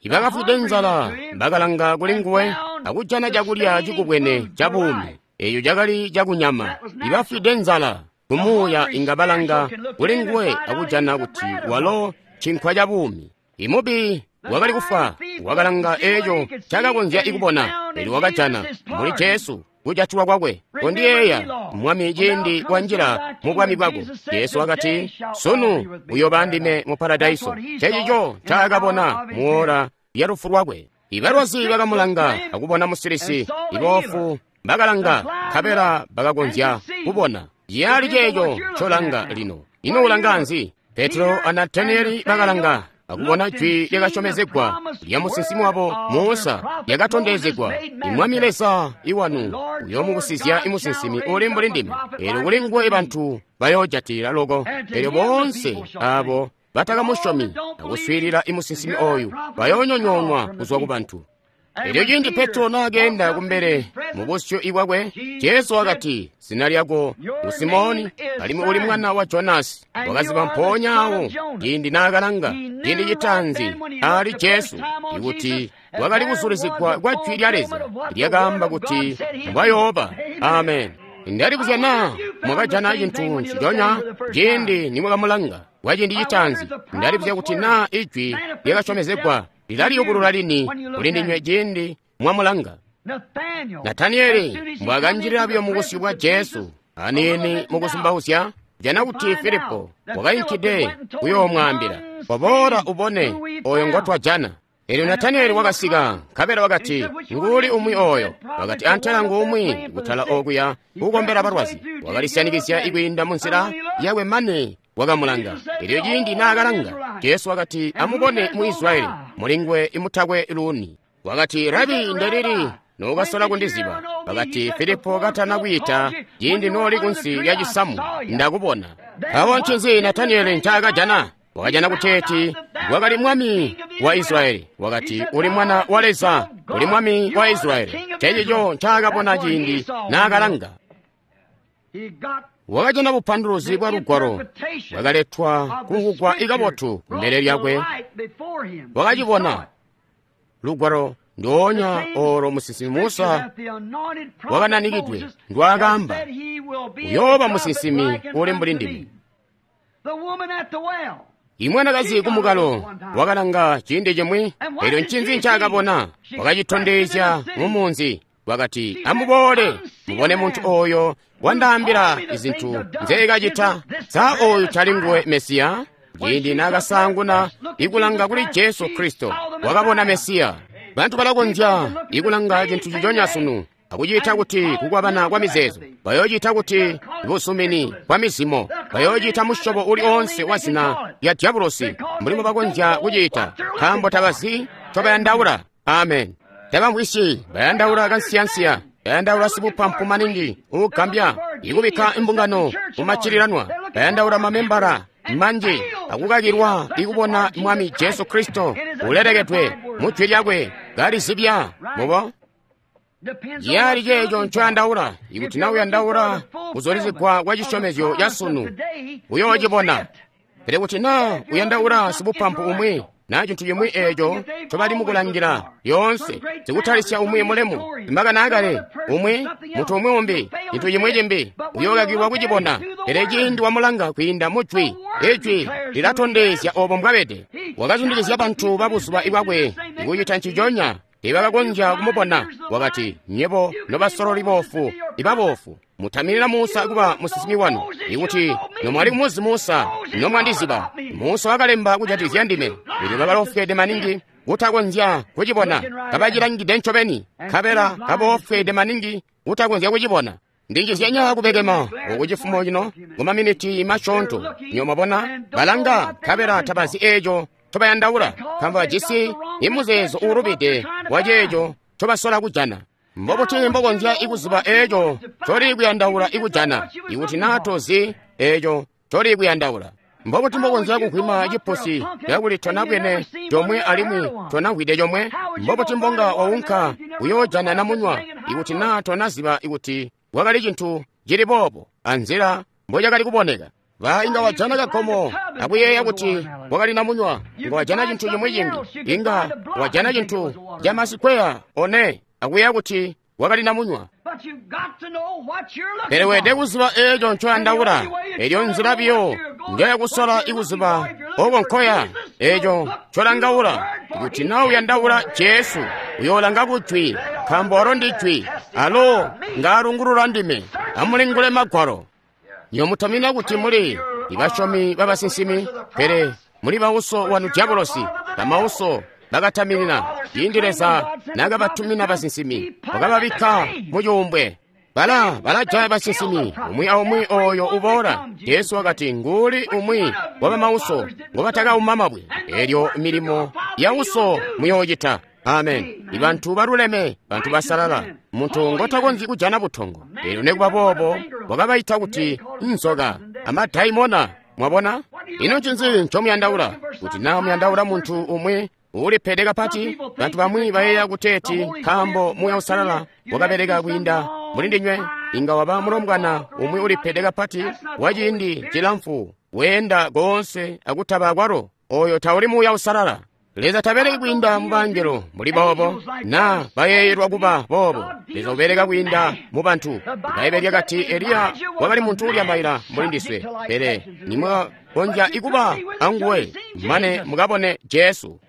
Ibakafwide nzala bakalanga kulinguwe akujana cakulya cikubwene cabuumi, eeco cakali cakunyama. Ibafwide nzala kumuuya inga balanga kulinguwe akujana kuti walo cinkwa cabuumi. Imubi wakali kufwa wakalanga eeco cakakonzya ikubona, pele wakajana muli Jesu kujatilwa kwakwe. Kondiyeeya Mwami ciindi wanjila mu bwami bwako. Jesu wakati, sunu uyooba ndime mu paradaiso. Ncencico ncaakabona muola lya lufu lwakwe. Ibalwazi bakamulanga akubona musilisi, iboofu bakalanga nkabela bakakonzya kubona. Ciyali ceeco ncolanga lino. Ino ulanga nzi? Petro a Nataniyeli bakalanga akubona jwi lyakasyomezegwa lya musinsimi wabo Musa lyakatondezegwa. Imwami Leza iwanu uyoomubusizya imusinsimi uli mbuli ndime, eelyo kuli nguwe bantu bayoojatilila loko. Eelyo boonse aabo batakamusyomi akuswiilila imusinsimi oyu bayoonyonyoonwa kuzwa ku bantu. Elyo ciindi Petro naakeenda kumbele mu busyu bwakwe, Jesu wakati, "Zina lyako ngu Simoni, alimwi uli mwana wa Jonasi." Wakaziba mpoonya awo ciindi naakalanga ciindi citaanzi ali Jesu ikuti wakali kuzulizigwa kwa jwi lya Leza lyakaamba kuti mbwayooba. Amen. Ndalibuzya naa mwakajana cintu nciconya ciindi nimwakamulanga kwa ciindi citaanzi. Ndalibuzya kuti naa ijwi lyakasyomezegwa lilaliyubulula lini kulindinywe ciindi mwamulanga. Nataniyeli mbwakanjilila buyo mubusyu bwa Jesu aniini mukuzumbauzya, jana kuti Filipo wakainkide kuyoomwaambila, "Koboola ubone oyo ngotwajana." Eelyo Nataniyeli wakasika, nkabela wakati, "Nguuli umwi oyo?" Wakati, "Antela nguumwi kutala okuya kukombela balwazi." Wakalisyanikizya ikwiinda munzila yakwe mane wakamulanga. Elyo ciindi naakalanga, Jesu wakati, "Amubone mu Israyeli, mulinguwe imutakwe luuni." Wakati, "Rabi, ndelili nookasola kundiziba?" Wakati, "Filipo katana kwiita, ciindi nooli kunsi lya cisamu, ndakubona." Awo ncinzi Nataniyeli ncaakajana? Wakajana kuteeti wakali mwami wa Israyeli. Wakati, "Uli mwana wa Leza, uli mwami wa Israyeli." Ncencico ncaakabona ciindi naakalanga. Wakajana bupanduluzi bwa lugwalo bwakaletwa kumvugwa ikabotu kumbele lyakwe. Wakacibona lugwalo ndoonya olo musinsimi Musa wakananikidwe ndwaakaamba, "Uyooba musinsimi uli mbuli ndime." Imwanakazi kumukalo wakalanga ciindi cimwi, elyo ncinzi ncaakabona? Wakacitondezya mumunzi. Wakati, "Amuboole mubone muntu oyo wandaambila izintu nzeekacita. Sa oyu tali nguwe Mesiya?" Ciindi naakasaanguna ikulanga kuli Jesu Kristo, wakabona Mesiya. Bantu balakonzya ikulanga cintu ciconya sunu akuciita kuti kukwabana kwa mizeezo, bayoociita kuti busumini bwa mizimo, bayoociita musyobo uli oonse wa zina lya dyabulosi mbuli mbobakonzya kuciita, nkaambo tabazi ncobayandaula. Amen. Tabamvwisyi, bayandaula kansiyansiya, bayandaula sibupampu maningi uugambya ikubikka imbungano mumaccililanwa, bayandaula mamembala manji akukakilwa ikubona Mwami Jesu Kristo ulelekedwe mu jwi lyakwe kalizibya mubo. Ciyali ceeco ncoyandaula. Ikuti na uyandaula kuzulizigwa kwa cisyomezyo ca sunu, uyoocibona. Pele kuti na uyandaula sibupampu umwi na cintu cimwi eeco ncobali mukulangila lyoonse, sikutalisya umwi mulemu, imakani akale, umwi muntu umwi umbi, cintu cimwi cimbi, uyookakilwa kucibona. Pele ciindi wamulanga kwiinda mu jwi, ijwi lilatondezya obo mbwabede. Wakazundikizya bantu babuzuba bwakwe ikucita nciconya. Teebakakonzya kumubona. Wakati, "Nyebo nobasololi boofu, ibaboofu, mutaminina Musa kuba musinsimi wanu. Ikuti nomwali kumuzi Musa, nomwandiziba. Musa wakalemba kujatikizya ndime." Elyo bakalofwede maningi kutakonzya kucibona, kabacilangide ncobeni, nkabela kaboofwede maningi kutakonzya kucibona. Ndinjizyanya kubekema oku cifumo cino kumaminiti masyoonto. Nyo mwabona, balanga nkabela tabazi eeco ncobayandaula, nkaambo bajisi imuzeezo uulubide wa ceeco ncobasola kujana. Mbobuti mbokonzya ikuziba eeco ncoli kuyandaula ikujana, ikuti naa tozi eeco ncoli kuyandaula? Mbobuti mbokonzya kugwima cipusi kakuli tonabwene comwe alimwi tonamvwide comwe? Mbobuti mbonga waunka kuyoojana namunywa ikuti naa tonaziba ikuti wakali cintu cili boobo anzila mbocakali kuboneka? Ba inga wajana kagomo akuyeeya kuti wakali namunywa, inga wajana cintu cimwi cimbi, inga wajana cintu ca masikweya one akuyeeya kuti wakali namunywa. Pele weelede kuziba eeco ncoyandaula. Elyo nzila biyo njoyakusola ikuziba oko nkoya, eeco ncolangaula. Ikuti na uyandaula Jesu, uyoolanga kujwi, nkaambo alo ndi jwi, alo ngaalungulula ndime. Amulingule Magwalo. Nyomutamina kuti muli ibasyomi babasinsimi, pele muli bauso wanu dyabulosi, bamauso bakataminina. Ciindi Leza naakabatumina basinsimi, wakababikka mu cuumbwe. Bala balajaya basinsimi, umwi aumwi oyo uboola. Jesu wakati, nguuli umwi wabamauso ngobatakauma mabwe. Elyo milimo ya uso muyoocita. Amen. Ibantu baluleme, bantu basalala, muntu ngotakonzyi kujana butongo. Elyo nekuba boobo wakabaita kuti nzoka amadaimona. Mwabona? Ino ncinzi ncomuyandaula? Kuti naa muyandaula muntu umwi uulipede kapati, bantu bamwi bayeeya kuteeti nkaambo Muuya Uusalala wakabeleka kwiinda muli ndinywe, inga waba mulombwana umwi ulipede kapati wa ciindi cilamfu, weenda koonse akutaba kwalo. Oyo tauli Muuya Uusalala. Leza tabeleki kwiinda mu bangelo muli boobo, naa bayeeyelwa kuba boobo. Leza ubeleka kwiinda mu bantu. Ibbaibbele lyakati Eliya wakali muntu ulyambaila mbuli ndiswe, pele nimwakonzya ikuba anguwe mane mukabone Jesu.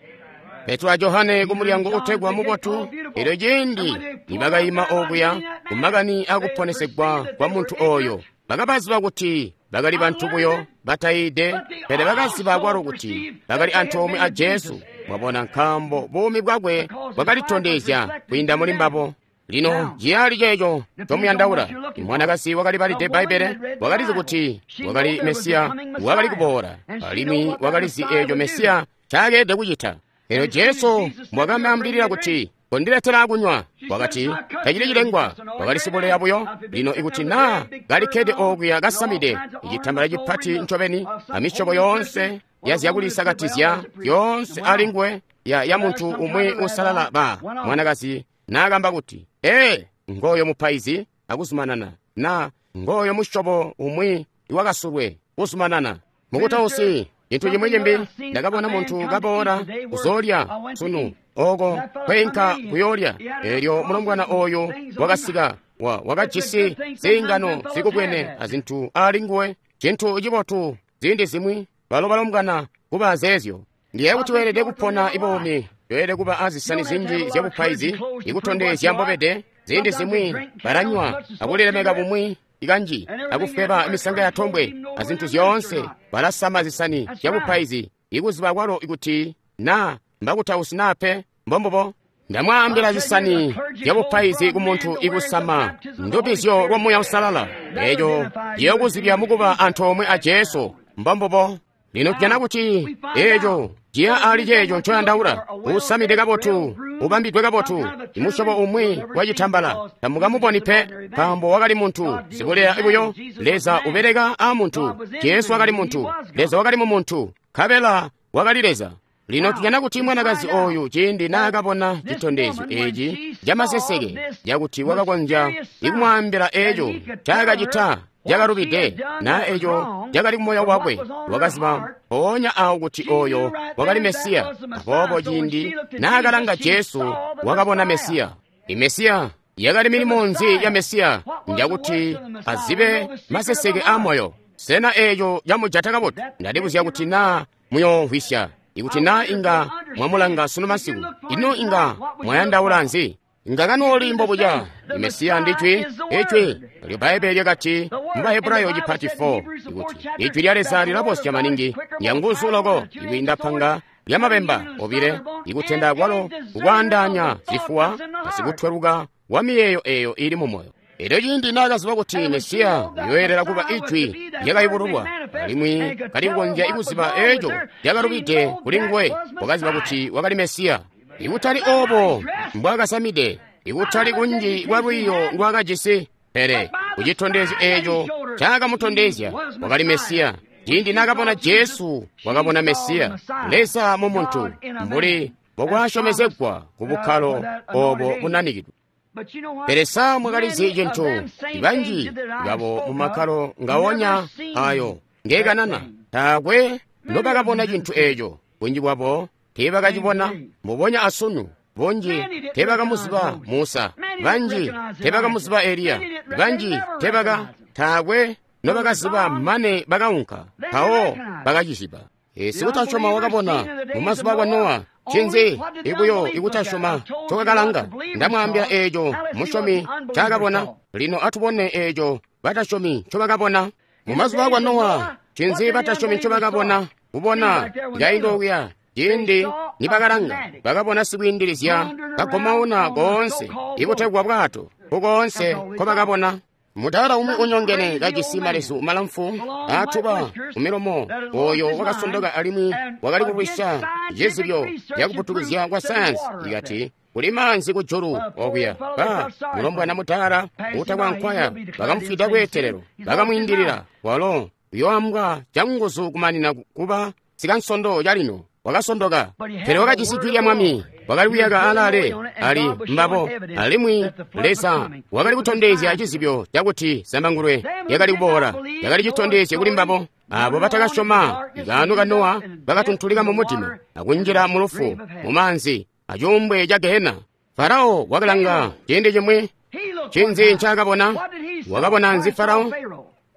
Petro a Johane ku mulyango utegwa Mubotu, elyo ciindi nibakayima okuya ku makani akuponesegwa kwa muntu oyo, bakabaziba kuti bakali bantu buyo batayide, pele bakaziba kwalo kuti bakali antoomwe a Jesu. Mwabona, nkaambo buumi bwakwe bwakalitondezya kwiinda muli mbabo. Lino ciyali ceeco ncomuyandaula. Imwanakazi wakali balide Bbaibbele, wakalizi kuti wakali Mesiya wakali kuboola, alimwi wakalizi eeco Mesiya ncaakede kucita. Elyo Jesu mbwakamwaambilila kuti, kondiletela kunywa, wakati, tacili cilengwa, wakali sibuleya buyo. Lino ikuti naa kalikkede okuya kasamide icitambala cipati ncobeni amisyobo yoonse ya zyakulisakatizya yoonse alinguwe ya, ya muntu umwi uusalala ba mwanakazi naakamba kuti, ee, ngooyo mupaizi akuzumanana, na ngooyo musyobo umwi iwakasulwe kuzumanana. Mukutausi, cintu cimwi cimbi, ndakabona muntu kaboola kuzoolya sunu oko kweinka kuyoolya. Elyo mulombwana oyo wakasika, wa wakajisi ziingano zikubwene azintu alinguwe, cintu cibotu ziindi zimwi balo balombwana kuba zeezyo. Ndiye kuti weelede kupona ibuumi, weelede kuba azisani zinji zyabupaizi ikutondezya mbobede. Ziindi zimwi balanywa akulilemeka bumwi ikanji akufweba misanga ya tombwe azintu zyoonse, balasama zisani zyabupaizi ikuziba kwalo ikuti naa mbakutausi naa pe. Mbombubo. Ndamwaambila zisani zyabupaizi ku muntu ikusama ndubizyo lwa Muuya Uusalala, eeco ciyokuzibya mukuba antoomwe a Jesu. Mbombubo. Lino tujana kuti eeco ciya ali ceeco ncoyandaula, usamide kabotu, ubambidwe kabotu, imusyobo umwi wa citambala, tamukamuboni pe, nkaambo wakali muntu sibuleya buyo. Leza ubeleka a muntu. Jesu wakali muntu, Leza wakali mu muntu, nkabela wakali Leza. Lino tujana kuti mwanakazi oyu ciindi naakabona citondezyo eeci camaseseke cakuti wakakonzya ikumwaambila eeco ncaakacita cakalubide naa eeco cakali kumoyo wakwe, wakaziba mpoonya awo kuti oyo wakali Mesiya. Aboobo ciindi naakalanga Jesu, wakabona Mesiya. Imesiya yakali milimo nzi ya Mesiya? Njakuti azibe maseseke a moyo. Sena eeco camujata kabotu? Ndalibuzya kuti naa muyoomvwisya. Ikuti naa inga mwamulanga sunu masiku, ino inga mwayandaula nzi? Inga kanooli mbobuca. Mesiya ndijwi, ijwi lyo Bbaibbele lyakati mu Bahebrayo cipati four ikuti ijwi lya Leza lilabosya maningi, lyanguzu loko ikwiinda panga lyamabemba obile, ikutenda kwalo kukwaandaanya zifuwa asikutweluka wa miyeeyo eyo ili mu moyo. Elyo ciindi naakaziba kuti Mesiya uyoyelela kuba ijwi lyakayubululwa, alimwi kali kukonzya ikuziba eeco lyakalubide kuli nguwe, wakaziba kuti wakali Mesiya. Ikutali oobo mbwaakasamide, ikutali kunji kwa lwiiyo ndwaakajisi, pele kucitondezyo eeco ncakamutondezya wakali Mesiya. Ciindi naakabona Jesu, wakabona Mesiya, Leza mu muntu, mbuli mbokwasyomezegwa ku bukkalo oobo bunanikidwe. Pele sa mwakalizi cintu? Banji babo mu makkalo ngawonya ayo ngekanana taakwe nobakabona cintu eeco. Bunji bwabo teebakacibona mbubonya asunu. Bunji teebakamuziba Musa, banji teebakamuziba Eliya, banji teebaka taakwe nobakaziba mane bakaunka mpawo bakaciziba. Sikutasyoma wakabona mumazuba kwa Nowa. Ncinzi ikuyo ikutasyoma ncokakalanga? Ndamwaambila eeco musyomi ncaakabona. Lino atubone eeco batasyomi ncobakabona. Mumazuba kwa Nowa, ncinzi batasyomi ncobakabona? Kubona kainda okuya Ciindi nibakalanga, bakabona sikwiindilizya kagomauna koonse, ikutegwa bwato, kukoonse nkobakabona. Mudala umwi unyongene kajisi malezu malamfu aatuba kumilomo, oyo wakasondoka alimwi wakali kulwisya cizibyo cyakuputukizya kwa sayansi, ikati kuli maanzi kujulu okuya. Ba mulombwana mudala uutakwankwaya bakamufwida kweetelelo, bakamwiindilila. Walo uyoambwa canguzu kumanina kuba sikansondo calino. Wakasondoka, pele wakajisi jwi lya Mwami, wakali kuyaka alaale ali mbabo, alimwi Leza wakali kutondezya cizibyo cakuti zambangulwe lyakali kuboola, lyakali citondezyo kuli mbabo. Abo batakasyoma ikaano ka Nowa bakatuntulika mu mudima akunjila mu lufu mu maanzi acuumbwe ca Gehena. Farao wakalanga ciindi cimwi, cinzi ncaakabona? Wakabona nzi Farao?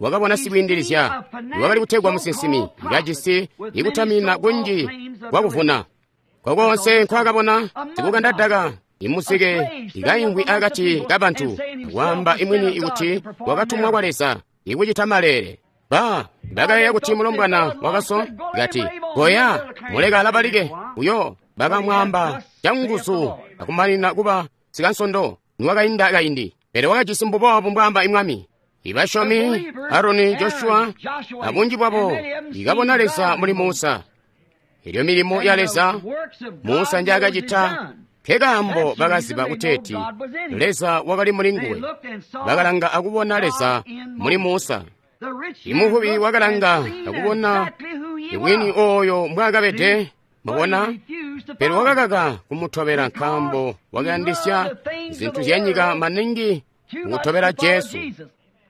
Wakabona sikwiindilizya wakali kutegwa musinsimi, kajisi ikutamina kunji kwakuvuna. Kokonse nkwakabona sikukandadaka imuzike ikaingwi akati kabantu, kwaamba imwini ikuti wakatumwa kwa Leza ikucita maleele. Ba bakayeeya kuti mulombwana wakaso kati goya muleka alabalike uyo. Bakamwaamba canguzu akumanina kuba sikansondo niwakainda kaindi, pele wakajisi mbuboobu mbwaamba imwami. Ibasyomi Aroni, Joshua abunji bwabo ikabona Leza muli Musa. Elyo milimo ya Leza Musa njaakacita nkekaambo bakaziba kuteeti Leza wakali muli nguwe. Bakalanga akubona Leza muli Musa. Imuvubi wakalanga akubona iwini oyo mbwaakabede, mubona, pele wakakaka kumutobela nkaambo wakayandisya zintu zyanyika maningi kutobela Jesu.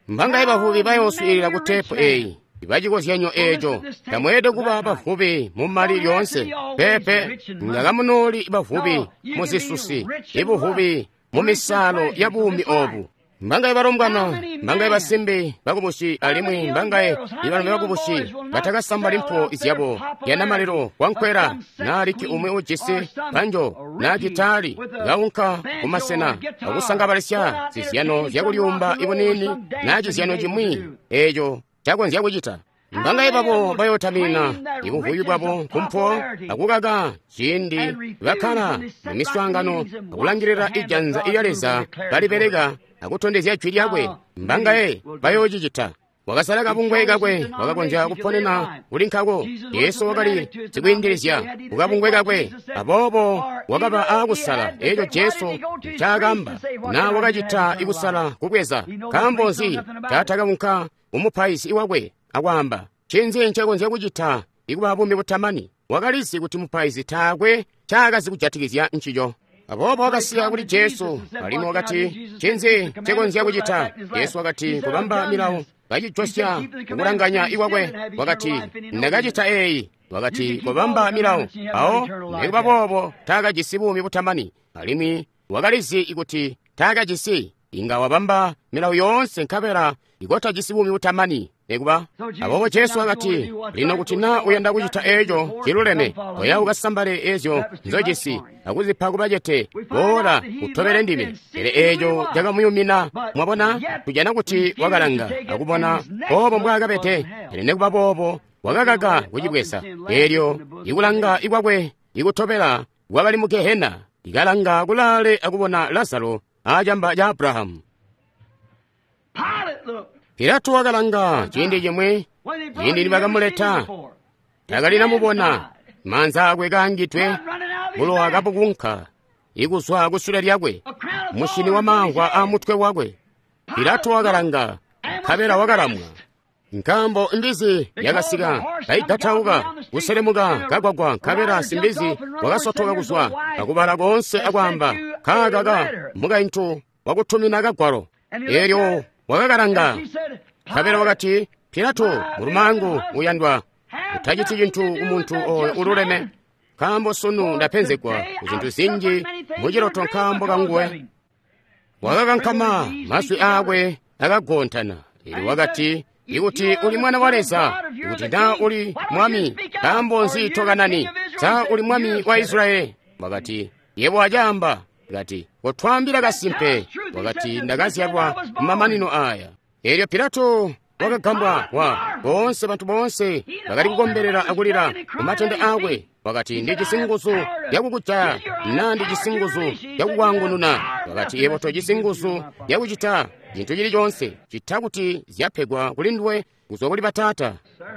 Mbangaye bavubi bayooswiilila ku teepu eyi bacikozyanyo eeco. Tamweelede kuba bavubi mu mali lyoonse, peepe, ngakamunooli bavubi mu zisusi, ibuvubi mu misaalo ya buumi obu. Mbangaye balombwana, mbangaye basimbi bakubusi, alimwi mbangaye ibalombe bakubusi batakasambali mpo zyabo yanamalilo wankwela naaliki umwi ujisi banjo naa gitali kaunka kumasena akusangabalisya zizyano zyakulyumba ibuniini naa cizyano cimwi eeco cakonzya kucita. Mbangaye babo bayotamina ibuvubi bwabo kumpo akukaka ciindi bakkala mu miswaangano akulangilila ijanza ilya Leza balibeleka akutondezya jwi lyakwe. Mbangaye bayoocicita. Wakasala kabungwe kakwe, wakakonzya kuponena kuli nkako. Yesu wakali sikwiindilizya kukabungwe kakwe, aboobo wakaba aakusala eeco Jesu ncaakamba naa wakacita ikusala kubweza. Nkaambo nzi taatakaunka kumupaizi wakwe akwaamba ncinzi ncakonzya kucita ikuba buumi butamani? Wakalizi kuti mupaizi taakwe ncaakazi kujatikizya ncico. Aboobo wakasiya kuli Jesu, alimwi wakati ncinzi ncekonzya kucita? Jesu wakati kubamba milawo kacijosya kukulanganya ikwakwe. Wakati ndakacita eeyi. Wakati kubamba milawo. Awo nikuba boobo taakajisi buumi butamani, alimwi wakalizi kuti taakajisi. Inga wabamba milawo yoonse nkabela ikotajisi buumi butamani nikuba. Aboobo Jesu wakati, lino kuti naa uyanda kucita eeco ciluleme, koya ukasambale eezyo nzojisi akuzipa kubacete, boola utobele ndime. Pele eeco cakamuyumina. Mwabona, tujana kuti wakalanga akubona oobo mbwaakabede, pele nikuba boobo wakakaka kucibweza. Eelyo ikulanga ikwakwe ikutobela kwakali mu Gehena, ikalanga kulaale akubona Lazaro acamba ca Abrahamu. Pilato wakalanga ciindi cimwi, ciindi nibakamuleta, takalinamubona, maanza akwe kaangidwe, bulowa kabukunka ikuzwa kusule lyakwe, mushini wa maamvwa amutwe wakwe. Pilato wakalanga, nkabela wakalamwa, nkaambo imbizi yakasika kaigatauka kuselemuka kagwagwa, nkabela simbizi wakasotoka kuzwa akubala koonse akwaamba, kaakaka mukaintu wakutumina kagwalo. Eelyo wakakalanga, nkabela wakati, Pilato mulumaangu uyandwa, utaciti cintu kumuntu oyo ululeme, nkaambo sunu ndapenzegwa kuzintu zinji muciloto nkaambo kanguwe. Wakakankama, mazwi aakwe akagontana. Eelyo wakati, ikuti uli mwana wa Leza, ikuti naa uli mwami, nkaambo nzi tokanani? Sa uli mwami wa Israyeli? Wakati, yebo acaamba. Kati, kotwaambila kasimpe. Wakati, ndakazyalwa kumamanino aya. Eelyo Pilato wakagambwa wa boonse bantu boonse bakali kukombelela akulila kumatende aakwe. Wakati, Ndijisi nguzu yakukujaya, na ndijisi nguzu yakukwaangununa. Wakati, Yebo tojisi nguzu yakucita cintu cili coonse cita kuti zyapegwa kuli nduwe kuzwa kuli bataata.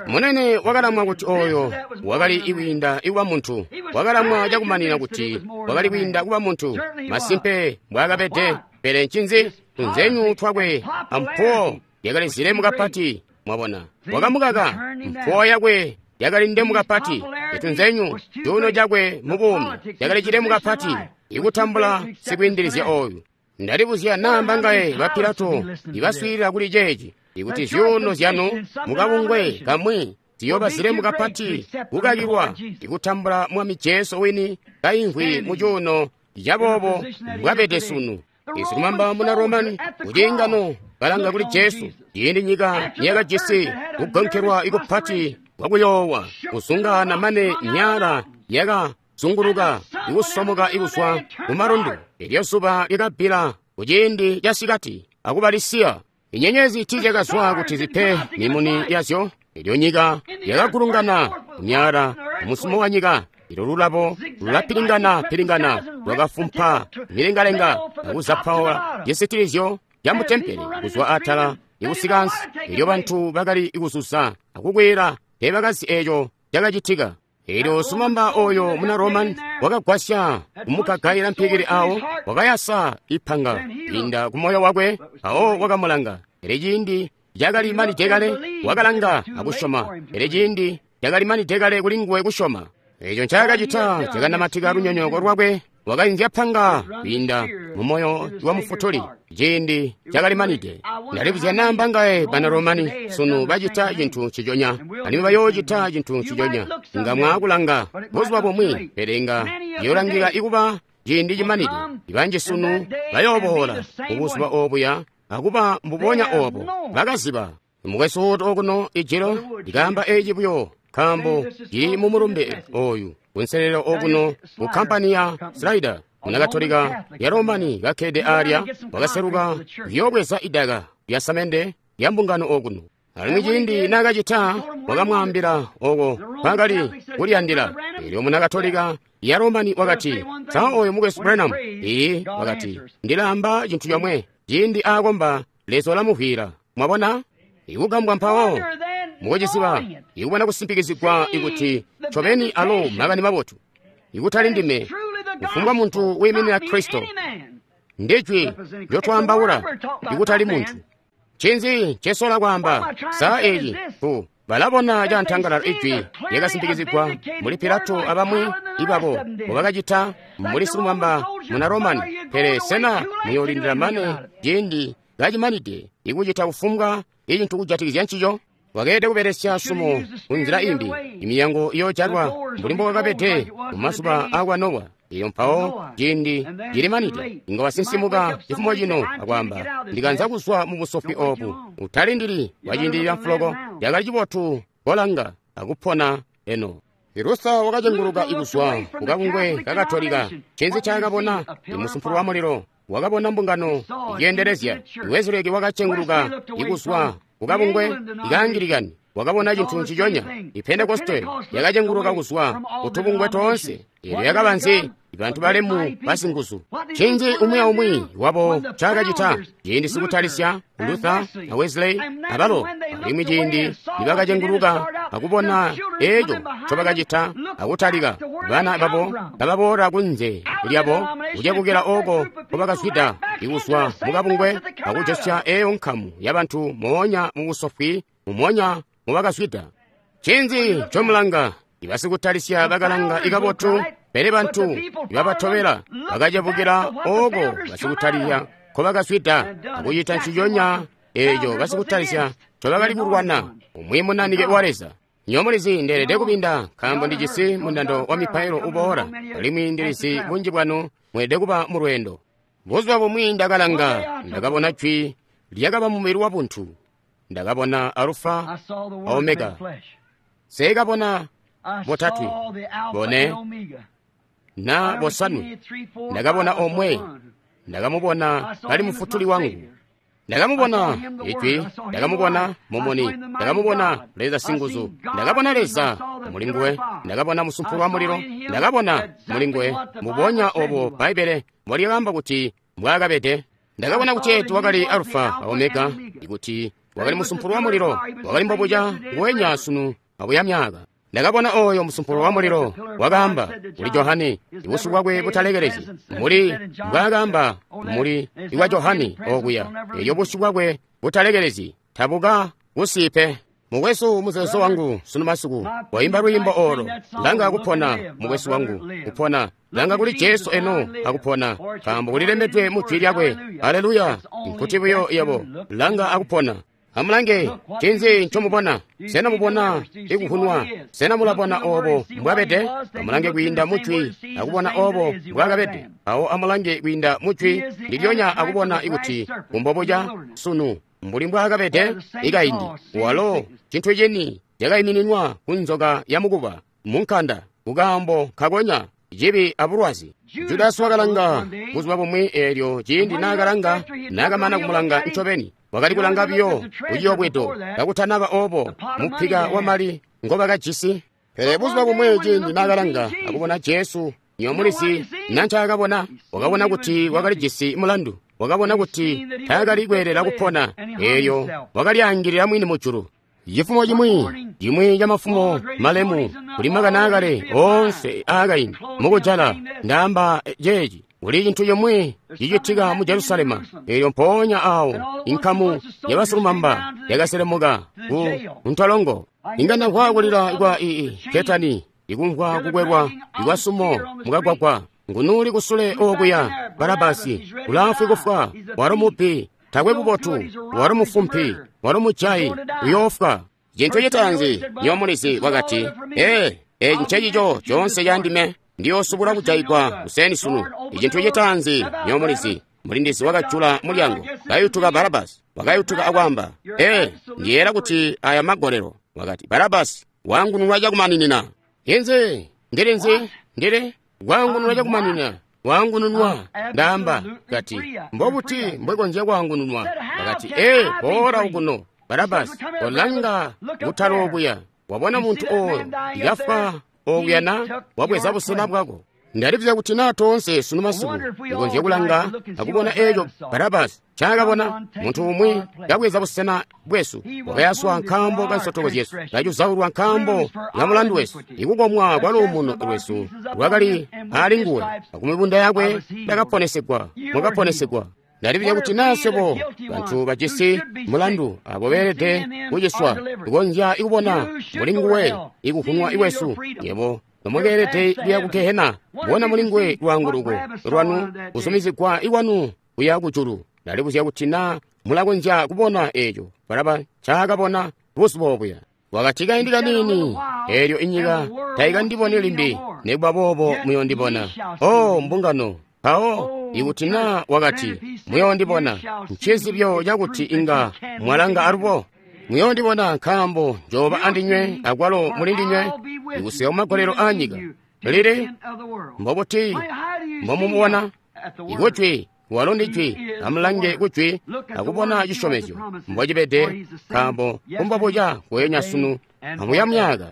Munene wakalamwa kuti oyo wakali ikwiinda ikuba muntu. Wakalamwa cakumanina kuti wakali kwiinda kuba muntu. Masimpe mbwaakabede. Pele ncinzi? Tunzenyu twakwe ampuwo yakali zilemu kapati. Mwabona, wakamukaka. Mpuwo yakwe yakali ndemu kapati. Itunzenyu cuuno cakwe mu buumi yakali cilemu kapati ikutambula sikwiindilizya oyu. Ndalibuzya naa mbangaye ba Pilato ibaswiilila kuli ceeci, ikuti zyuuno zyanu mukabungwe kamwi ziyooba zilemu kapati kukakilwa ikutambula Mwami Jesu wini kaimvwi mu cuuno caboobo mbwabede sunu. Isilumamba muna Romani kuciingano kalanga kuli Jesu, ciindi nyika niyakajisi kugonkelwa ikupati kwakuyoowa kuzungaana mane myala yakazunguluka ikusomoka ikuzwa kumalundu. Elyo zuba lyakabbila kuciindi casikati akubalisiya. Inyenyezi tiizyakazwa kuti zipe mimuni yazyo. Elyo nyika yakagulungana kumyala musumo wa nyika. Ilo lulabo lulapilingana pilingana lwakafumpa milengalenga akuzapaula cisitilizyo ca mutempele kuzwa atala ikusika ansi. Elyo bantu bakali kuzuza akukwila, teebakazi eco cakacitika. Elyo silumamba oyo muna Roman wakagwasya kumukagaila mpikili awo, wakayasa ipanga inda kumoyo wakwe, awo wakamulanga. Pele ciindi cakali manide kale, wakalanga akusyoma. Pele ciindi cakali manide kale kulinguwe kusyoma. Eco ncaakacita cakanamatika lunyonyooko lwakwe. Wakainzya panga kwiinda mumoyo wa mufutuli. Ciindi cakali manide. Ndalibuzya naa mbangaye bana Romani sunu bacita cintu nciconya, alimwi bayoocita cintu nciconya. Nga mwaakulanga buzuba bumwi, pele nga ciyoolangika ikuba ciindi cimanide. Ibanji sunu bayooboola kubuzuba obuya akuba mbubonya obo bakaziba. Mukwesu woto okuno ijilo ndikaamba eci buyo nkaambo cili mu mulumbe oyu kunselelo okuno ku kampani ya Slider munakatolika ya Romani kakkede alya wakaseluka kuyoobweza idaka lya samende lya mbungano okuno. Alimwi ciindi naakacita wakamwaambila oko kwakali kuliyandila. Elyo munakatolika ya Romani wakati, "Sa oyo mukwesu Branham?" Iyi, wakati, "Ndilaamba cintu comwe, ciindi aakomba Leza ulamuvwiila." Mwabona? Ikugambwa mpawo mukuciziba, ikubona kusimpikizigwa ikuti ncobeni alo makani mabotu, ikutali ndime, kufumbwa muntu wiiminina Kristo. Ndijwi lyotwaambaula, ikutali muntu. Ncinzi ncesola kwaamba? Saa eci ku balabona cantangalala ijwi lyakasimpikizigwa muli Pilato abamwi ibabo mbobakacita muli silumamba muna Romani. Pele sena muyoolindila mane ciindi kacimanide ikucita kufumbwa icintu kujatikizya ncico? Wakeelede kubelesya sumo kunzila imbi. Imiyango iyoojalwa mbuli mbowakabede mumazuba akwa Nowa. Iyo mpawo ciindi cilimanide inga wasinsimuka cifumo cino akwaamba, "Ndikanza kuzwa mu busofwi obu." Utalindili waciindilila mfuloko. Cakali cibotu kolanga akupona eno. Luther wakacenguluka ikuzwa kukabungwe kakatolika. Ncinzi ncaakabona? Imusumpulu wa mulilo. Wakabona mbungano iceendelezya. Wesley wakacenguluka ikuzwa kukabungwe ikaangilikani. Wakabona cintu nciconya. Ipentekoste yakacenguluka kuzwa kutubungwe toonse. Elyo yakaba nzi? Bantu balemu basinguzu. Ncinzi umwi aumwi wabo ncaakacita? Ciindi sikutalisya Luther na Wesley abalo, alimwi ciindi nibakacenguluka akubona eco ncobakacita akutalika, bana babo kababoola kunze lyabo kucebukila oko nkobakazwida ikuzwa mukabungwe akujosya eyo nkamu yabantu moonya mubusofwi mumonya mubakazwida. Ncinzi ncomulanga? Ibasikutalisya bakalanga ikabotu, pele bantu ibabatobela bakacebukila oko basikutalisya nkobakazwida akucita nciconya eco basikutalisya ncobakali kulwana. Umwi munanike wa Leza. Nyomulizi ndeelede kubinda nkaambo ndijisi mundando wa mipailo uboola, alimwi ndilizi bunji bwanu mweelede kuba mu lweendo. Buzuba bumwi ndakalanga, ndakabona jwi lyakaba mumubili wa buntu. Ndakabona Alufa a Omega. Seekabona botatwe, bone na bosanwe. Ndakabona omwe, ndakamubona kali mufutuli wangu. Ndakamubona Ijwi, ndakamubona Mumuni, ndakamubona Leza Singuzu, ndakabona Leza mulinguwe, ndakabona musumpulu wa mulilo, ndakabona mulinguwe mubonya obo Bbaibbele mbolyakaamba kuti mbwaakabede. Ndakabona kuti wakali Alufa a Omega, ikuti wakali musumpulu wa mulilo, wakali mbobuca nguwenya sunu abuya myaaka. Ndakabona oyo musumpulu wa mulilo wakaamba kuli Johane, ibusyu bwakwe butalekelezi muli mbwaakaamba muli iwa Johane okuya, elyo busyu bwakwe butalekelezi tabuka kusipe. Mukwesu, muzeezo wangu sunu masiku waimba lwiimbo olo, langa kupona mukwesu wangu kupona, langa kuli Jesu eno akupona, nkaambo kulilembedwe mu jwi lyakwe. Haleluya! Nkuti buyo yebo langa akupona. Amulange, ncinzi ncomubona? Sena mubona ikuhunwa? Sena mulabona obo mbwabede? Amulange kwiinda mu jwi akubona obo mbwakabede. Awo amulange kwiinda mu jwi ndilyonya akubona ikuti kumbobuca sunu mbuli mbwaakabede ikaindi. Walo cintu cini cakaimininwa ku nzoka ya mukuba munkanda kukaambo kakonya cibi abulwazi. Judasi wakalanga buzuba bumwi eelyo ciindi naakalanga, naakamana kumulanga ncobeni, wakali kulanga biyo kuciyobwedo kakutanaba obo mupika wamali ngobakajisi. Pele buzuba bumwi ciindi naakalanga akubona Jesu, nyomulizi nancaakabona, wakabona kuti wakalijisi mulandu, wakabona kuti taakali kweelela kupona, eelyo wakalyaangilila mwini mujulu. Cifumo cimwi, cimwi ca mafumo malemu kuli makani aakale oonse aakaindi mukujala, ndaamba ceeci, kuli cintu cimwi cicitika mu Jerusalema. Eelyo mpoonya awo inkamu yabasilumamba yakaselemuka ku ntolongo. Inga ndamvwa kulila kwa ii ketani, ikumvwa kukwelwa ikwa sumo mukagwagwa. Ngunuli kusule okuya Barabasi ulaafwi kufwa, walo mubbi, takwe bubotu, walo mufumpi, walo mujayi, uyoofwa. Cintu citaanzi nyomulizi wakati, ee, eci ncecico coonse candime, ndiyoosubula kujayigwa kuseni sunu. Icintu citaanzi nyomulizi, mulindizi wakajula mulyango, kayutuka Barabasi, wakayutuka akwaamba, ee, ndiyeera kuti aya magolelo. Wakati, Barabasi wangununwa cakumaninina. Inzi ndili nzi ndili wangununwa cakumaninina, wangununwa. Ndaamba kati, mbobuti mbwekonzya kwangununwa? Wakati, ee, boola ukuno Barabasi, kolanga kutala okuya, wabona muntu oyo yafwa okuya na wabweza busena bwako. Ndalibuzya kuti naa toonse sunu masiku ndikonzye kulanga akubona eeco Barabasi ncaakabona, muntu umwi kabweza busena bwesu, wakayaswa nkaambo ka nsotoko zyesu, kacuzaulwa nkaambo ka mulandu wesu. Ikukomwa kwa luumuno lwesu lwakali ali nguwe, akumibunda yakwe yakaponesegwa, mwakaponesegwa. Ndalibuzya kuti naa swebo bantu bajisi mulandu abo beelede kuciswa tukonzya ikubona muli nguwe ikuhunwa iwesu, yebo nomwakeelede kuya ku gehena, bona muli nguwe lwaanguluko lwanu kuzumizigwa ikwanu kuya kujulu. Ndalibuzya kuti naa mulakonzya kubona eeco Baraba ncaakabona buzuba obuya. Wakati, kaindi kaniini, eelyo inyika taikandiboni limbi, nikuba boobo muyondibona. O mbungano, mpawo ikuti naa wakati muyondibona, ncizibyo cakuti inga mwalanga alubo. Muyondibona nkaambo njooba andinywe akwalo muli ndinywe ikusika kumagolelo aanyika. Lili mbobuti mbomumubona? Ikujwi walo ndi jwi. Amulange kujwi akubona cisyomezyo mbocibede, nkaambo kumbobuca kweenya sunu amuya myaka.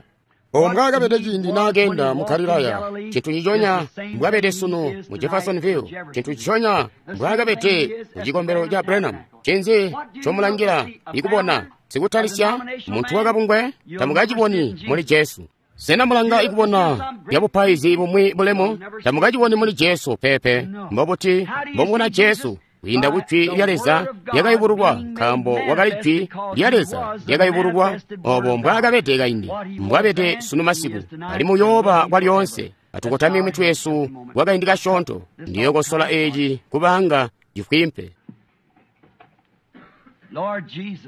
Obo mbwaakabede ciindi naakeenda mu Galilaya, cintu nciconya mbwabede sunu mu Jeffersonville, cintu nciconya mbwaakabede mu cikombelo ca Branham. Ncinzi ncomulangila ikubona? Sikutalisya muntu wakabungwe? Tamukaciboni muli Jesu. Sena mulanga ikubona byabupaizi bumwi bulemu? Tamukaciboni muli Jesu pepe. Mbobuti mbomubona Jesu? Kwiinda ku jwi lya Leza lyakayubululwa, nkaambo wakali jwi lya Leza lyakayubululwa. Obo mbwaakabede kaindi, mbwabede sunu masiku, alimwi uyooba kwalyoonse. Atukotamye mitwe yesu kwakaindi kasyoonto. Ndiyokosola eci kubanga cifwimpe.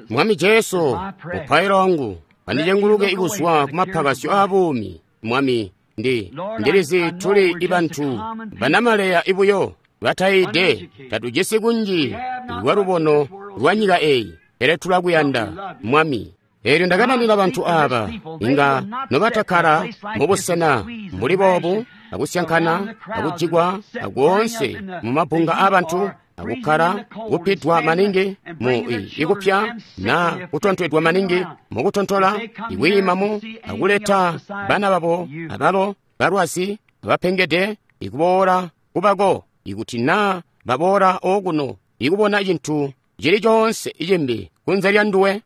Mwami Jesu, mupailo wangu andicenguluke ikuzwa kumapakasyo aabuumi. Mwami, ndi ndilizi tuli ibantu banamaleya ibuyo bataide, tatujisi kunji lwa lubono lwa nyika eyi, pele tulakuyanda Mwami. Eelyo ndakananina bantu aaba, inga nobatakkala mubusena mbuli boobu, akusyankana akujikwa akoonse mumabunga aabantu akukkala kupidwa maningi mu ikupya na kutontwedwa maningi mukutontola ikwiimamu akuleta bana babo abalo balwazi abapengede ikuboola kubako ikuti na baboola okuno ikubona cintu cili coonse cimbi kunze lya nduwe.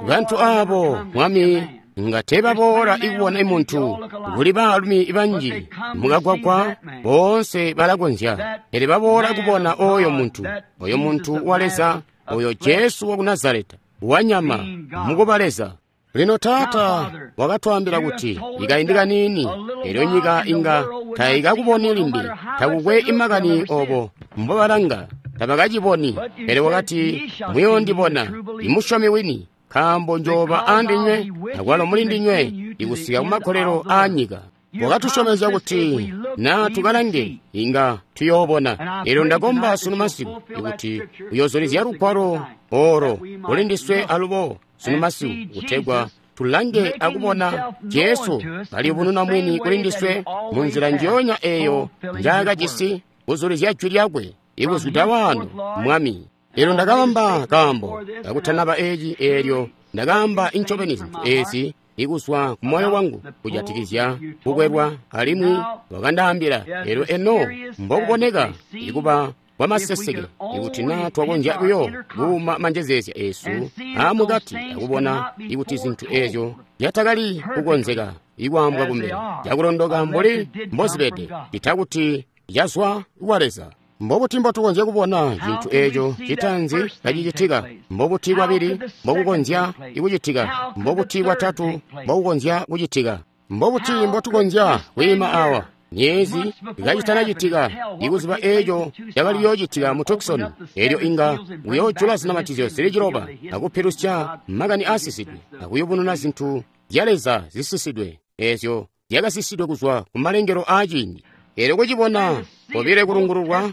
Bantu abo Mwami nga teebaboola ikubona imuntu. Kuli baalumi banji mukagwagwa boonse balakonzya, pele baboola kubona oyo muntu, oyo muntu wa Leza, oyo Jesu waku Nazareta wanyama mukuba Leza. Lino Taata wakatwaambila kuti ikaindi kaniini elyo nyika inga taikakuboni limbi, takukwe imakani obo mbobalanga tabakaciboni, pele wakati muyoondibona imusyomi wini, nkaambo njooba andinywe akwalo muli ndinywe ikusika kumakolelo aanyika. Wakatusyomezya kuti na tukalange inga tuyoobona. Elyo ndakomba sunu masiku ikuti uyoozulizya lugwalo olo kuli ndiswe alubo sunu masiku, kutegwa tulange akubona Jesu kaliyubununa mwini kuli ndiswe mu nzila njoonya eyo njaakajisi kuzulizya jwi lyakwe ikuzwida wano Mwami. Elyo ndakaamba kaambo kakutanaba eci, eelyo ndakaamba incobeni zintu ezi ikuzwa ku moyo wangu kujatikizya kukwelwa, alimwi wakandaambila elyo eno mbokuboneka ikuba kwamaseseke ikuti na twakonzya buyo kuuma manjezeezya esu aamukati akubona ikuti zintu ezyo zyatakali kukonzeka ikwaambwa kumbele cakulondoka mbuli mbozibede, itakuti yazwa kwa Leza. Mbobuti mbotukonzya kubona cintu eeco citaanzi kacicitika? Mbobuti kwabili mbokukonzya kucitika? Mbobuti kwatatu mbokukonzya kucitika? Mbobuti mbotukonzya kwiima awa myezi kacitanacitika ikuziba eeco cakaliyoocitika mu Tucson, elyo inga kuyoojula zinamatizyo zili ciloba akupilusya makani aasisidwe akuyubununa zintu zya Leza zisisidwe eezyo zyakasisidwe kuzwa ku malengelo aaciindi. Elyo kucibona kobile kulungululwa,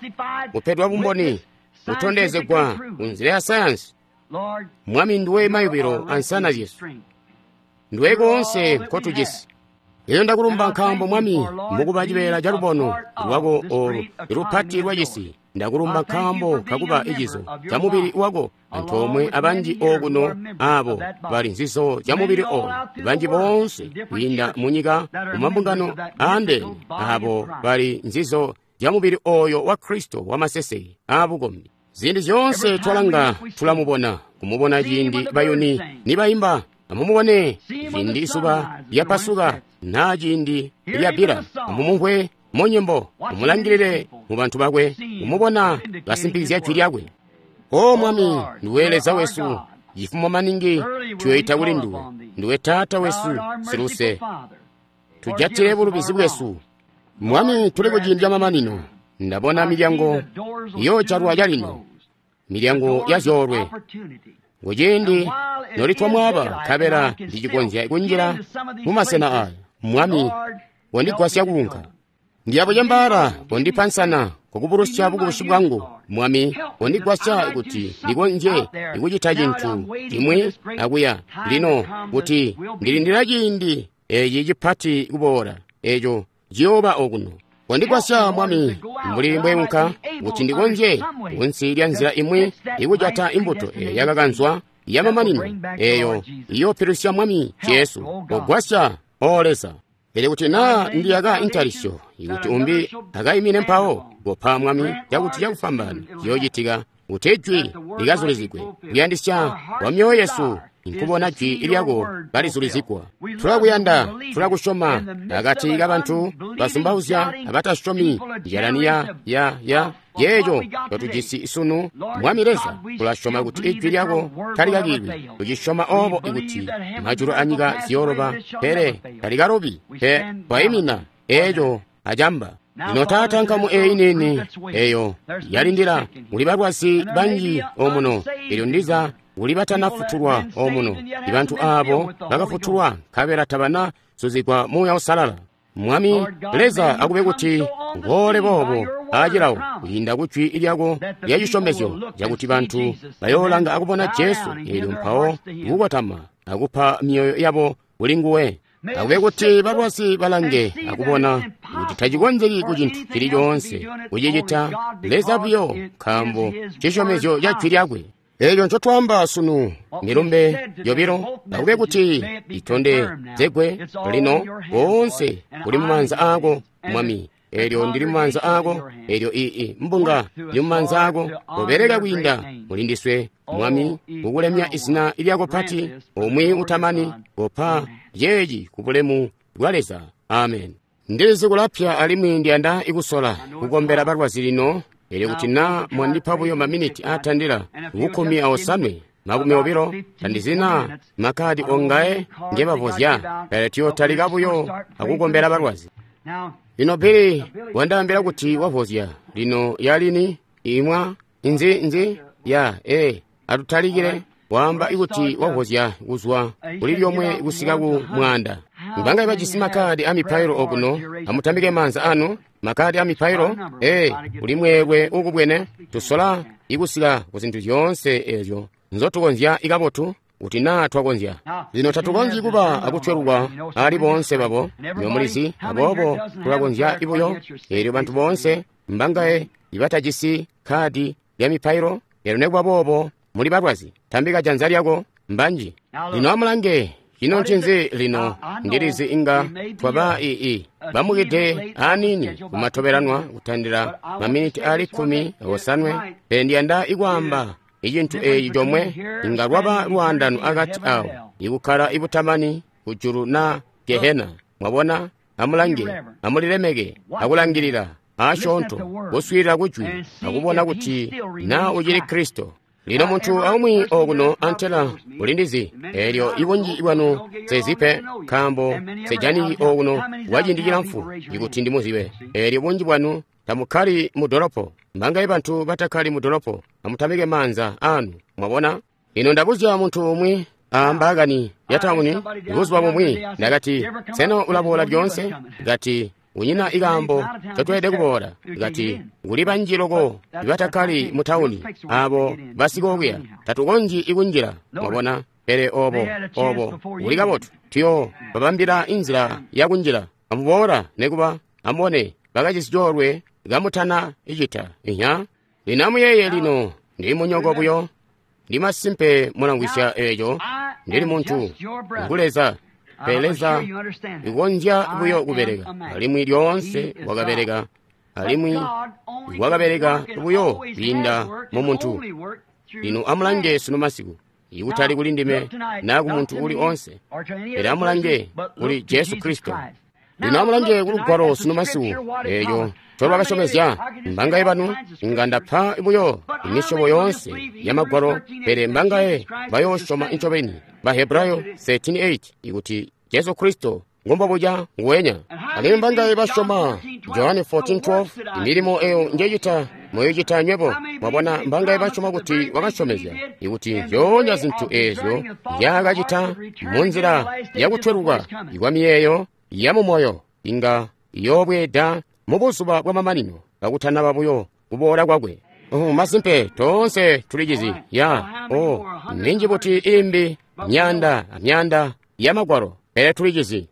kupedwa bumboni, kutondezegwa kunzila ya sayansi. Mwami, nduwe mayubilo ansana zyesu, nduwe koonse nkotujisi. Elyo ndakulumba nkaambo Mwami mukuba cibeela ca lubono lwako olu lupati lwacisi. Ndakulumba nkaambo kakuba icizo ca mubili wako antoomwe abanji okuno abo bali nzizo zya mubili oyu, banji boonse kwiinda munyika mumabungano aandene abo bali nzizo zya mubili oyo wa Kristo wamaseseke aabukombi. Ziindi zyoonse twalanga tulamubona, kumubona ciindi bayuni nibayimba, amumubone ciindi izuba lyapasuka naa ciindi lyabila, amumumvwe mu nyimbo, mumulangilile mu bantu bakwe, kumubona kasimpikizya jwi lyakwe. O Mwami, nduwe Leza wesu, cifumo maningi tuyoyita kuli nduwe, nduwe Taata wesu siluse, tujatile bulubizi bwesu. Mwami, tuli kuciindi camamanino. Ndabona milyango iyoojalwa calino, milyango ya zyoolwe. Kuciindi nolitwa mwaba nkabela ndicikonzya kunjila mumasena aya, Mwami, kondigwasya kuunka. Ndiyabucembaala, kondipa nsana kukubulusya bukubusi bwangu. Mwami, kondigwasya kuti ndikonzye ikucita cintu cimwi akuya lino, kuti ndilindila ciindi eci cipati kuboola, eco ciyooba okuno. Kondigwasya Mwami, mbuli mbweunka kuti ndikonzye kunsi lya nzila imwi ikujata imbuto eyo yakakanzwa yamamanino eyo iyoopilusya Mwami Jesu. Kogwasya, O Leza. Pele kuti naa ndiyaka intalisyo, ikuti umbi akayimine mpawo, kopa Mwami cakuti cakufwambaana ciyoocitika, kuti ijwi likazulizigwe. Kuyandisya kwa myoyo yesu nkubona jwi lyako kalizulizigwa. Tulakuyanda, tulakusyoma. Akati kabantu bazumbauzya abatasyomi njalani ya ya ya yeeco totujisi sunu, Mwami Leza, tulasyoma kuti ijwi lyako talikakilwi. Tucisyoma obo ikuti majulu anyika ziyooloba, pele talikalobi. Pe twayimina eeco acamba. Lino Taata, nkamu eyi nini eyo yalindila, kuli balwazi banji omuno, elyo ndiza kuli batanafutulwa omuno, ibantu abo bakafutulwa nkabela tabana zuzigwa Muuya Uusalala. Mwami Leza, akube kuti uboole boobo aacilawo kwiinda ku jwi lyako lya cisyomezyo cakuti bantu bayoolanga akubona Jesu, eelyo mpawo kukotama akupa myoyo yabo kuli nguwe. Akube kuti balwazi balange akubona kuti tacikonzeki ku cintu cili coonse kucicita Leza buyo, nkaambo cisyomezyo ca jwi lyakwe. Eeco ncotwaamba sunu, milumbe yobilo, akube kuti itondezegwe lino koonse kuli mumaanza aako, Mwami. Eelyo ndili mumaanza aako, eelyo ii mbunga ili mumaanza aako, kobeleka kwiinda mulindiswe, Mwami, kukulemya izina lyako pati, umwi utamani, kopa yeeci ku bulemu bwa Leza. Amen. Ndilizi kulapya alimwi ndiyanda ikusola kukombela balwazi lino. Elyo kuti na mwandipa buyo maminiti atandila kukumi aosanwe makumi obilo, tandizina makadi ongae ngebavozya, pele tuyotalika buyo akukombela balwazi. Lino Billy wandaambila kuti wavozya lino yalini imwa inzi nzi ya e atutalikile waamba ikuti wavozya kuzwa kuli lyomwe kusika ku mwanda. Mbangaye bajisi makadi a mipailo okuno, amutambike maanza anu. Makadi a mipailo e kuli mweelwe ukubwene, tusola ikusika ku zintu zyoonse ezyo nzotukonzya ikabotu kuti naa twakonzya. Lino tatukonzyi kuba akutwelukwa ali boonse babo, nyomulizi, aboobo tulakonzya ibuyo. Eelyo bantu boonse mbangaye ibatajisi kadi lya mipailo, elyo nekuba boobo muli balwazi, tambika janza lyako, mbanji. Lino amulange, ino ncinzi lino? Ndilizi inga twaba ii bamukide aniini kumatobelanwa kutandila maminiti ali kkumi osanwe, pele ndiyanda ikwaamba icintu eeci comwe, inga lwaba lwaandano akati awo, ikukkala ibutamani kujulu na Gehena. Mwabona? Amulange, amulilemeke, akulangilila asyoonto, kuswiilila kujwi, akubona kuti naa ucili Kristo. Lino muntu aumwi okuno antela ulindizi, eelyo ibunji bwanu sezipe, nkaambo sejaniki okuno kwaciindi cilamfu ikuti ndimuzibe. Eelyo bunji bwanu tamukkali mu dolopo. Mbangaye bantu batakkali mu dolopo, amutambike maanza anu. Mwabona? Lino ndabuzya muntu umwi ambaakani ya tauni buzuba bumwi, ndakati, sena ulaboola lyoonse? Kati, unyina ikaambo ncotweelede kuboola. Kati, kuli banji loko ibatakkali mu tauni, abo basikokuya, tatukonzyi ikunjila. Mwabona? Pele obo, obo, kuli kabotu, tuyo babambila inzila yakunjila. Amuboola nekuba, amubone, bakajisi coolwe kamutana icita. Inya? Lino amuyeeye lino, ndili munyoko buyo. Ndi masimpe mulamvwisya eeco. Ndili muntu, ngu Leza. Pele Leza ikonzya buyo kubeleka, alimwi lyoonse wakabeleka, alimwi wakabeleka buyo kwiinda mu muntu. Lino amulange sunu masiku, ikutali kuli ndime naa ku muntu uli onse, pele amulange kuli Jesu Kristo. Lino amulange ku lugwalo sunu masiku, eeco ncolwakasyomezya. Mbangaye banu inga ndapa buyo imisyobo yoonse ya magwalo, pele mbangaye bayoosyoma incobeni Bahebrayo thirteen eight ikuti Jesu Kristo ngombobuja nguwenya. Alimwi mbangaye basyoma Johane fourteen twelve, imilimo eyo njecita muyocita nywebo. Mwabona, mbangaye basyoma kuti wakasyomezya ikuti zyoonya zintu eezyo nzyaakacita munzila yakutweluka ikwa miyeeyo ya mumoyo inga iyoobweeda mu buzuba bwamamanino kakutanaba buyo kuboola kwakwe. Oh, masimpe toonse tulicizi ya oh, minji buti imbi myanda amyanda ya magwalo, pele tulicizi.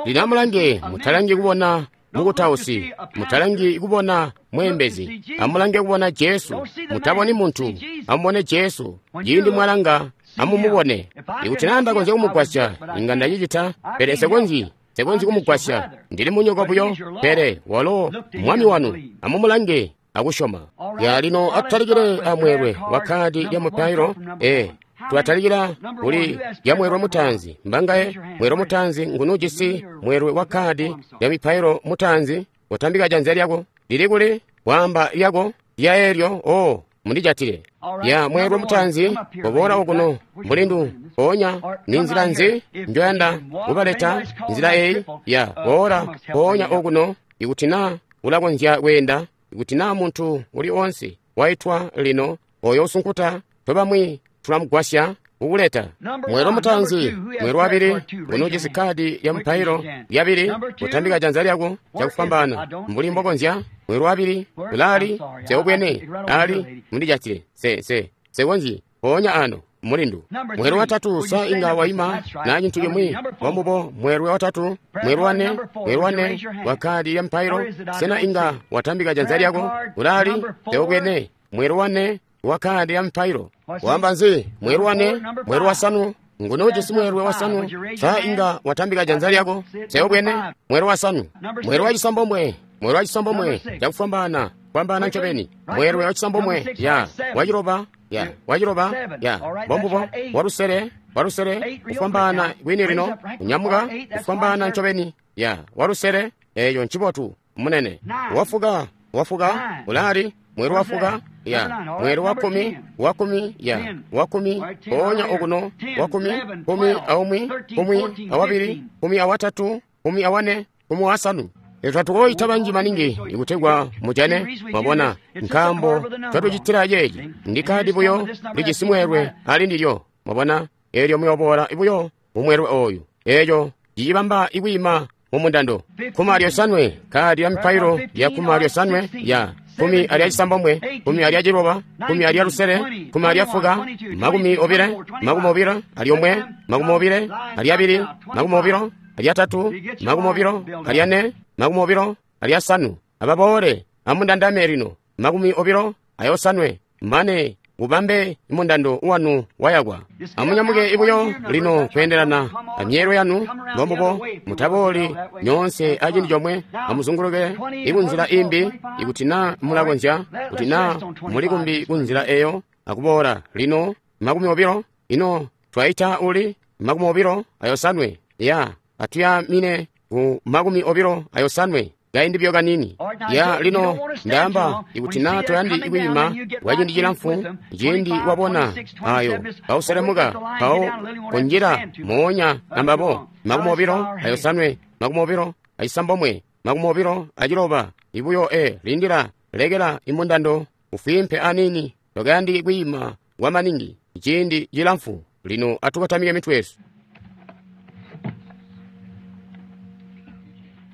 Lino amulange, mutalangi kubona mukutausi, mutalangi kubona mweembezi, amulange kubona Jesu. Mutaboni muntu, amubone Jesu. Ciindi mwalanga, amumubone. Ikuti naa ndakonzya kumugwasya, inga ndacicita, pele sekonzyi sekonzyi kumugwasya. Ndili munyoko buyo, pele walo mwami wanu. Amumulange akusyoma. Ya lino atutalikile amweelwe wa kadi lya mupailo. E tulatalikila kuli lya mweelwe mutaanzi. Mbangaye mweelwe mutaanzi ngunu ujisi mweelwe wa kadi lya mipailo mutaanzi? Utambika janza lyako. Lili kuli? Waamba lyako lya eelyo. O mundijatile. Ya mweelwe mutaanzi, koboola okuno mulindu. Mpoonya ni nzila nzi njoyanda kubaleta? Nzila eyi ya boola mpoonya okuno. Ikuti naa ulakonzya kweenda, ikuti naa muntu uli onse waitwa lino oyo usunkuta, tobamwi tulamugwasya kukuleta. Mweelwe mutaanzi, mweelwe wabili, unoojisi kadi lya mupailo lyabili, utambika janza lyako cakufwambaana mbuli mbokonzya. Mweelwe wabili, ulaali seubwene ali mundijatile se se sekonzyi Mpoonya ano, mulindu. Mweelwe watatu, sa inga waima na cintu cimwi? Mbomubo, mweelwe watatu, mweelwe wane, mweelwe wane wa kkaadi lya mpailo. Sena inga watambika janza lyako? Ulaali? Teobwene. Mweelwe wane wa kkaadi lya mpailo. Wamba nzi? Mweelwe wane, mweelwe wasanu. Nguni ujisi mweelwe wasanu? Sa inga watambika janza lyako? Teobwene. Mweelwe wasanu. Mweelwe wa cisambomwe, mweelwe wa cisambomwe, cakufwambaana, fwambaana ncobeni. Mweelwe wa cisambomwe, ya, waciloba, ya, waciloba, ya, mbombubo, walusele, walusele, kufwambaana kwini lino, kunyamuka, kufwambaana ncobeni, ya, walusele, eyo ncibotu, munene. Wafuka, wafuka, ulaali, mweelwe wafuka, ya, mweelwe wa kkumi, wa kkumi, ya, wa kkumi, mpoonya okuno, wa kkumi, kkumi aumwi, kkumi awabili, kkumi awatatu, kkumi awane, kkumi wasanu. Twatukoyita banji maningi ikutegwa mujane, mwabona, nkaambo twatucitila ceeci. Ndi kkaadi buyo lijisi mweelwe ali ndilyo, mwabona, eelyo muyoboola buyo mumweelwe ooyu. Eeco cicibamba ikwiima mumundando. Kkumi alyosanwe, kkaadi lya mipailo lya kkumi alyosanwe, ya, kkumi alya cisambomwe, kkumi alya ciloba, kkumi alya lusele, kkumi alya fuka, makumi obile, makumi obilo alyomwe, makumi obile alyabili, makumi obilo alyatatu, makumi obilo alyane, makumi obilo alyasanu. Ababoole amundandame lino, makumi obilo ayosanwe, mane ubambe mundando wanu wayakwa. Amunyamuke ibuyo lino kweendelana amyeelwe yanu, mbombubo, mutabooli nyoonse aciindi comwe. Amuzunguluke ikunzila imbi, ikuti naa mulakonzya, kuti naa muli kumbi kunzila eyo akuboola lino. Makumi obilo, ino twaita uli makumi obilo ayosanwe, ya, atuyamine ku makumi obilo ayosanwe kaindi buyo kanini. Ya, lino ndaamba ikuti naa toyandi kwiima kwa ciindi cilamfu, ciindi wabona ayo kauselemuka mpawo kunjila moonya ambabo. Makumi obilo ayosanwe, makumi obilo acisambomwe, makumi obilo aciloba, ibuyo e lindila, lekela imundando ufwimpe anini, tokayandi kwiima kwa maningi ciindi cilamfu. Lino atukotamike mitwe yesu.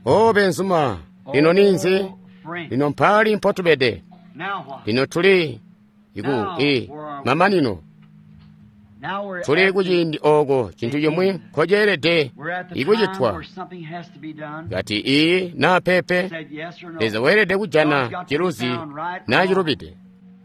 O benzuma, lino ninzi? Lino mpali mpotubede? Lino tuli iku i mamanino. Tuli kuciindi oko cintu cimwi nkoceelede ikucitwa. Kati iyi naa pepe, Leza weelede kujana ciluzi naa cilubide.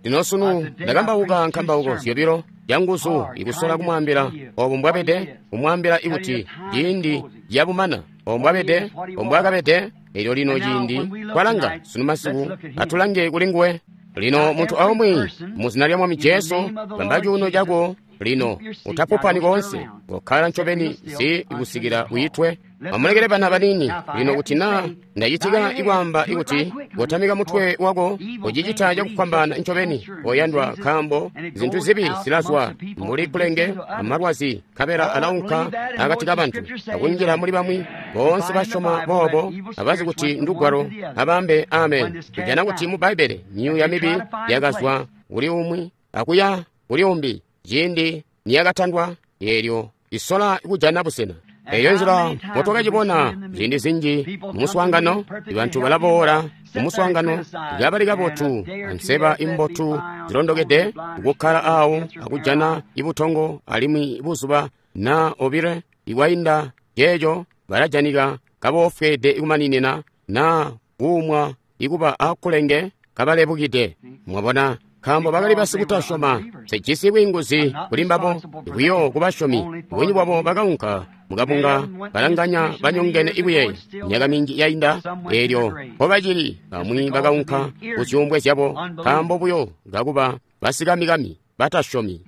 Lino sunu ndakambauka nkambauko zyobilo canguzu ikusola kumwaambila obo mbwabede, kumwaambila ikuti ciindi cabumana, obo mbwabede, obo mbwakabede. Elyo lino ciindi twalanga sunu masiku, atulange kuli nguwe. Lino muntu aumwi muzina lya Mwami Jesu, bamba cuuno cako lino, utapupani koonse, kokkala ncobeni zi kusikila uitwe. Amulekele bana banini lino, kuti naa ndacitika ikwaamba ikuti kotamika mutwe wako, ucicita cakufwambaana ncobeni, oyandwa, nkaambo zintu zibi zilazwa mbuli kulenge amalwazi, nkabela alaunka akati kabantu akunjila muli bamwi. Boonse basyoma boobo abazi kuti ndugwalo, abambe amen. Kujana kuti mu Bbaibbele myuuya mibi yakazwa kuli umwi akuya kuli umbi ciindi niyakatandwa, eelyo isola kujana busena. Eyo nzila motwakacibona ziindi zinji mumuswaangano, bantu balaboola mumuswaangano kabali kabotu anseba imbotu zilondokede, kukkala awo akujana ibutongo, alimwi buzuba na obile ikwainda ceeco balajanika kaboofweede ikumaninina na kuumwa ikuba akulenge kabalebukide. Mwabona, nkaambo bakali basikutasyoma. Sijisi bwiinguzi kuli mbabo, buyo kubasyomi. Bunji bwabo bakaunka mukabunga balanganya banyongene ikuyeeya. Myaka minji yainda, eelyo mpobacili bamwi bakaunka kuzyuumbwe zyabo nkaambo buyo kakuba basikamikami batasyomi.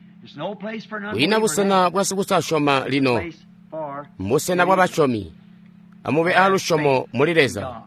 Kwiina busena bwa sikutasyoma lino, mbusena bwa basyomi. Amube aalusyomo muli Leza.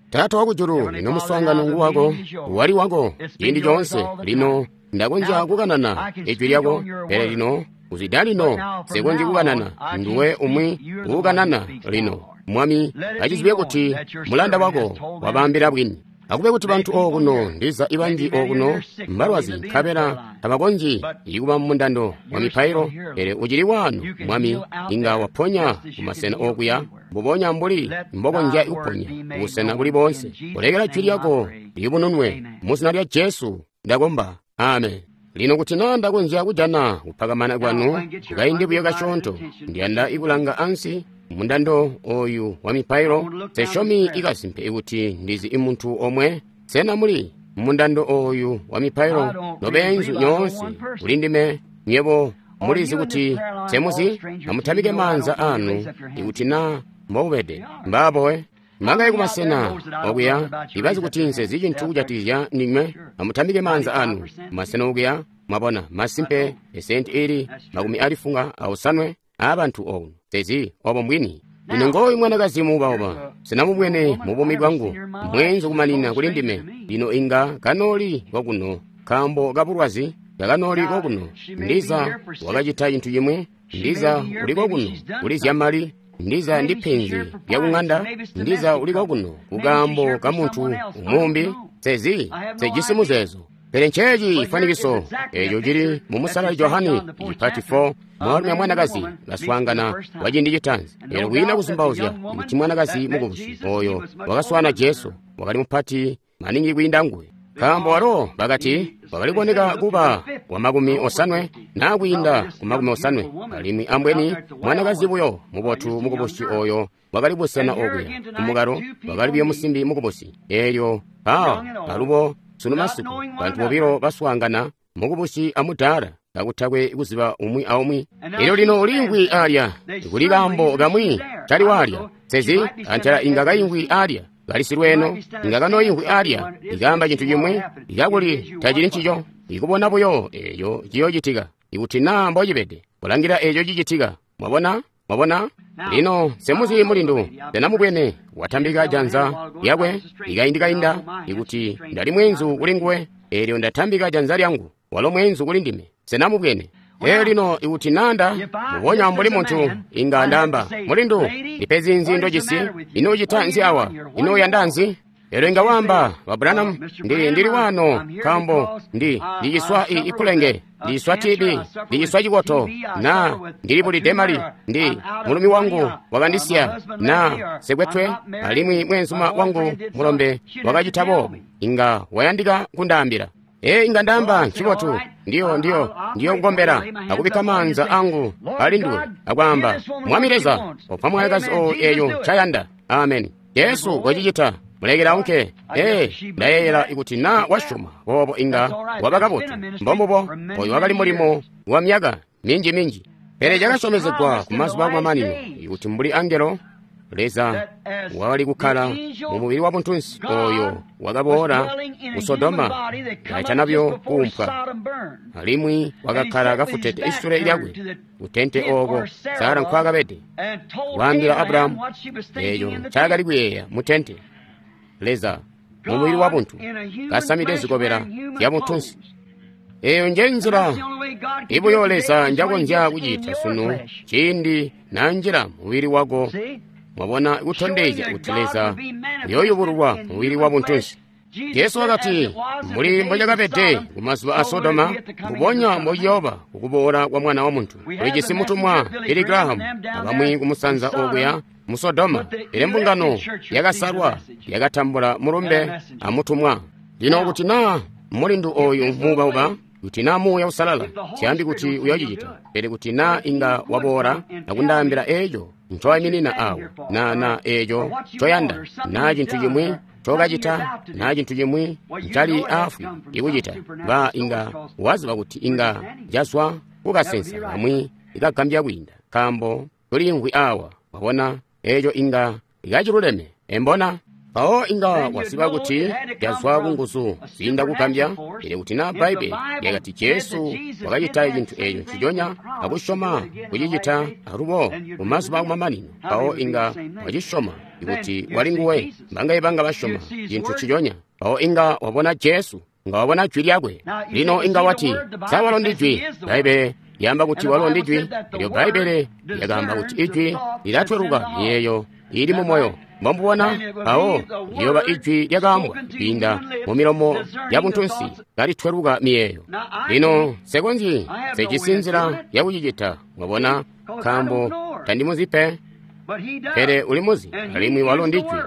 Taata wakujulu, lino muswaangano nguwako, wali wako ciindi coonse. Lino ndakonzya kukanana ijwi lyako, pele lino kuzwida lino nsikonzyi kukanana. Nduwe umwi uukanana lino. Mwami, acizibe kuti mulanda wako wabaambila bwini. Akube kuti bantu okuno, ndiza ibanji okuno mbalwazi, nkabela tabakonzyi ikuba mumundando wa mipailo, pele ucili wano, Mwami, inga waponya kumasena okuya, mbubonya mbuli mbokonzya kuponya kubusena buli boonse. Kulekela jwi lyako liyubununwe mu zina lya Jesu ndakomba. Amen. Lino kuti naa ndakonzya kujana kupakamana kwanu kukaindi buyo kasyoonto, ndiyanda ikulanga ansi mundando oyu wa mipailo. Sesyomi ikasimpe kuti ndizi imuntu omwe. Sena muli mundando oyu wa mipailo nobeenzu nyoonse kuli ndime? Nywebo mulizi kuti semuzi? Amutambike maanza anu ikuti naa mbobubede. Mbaabowe mangaye kumasena okuya ibazi kuti nsezi cintu kujatikizya ndinywe. Amutambike maanza anu kumasena okuya. Mwabona, masimpe esenti ili makumi alifunga aosanwe aabantu okuno sezi obo mbwini. Lino ngooyu mwanakazi muubauba, sinamubwene mu buumi bwangu, mweenzu kumanina kuli ndime. Lino inga kanooli kokuno nkaambo kabulwazi, kakanooli kokuno. Ndiza wakacita cintu cimwi, ndiza uli kokuno kuli zyamali, ndiza ndi penzi lyakuŋanda, ndiza uli kokuno kukaambo ka muntu umumbi. Sezi sejisi muzeezo. Pele nceeci cifwanikiso eeco cili mu Musalali Johane icipati four, mwaalumi amwanakazi baswaangana kwa ciindi citaanzi. Eelyo kwiina kuzumbauzya kuti mwanakazi mukubusi oyo wakaswaana Jesu wakali mupati maningi kwiinda nguwe, nkaambo walo bakati wakali kuboneka kuba wa makumi osanwe naa kwiinda ku makumi osanwe, alimwi ambweni mwanakazi buyo mubotu mukubusi oyo wakali busena okuya kumukalo wakali buyo musimbi mukubusi. Eelyo mpaawa alubo sunu masiku bantu bobilo baswaangana, mukubusi amudaala, kakutakwe kuziba umwi aumwi. Elyo lino uliimvwi alya, kuli kaambo kamwi cali walya. Sezi antela inga kaimvwi alya, kali silweeno, inga kanoimvwi alya, ikaamba cintu cimwi, ikakuli tacili ncico. Ikubona buyo eeco ciyoocitika, ikuti naa mbocibede, kulangila eeco cicitika. Mwabona? Mwabona? Lino semuzi mulindu, senamubwene watambika janza lyakwe ikaindi kainda, ikuti ndali mweenzu kuli nguwe, eelyo ndatambika janza lyangu, walo mweenzu kuli ndime. Senamubwene. Elyo lino ikuti nanda mubonya mbuli muntu, inga ndaamba, mulindu, ndipe zinzi ndojisi, ino ucita nzi awa, ino uyanda nzi? Elyo inga wamba, ba Branham, ndi ndili wano nkaambo ndi ndiciswa ikulenge, ndiciswa T B, ndiciswa cikoto, na ndilibulide mali, ndi mulumi wangu wakandisiya, na sekwetwe, alimwi mweenzuma wangu mulombe wakacita boobu. Inga wayandika kundaambila. Ee, inga ndaamba, ncibotu, ndiyo ndiyo ndiyo kukombela, akubikka maanza angu ali nduwe, akwaamba, Mwami Leza, opa mwanakazi oyu eeyo ncayanda. Ameni. Jesu wacicita. Mulekela unke. Ee, ndayeeyela ikuti naa wasyoma boobo inga waba kabotu. Mbombubo, oyu wakali mulimo wa myaka minji minji. Pele cakasyomezegwa ku mazuba akumamanino, ikuti mbuli angelo Leza wakali kukkala mu mubili wa buntunsi oyo wakaboola ku Sodoma katanabyo kuumpwa, alimwi wakakkala kafutete isule lyakwe kutente ooko Sara nkwaakabede, waambila Abrahamu eeco ncaakali kuyeeya mu tente. Leza mu mubili wa buntu kasamide zikobela zya buntunsi. Eeyo nje nzila ibuyo Leza njakonzya kucita sunu ciindi nanjila mubili wako. Mwabona, kutondezya kuti Leza uyooyubululwa mubili wa buntunsi. Jesu wakati, mbuli mbocakabede kumazuba a Sodoma, mbubonya mbociyooba kukuboola kwa Mwana wa Muntu. Tulijisi mutumwa Billy Graham abamwi kumusanza okuya mu Sodoma, pele mbungano yakasalwa yakatambula mulumbe amutumwa. Lino kuti naa mulindu oyu muubauba, kuti naa Muuya Usalala, siyambi kuti uyoocicita, pele kuti naa inga waboola akundaambila eeco ncowayiminina awo, na na eeco ncoyanda, naa cintu cimwi ncokacita, naa cintu cimwi ncali aafwi ikucita, ba inga waziba kuti inga cazwa kukasensa kamwi ikagambya kwiinda, nkaambo tuliimvwi awa. Wabona, eeco inga kaciluleme, embona? Mpawo inga waziba kuti cazwa kunguzu ziinda kugambya. Pele kuti naa Bbaibbele lyakati Jesu wakacita cintu eeco nciconya akusyoma kucicita alubo mumazuba akumamanino, mpawo inga wacisyoma ikuti wali nguwe. Mbangaye banga basyoma cintu nciconya, mpawo inga wabona Jesu, inga wabona jwi lyakwe. Lino inga wati, sa walo ndi jwi? Bbaibbele lyaamba kuti walo ndi jwi. Elyo Bbaibbele lyakaamba kuti ijwi lilatweluka miyeeyo ili mu moyo. Mbomubona, mpawo liyoba ijwi lyakaambwa kwiinda mu milomo ya buntunsi kalitweluka miyeeyo. Lino nsekonzyi, nsejisi nzila yakucicita, mwabona, nkaambo tandimuzi pe, pele ulimuzi, alimwi walo ndi jwi.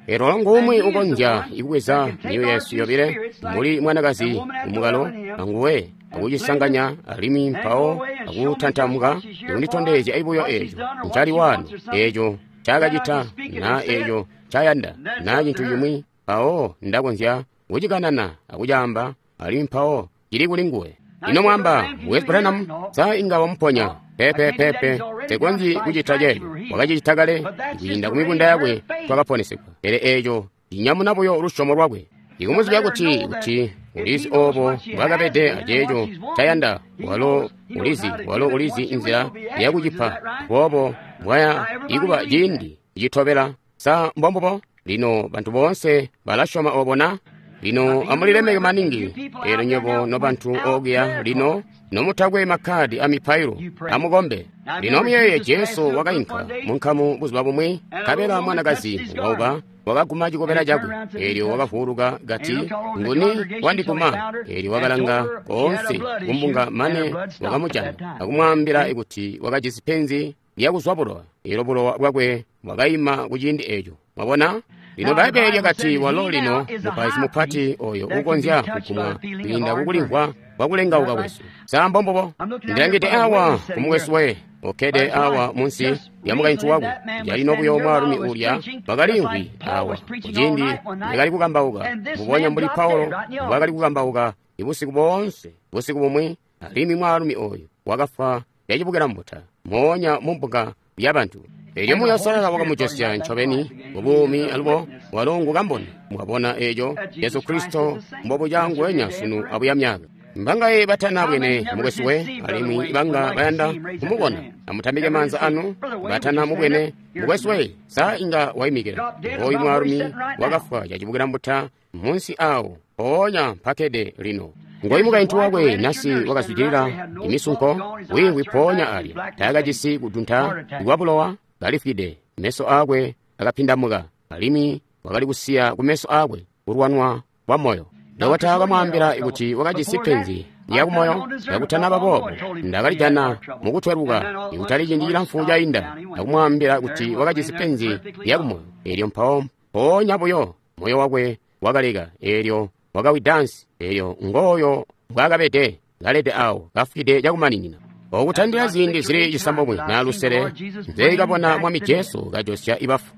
Elyo ngumwi ukonzya ikubweza myoyo yesu yobile mbuli mwanakazi kumukalo anguwe akucisanganya alimwi mpawo akutantamuka ikunditondezya buyo eeco ncali wano, eeco ncaakacita na eeco ncayanda na cintu cimwi, mpawo ndakonzya kucikanana akucaamba alimwi mpawo cili kuli nguwe. Ino mwamba, Mukwesu Branham, sa inga wamuponya? Pepe pepe, tekonzyi kucita ceeco. Wakacicita kale, kwiinda ku mibunda yakwe twakaponesegwa. Pele eeco cinyamuna buyo lusyomo lwakwe. Ikumuzibya kuti kuti ulizi oobo mbwaakabede aceeco ncayanda, walo ulizi, walo ulizi inzila yakucipa, boobo mbwaya ikuba ciindi citobela. Sa mbombubo? Lino bantu boonse balasyoma oobo na? Lino amulilemeke maningi, eelyo nywebo nobantu okuya lino nomutakwe makkadi a mipailo, amukombe. Lino muyeeye Jesu wakainka munkamu buzuba bumwi, nkabela mwanakazi wauba wakaguma cikobela cakwe, eelyo wakavuuluka kati, "Nguni wandiguma?" Eelyo wakalanga koonse kumbunga mane wakamujana, akumwaambila kuti wakajisi penzi lyakuzwa bulowa. Eelyo bulowa bwakwe bwakaima kuciindi eeco. Mwabona? Lino Bbaibbele lyakati walo lino mupaizi mupati oyo uukonzya kugumwa kwiinda kukulimvwa kwakulengauka kwesu. Sa mbombubo? Ndilangide awa kumukwesu we okkede awa munsi lya mukaintu wakwe. Calino buyo mwaalumi uulya wakaliimvwi awa kuciindi ndakali kukambauka, mbubonya mbuli Paulo mbwaakali kukambauka ibusiku boonse busiku bumwi, alimwi mwaalumi oyu wakafwa yacibukila mbuta moonya mumbuga yabantu. Eelyo Muuya Uusalala wakamujosya ncobeni mubuumi alubo walo ngu kamboni. Mwabona eeco Jesu Kristo mbobuca nguwenya sunu abuya myaka. Mbangaye batana bwene mukwesu we, alimwi banga bayanda kumubona, amutambike maanza anu. Batana mubwene mukwesu we, sa inga waimikila. Oyu mwaalumi wakafwa cacibukila mbuta munsi awo mpoonya mpakede lino. Ngoyu mukaintu wakwe nasi wakazwidilila imisunko wiimvwi mpoonya alya, taakajisi kudunta kwa bulowa, kalifwide, meso aakwe akapindamuka, alimwi wakali kusiya kumeso aakwe kulwanwa kwa moyo. Dokota wakamwaambila kuti wakajisi penzi lyakumoyo. Kakutanaba boobo, ndakalijana mukutweluka ikutali ciindi cilamfu cainda, akumwaambila kuti wakajisi penzi lyakumoyo. Eelyo mpawo mpoonya buyo moyo wakwe wakaleka, eelyo wakawidansi, eelyo ngooyo mbwaakabede kalede awo kafwide cakumaninina. Okutandila ziindi zili cisambomwe na lusele nzeekabona Mwami Jesu kajosya ibafu.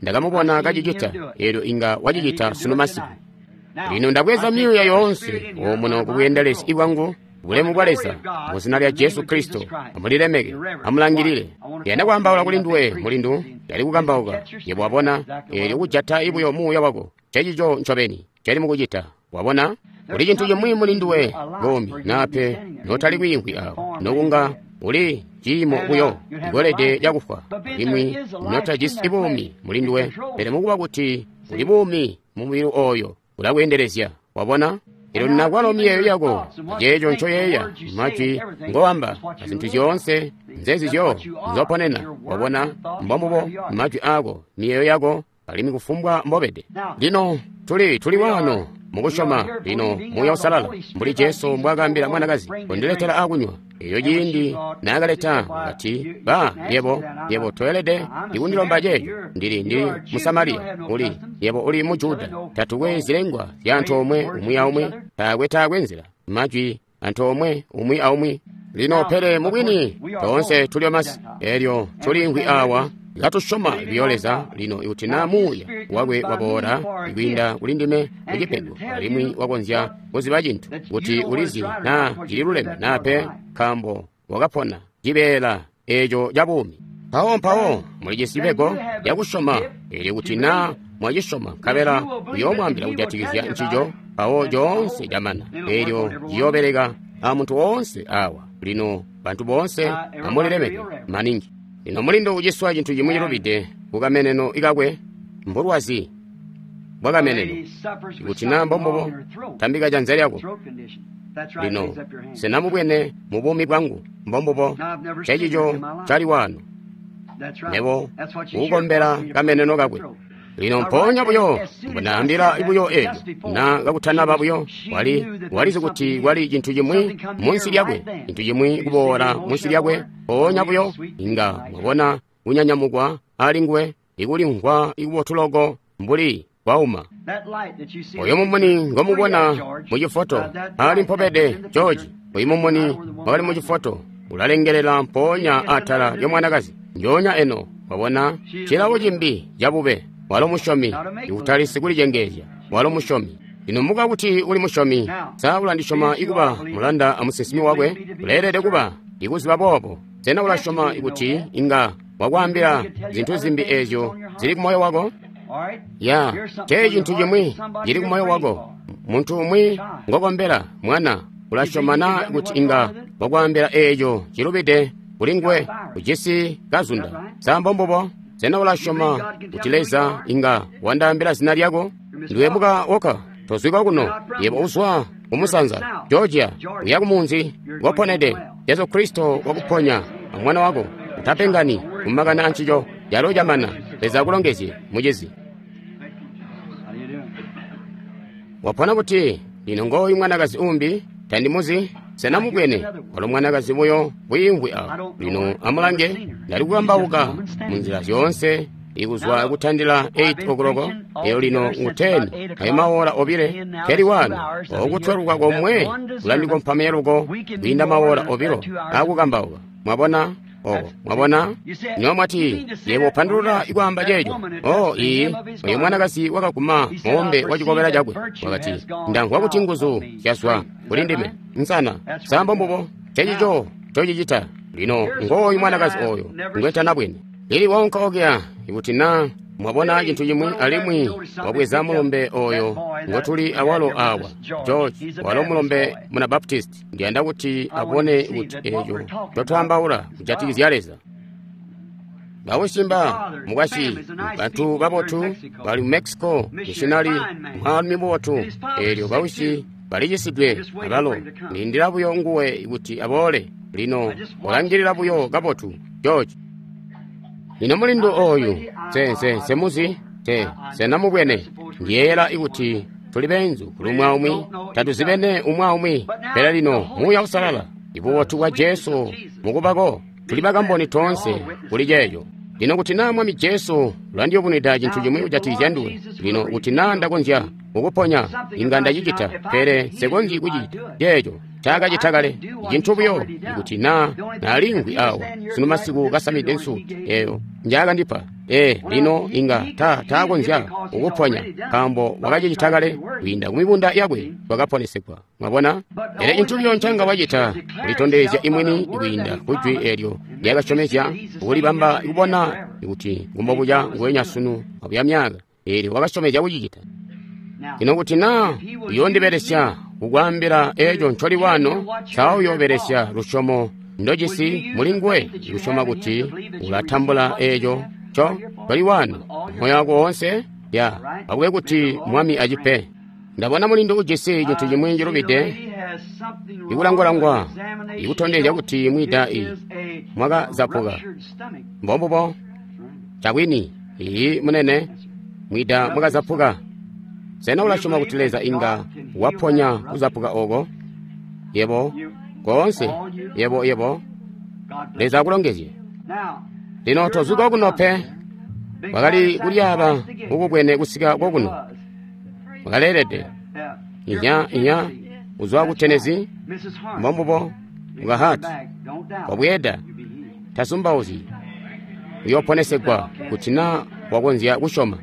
Ndakamubona kacicita, eelyo inga wacicita sunu masiku. Lino ndabweza myuuya yoonse omuno kubweendelezi bwangu, bulemu bwa Leza, mu zina lya Jesu Kristo. Amulilemeke, amulangilile. Yanda kwaambaula kuli nduwe mulindu, yali kukambauka. Yebo wabona, eelyo kujata ibuyo muuya wako, cecico ncobeni cali mukucita. Wabona? Kuli cintu cimwi muli nduwe, buumi, nape notali kwiimvwi awo, nokunga uli ciimo buyo ikolede lyakufwa, alimwi notajisi buumi muli nduwe, pele mukuba kuti uli buumi mu mubili oyo ulakweendelezya. Wabona? Eelyo nakwalo miyeeyo yako, aceeco ncoyeeya, majwi ngowamba, azintu zyoonse nzezizyo nzoponena. Wabona? Mbombubo majwi aako, miyeeyo yako, alimwi kufumbwa mbobede. Lino tuli tuli wano mukusyoma lino Muuya Uusalala, mbuli Jesu mbwaakaambila mwanakazi, "Kondiletela akunywa." Eyo ciindi naakaleta, wakati, "Ba, yebo, yebo toelede ikundilomba ceeco. Ndili ndili Musamariya, uli yebo uli Mujuda. Tatukwe zilengwa zya antoomwe umwi aumwi, taakwe taakwe nzila majwi antoomwe umwi aumwi." Lino pele mubwini toonse tuli masi, eelyo tuliimvwi awa katusyoma biyo Leza. Lino ikuti naa Muuya wakwe waboola kwiinda kuli ndime mucipego, alimwi wakonzya kuziba cintu kuti ulizi naa cililuleme naa pe, nkaambo wakapona cibeela eeco ca buumi. Mpawo mpawo mulijisi cipego cakusyoma, eelyo kuti naa mwacisyoma nkabela uyoomwaambila kujatikizya ncico, mpawo coonse camana, eelyo ciyoobeleka amuntu woonse awa. Lino bantu boonse amulilemeke maningi. Lino mulindu uciswa cintu cimwi cilubide kukameneno ikakwe, mbulwazi bwakameneno. Ikuti naa mbombubo, tambika janza lyako. Lino sena mubwene mu buumi bwangu? Mbombubo, cecico cali wano. Nebo kukombela kameneno kakwe. Lino mpoonya buyo mbunaambila buyo eeco, na kakutanaba buyo, wali walizi kuti kwali cintu cimwi munsi lyakwe, cintu cimwi kuboola munsi lyakwe. Mpoonya buyo inga mwabona kunyanyamukwa ali nguwe, ikulimvwa ikubotu loko mbuli Kwauma. Oyo mumuni ngomubona mu cifoto ali mpobede George. Oyu mumuni wakali mu cifoto ulalengelela mpoonya atala lyomwanakazi njoonya eno. Wabona cilawo cimbi cabube. Walo musyomi, ikutali sikulicengeezya. Walo musyomi. Lino muka kuti uli musyomi, sa ulandisyoma ikuba mulanda amusinsimi wakwe? Uleelede kuba ikuziba boobo. Sena ulasyoma kuti inga wakwaambila zintu zimbi eezyo zili kumoyo wako? Ya, cee cintu cimwi cili kumoyo wako. Muntu umwi ngokombela, mwana, ulasyoma na kuti inga wakwaambila eeco cilubide kuli nguwe? Ujisi kazunda. Sa mbombubo? Sena ulasyoma kuti Leza inga wandaambila zina lyako? Ndiwe muka woka, tozwika kuno. Yebo uzwa kumusanza, Georgia, uya kumunzi, ngoponede. Jesu Kristo wakuponya, amwana wako. Utapengani kumakana ancico, calo camana. Leza akulongezye, mucizi. Wapona buti? Lino ngooyu mwanakazi umbi, tandimuzi. Sena mubwene? Walo mwanakazi buyo wiimvwi awo. Lino amulange, ndali kukambauka munzila zyoonse ikuzwa kutandila eight o'clock, eyo lino ngu ten, ayo mawola obile, keli wano. Okutweluka komwe kulandikompamya luko kwiinda mawola obilo akukambauka. Mwabona? Oh, mwabona? Niwa mwati, yebo upandulula ikwaamba ceeco. Oh, iyi, oyo mwanakazi wakaguma moombe wa cikobela cakwe. Wakati, ndamvwa kuti nguzu zyazwa kuli ndime. Nsana, sambo mbubo, cecico cocicita. Lino ngooyu mwanakazi oyo ngwetanabwene. Lili waunka okuya, ikuti na mwabona cintu cimwi alimwi wabweza mulombe oyo ngotuli awalo awa, George, walo mulombe muna Baptist. Ndiyanda kuti abone kuti eco totwambaula kujatikizya Leza. Bawusimba mukwasyi bantu babotu bali mu Mexico, missionary mwaalumi mubotu. Eelyo bawisi balicisidwe abalo. Ndindila buyo nguwe kuti aboole. Lino ulangilila buyo kabotu, George. Lino mulindu oyu, nse nse nsemuzi, nse nsenamubwene. Ndiyeeyela ikuti tuli beenzu kuli umwi aumwi, tatuzibene umwi aumwi. Pele lino Muuya Uusalala, ibubotu bwa Jesu mukubako, tuli bakamboni toonse kuli ceeco. Lino kuti naa Mwami Jesu ulandiyubunwida cintu cimwi kujatikizya nduwe, lino kuti naa ndakonzya kukuponya, inga ndacicita, pele nsekonzyi kucicita ceeco ncaakacita kale. Cintu buyo ikuti naa naliimvwi awa sunu masiku kasamide nsuti eyo njaakandipa, ee, lino inga ta taakonzya kukuponya, nkaambo wakacicita kale. Kwiinda kumibunda yakwe twakaponesegwa. Mwabona? Pele cintu buyo ncanga wacita kulitondezya imwini kwiinda kujwi eelyo lyakasyomezya, kulibamba kubona kuti ngumbobuca nguwenya sunu abuya myaka. Eelyo wakasyomezya kucicita. Lino kuti naa uyoondibelesya kukwaambila eeco ncoli wano, sa uyoobelesya lusyomo ndojisi muli nguwe kusyoma kuti ulatambula eeco nco ncoli wano moyo wako woonse? Ya, akube kuti Mwami acipe. Ndabona mulindu ujisi cintu cimwi cilubide, ikulangwalangwa ikutondezya kuti mwida i mwakazapuka. Mbombubo cabwini. Iyi munene, mwida mwakazapuka. Sena ulasyoma kuti Leza inga waponya kuzapuka oko? Yebo, koonse, yebo, yebo. Leza akulongezye. Lino tozwika kuno pe. Wakali kulyaaba mukubwene kusika kokuno. Wakaleelede. Inya, inya, uzwa ku Tennessee, mbombubo, mukahati. Wabweeda, tasumbauzi. Uyooponesegwa kuti naa wakonzya kusyoma.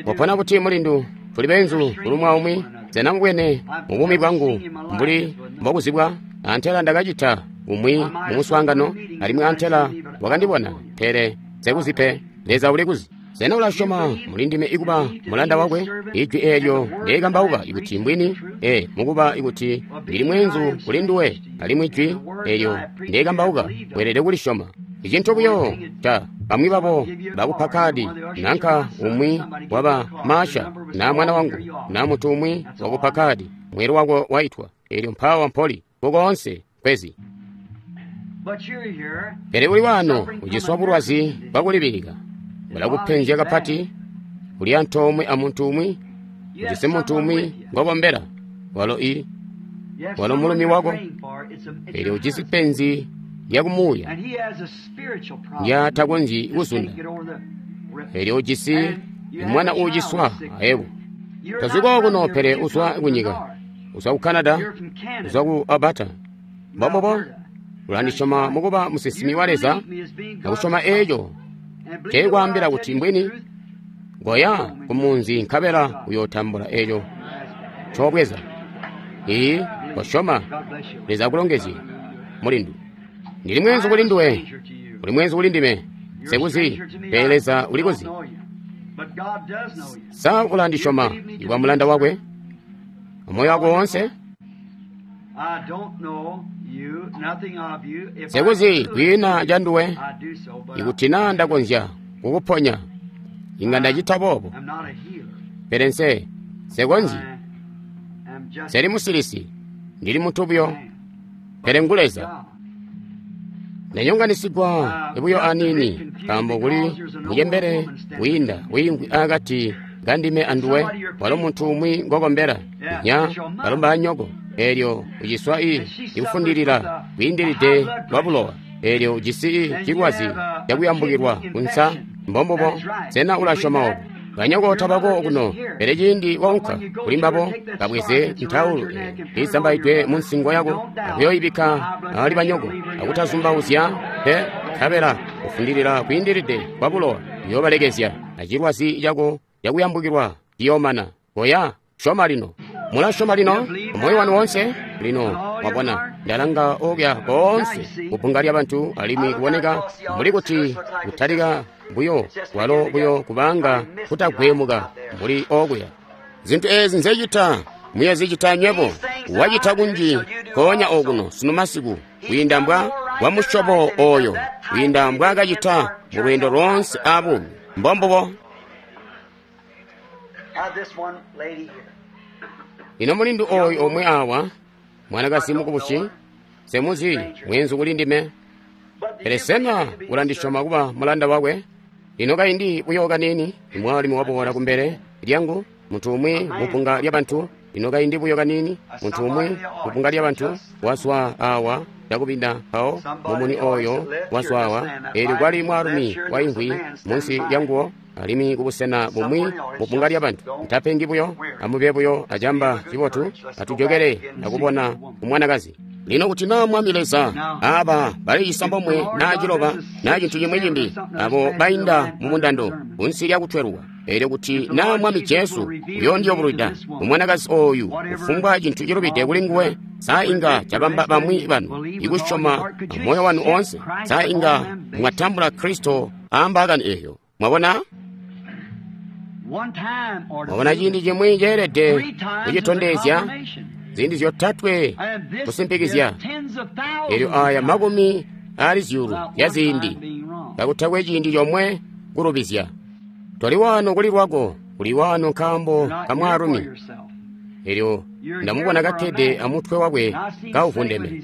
Wapona buti mulindu? Tuli beenzu kuli umwi aumwi. Sena mubwene mu buumi bwangu mbuli mbokuzibwa? Antela ndakacita umwi mu muswaangano, alimwi antela wakandibona, pele nsekuzi pe. Leza ulikuzi. Sena ulasyoma muli ndime ikuba mulanda wakwe? Ijwi eelyo ndeikambauka ikuti mbwini, ee, mukuba ikuti ndili mweenzu kuli nduwe, alimwi jwi eelyo ndeikambauka weelede kulisyoma. Icintu buyo ta bamwi babo bakupa kadi, nanka umwi waba Masha, na mwana wangu, na muntu umwi wakupa kadi, mweelo wako waitwa, eelyo mpawa mpoli, kukoonse kwezi. Pele uli wano uciswa bulwazi bwakulibilika, bulakupenzya kapati, uli antoomwe amuntu umwi, ujisi muntu umwi ngokombela, walo i walo mulumi wako, eelyo ujisi penzi lyakumuuya ndyatakonzyi kuzunda, eelyo ujisi mwana uuciswa ayebo. Tozwi kokuno pele uzwa kunyika. Uzwa ku Canada, uzwa ku Alberta. Mbombubo, ulandisyoma mukuba musinsimi wa Leza, nakusyoma eeco nceekwaambila kuti mbwini. Goya kumunzi nkabela uyootambula eeco ncoobweza. Iiyi, kosyoma. Leza akulongezye, mulindu. Ndili mweenzu kuli nduwe, uli mweenzu kuli ndime. Nsekuzi, pele Leza ulikuzi. Sa ulandisyoma ikuba mulanda wakwe amoyo wako woonse? Nsekuzi kwiina canduwe. Ikuti naa ndakonzya kukuponya, inga ndacita boobo. Pele nse nsekonzyi. Nseli musilisi, ndili muntu buyo. Pele ngu Leza. Ndanyonganisigwa buyo aniini, nkaambo kuli mucembele wiinda wiimvwi akati kandime anduwe, walo muntu umwi ngokombela, nya balomba anyoko. Eelyo uciswa i ikufundilila kwiindilide lwa bulowa. Eelyo ujisi i cilwazi cakuyambukilwa kunsa. Mbombubo, sena ulasyoma obo? Banyoko tabako okuno, pele ciindi waunka kuli mbabo, kabweze ntaulu iizambaidwe munsingo yako akuyoyibikka ali banyoko, akutazumbauzya pe, nkabela kufundilila kwiindilide kwa bulowa uyoobalekezya, acilwazi cako cakuyambukilwa ciyoomana. Koya, syoma lino. Mulasyoma lino moyo wanu woonse? Lino mwabona, ndalanga okuya koonse kubbunga lyabantu, alimwi kuboneka mbuli kuti kutalika buyo kwalo buyo kubanga kutagwemuka mbuli okuya. Zintu eezi nzecita muyozicita nywebo. Wacita kunji nkoonya okuno sunu masiku kwiinda mbwa wa musyobo oyo, kwiinda mbwaakacita mu lweendo loonse abuumi. Mbombubo. Ino mulindu oyu omwe awa, mwanakazi mukubusi, nsemuzi, mweenzu kuli ndime. Pele sena ulandisyoma kuba mulanda wakwe? Ino kaindi buyo kaniini, imwaalumi waboola kumbele lyangu, muntu umwi mubbunga lyabantu. Ino kaindi buyo kaniini, muntu umwi mubbunga lyabantu wazwa awa cakubinda mpawo mumuni oyo wazwa awa. Eelyo kwali mwaalumi waimvwi munsi lyanguwo, alimwi kubusena bumwi mubbunga lyabantu. Ntapengi buyo, amube buyo acamba cibotu, atujokele akubona umwanakazi. Lino kuti naa Mwami Leza, aba bali cisambomwe naa ciloba naa cintu cimwi cimbi, abo bainda mumundando kunsi lyakutweluka. Eelyo kuti naa Mwami Jesu uyoondiyobulwida umwanakazi oyu kufumbwa cintu cilubide kuli nguwe, sa inga cabamba bamwi banu ikusyoma amoyo wanu oonse? Sa inga mwatambula Kristo aambaakani eeyo? Mwabona? Mwabona ciindi cimwi ceelede kucitondezya, ziindi zyotatwe kusimpikizya. Eelyo aya makumi ali zyuulu zya ziindi, kakutakwe ciindi comwe kulubizya. Toli wano kuli lwako, uli wano nkaambo ka mwaalumi. Eelyo ndamubona kakkede amutwe wakwe kauvundeme,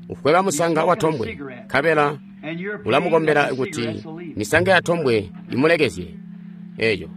ufweba musanga watombwe, nkabela ulamukombela kuti misanga yatombwe imulekezye. Eeyo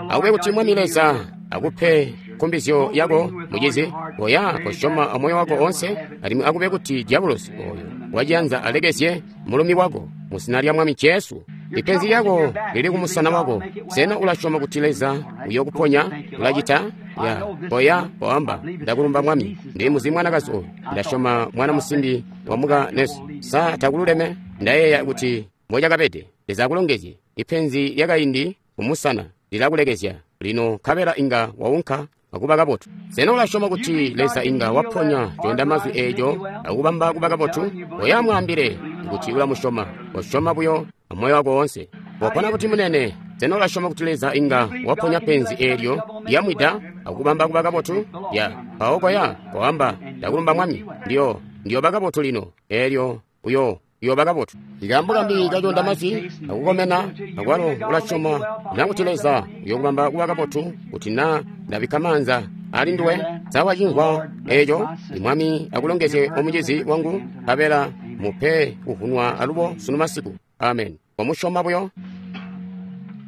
akube kuti Mwami Leza akupe nkumbizyo yako, mucizi. Koya, kosyoma amoyo wako oonse, alimwi akube kuti diabulosi oyo waciyanza alekezye mulumi wako muzina lya Mwami Jesu. Ipenzi lyako lili kumusana wako. Sena ulasyoma kuti Leza uyokuponya? Ulacita? Ya, koya, koamba, ndakulumba Mwami. Ndili muzi mwanakazi oyu. Ndasyoma mwana musimbi wamuka Nesi. Sa takululeme? Ndayeeya kuti mbocakabede. Leza akulongezye. Ipenzi lyakaindi kumusana lilakulekezya lino, nkabela inga waunka akuba kabotu. Sena ulasyoma kuti Leza inga waponya coondamazwi eeco akubamba kuba kabotu? Oya, mwaambile kuti ulamusyoma. Kosyoma buyo amoyo wako woonse. Wapona kuti munene. Sena ulasyoma kuti Leza inga waponya penzi eelyo lyamwida akubamba kuba kabotu? Ya, mpawo koya, koamba, ndakulumba Mwami. Ndiyo, ndiyoba kabotu lino. Eelyo uyo uyoba kabotu. Ikaambo kambi kacoondamazwi akukomena, akwalo ulasyoma nakuti Leza uyokubamba kuba kabotu kuti naa ndabikka maanza ali nduwe. Sa wacimvwa eeco? Mwami akulongezye omucizi wangu, nkabela mupe kuvunwa alubo sunu masiku. Amen. Wamusyoma buyo.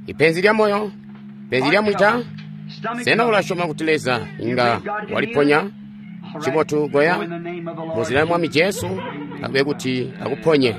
Ipenzi lya moyo, penzi lya mwida. Sena ulasyoma kuti Leza inga waliponya? Cibotu, goya muzina lya Mwami Jesu, akube kuti akuponye.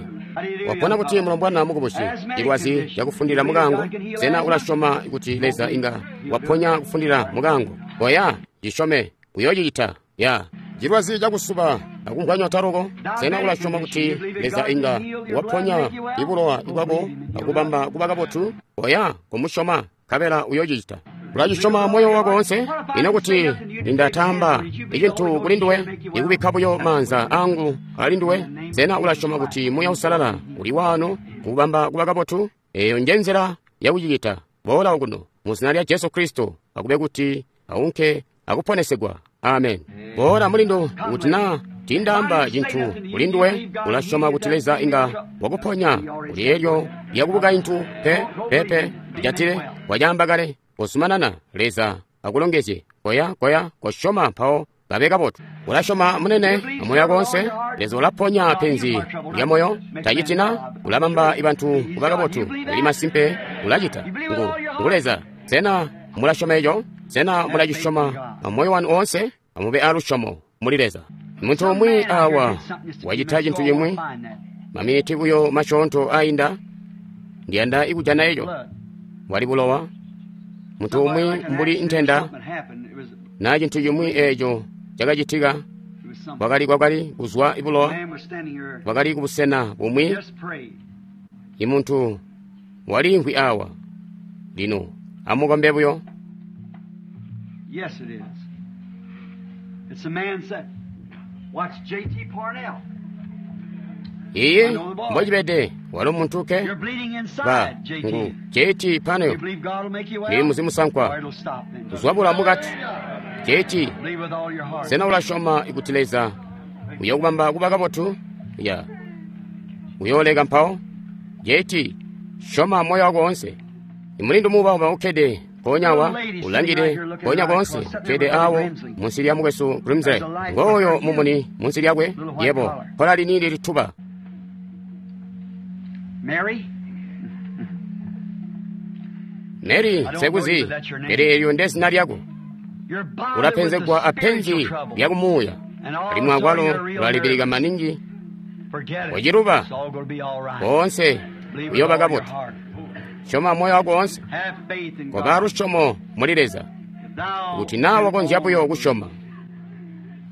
Wapona buti mulombwana mukubusi? Cilwazi cakufundila mukango. Sena ulasyoma kuti Leza inga waponya kufundila mukango? Koya, cisyome, uyoocicita. Ya. Cilwazi cakusuba akumvwanywa taloko. Sena ulasyoma kuti Leza inga waponya ibulowa bwako akubamba kuba kabotu? Koya, kumusyoma, nkabela uyoocicita. Ulacisyoma moyo wako wonse? Ino kuti nindatamba icintu kuli nduwe, ikubikka buyo maanza angu ali nduwe, sena ulasyoma kuti Muuya Uusalala uli waano kukubamba kuba kabotu? Eeyo nje nzila yakucicita. Boola okuno mu zina lya Jesu Kristo, akube kuti aunke akuponesegwa. Amen. Boola mulindu, kuti naa tindaamba cintu kuli nduwe, ulasyoma kuti Leza inga wakuponya kuli eelyo lyakubukaintu? Pe, pepe, lijatile, wacaamba kale. Kozumanana, Leza akulongezye. Koya, koya, kosyoma mpawo kabe kabotu. Ulasyoma munene amoyo wako wonse? Leza ulaponya penzi lya moyo. Tacitina, ulabamba bantu kuba kabotu. Uli masimpe, ulacita. Ngu, ngu Leza. Sena mulasyoma eco? Sena mulacisyoma amoyo wanu oonse? Amube alusyomo muli Leza. Muntu umwi awa wacita cintu cimwi, maminiti buyo masyoonto ainda, ndiyanda ikujana eco. Wali bulowa. Muntu umwi mbuli ntenda na cintu cimwi eco cakacitika, wakali kwakali kuzwa ibulowa, wakali kubusena bumwi. Imuntu waliimvwi awa. Lino amukombe buyo. Yes, it is. It's a man said, watch J T Parnell. Iye mbocibede, walo muntu ke You're bleeding ba inside, J T. ngu J T You Parnell believe God will make you ndi well? muzimu sankwa Or it'll stop then. kuzwabula mukati. J T, Believe with all your heart. sena ulasyoma kuti Leza uyokubamba kuba kabotu? Ya, uyooleka mpawo. J T, syoma moyo wako wonse. Imulindu muuba ukkede mpoonya awa, ulangide mpoonya koonse, ukkede awo munsi lya mukwesu Grimsley. Ngooyo mumuni munsi lyakwe, yebo, kola liniini lituba. Mary? Mary, sekuzi, pele eelyo nde zina lyako. You're bothered with the Ulapenzegwa apenzi spiritual trouble. lya kumuuya, And alimwi also akwalo you're real ulalibilika nervous. maningi. Forget it. Waciluba. It's all going to be all right. Koonse Believe with uyooba all your kabotu. heart. Syoma moyo wako wonse. Have faith in Koba God. lusyomo muli Leza, If thou kuti naa wakonzya buyo kusyoma.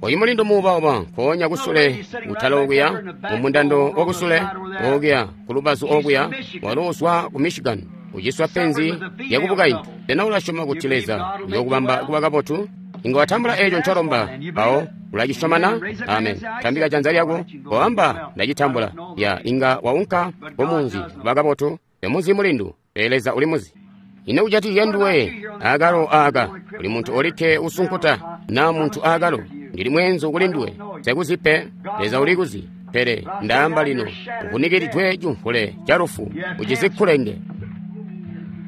Oyu mulindu muuba-uba nkoonya kusule kutala okuya, mumundando wakusule okuya kulubazu okuya, walo uzwa ku Michigan, uciswa penzi lyakubukaintu. Sena ulasyoma kuti Leza uyokubamba kuba kabotu? Inga watambula eco ncolomba, mpawo ulacisyoma na? Amen. Tambika janza lyako, koamba ndacitambula. Ya, inga waunka kumunzi kuba kabotu. Temuzi mulindu, pele Leza uli muzi. Ino kujatikizya nduwe akalo aka, uli muntu olikke usunkuta na muntu akalo. Ndili mweenzu kuli nduwe, sekuzi pe, Leza uli kuzi. Pele ndaamba lino, uvunikiridwe cimvule ca lufu, ucizikulenge.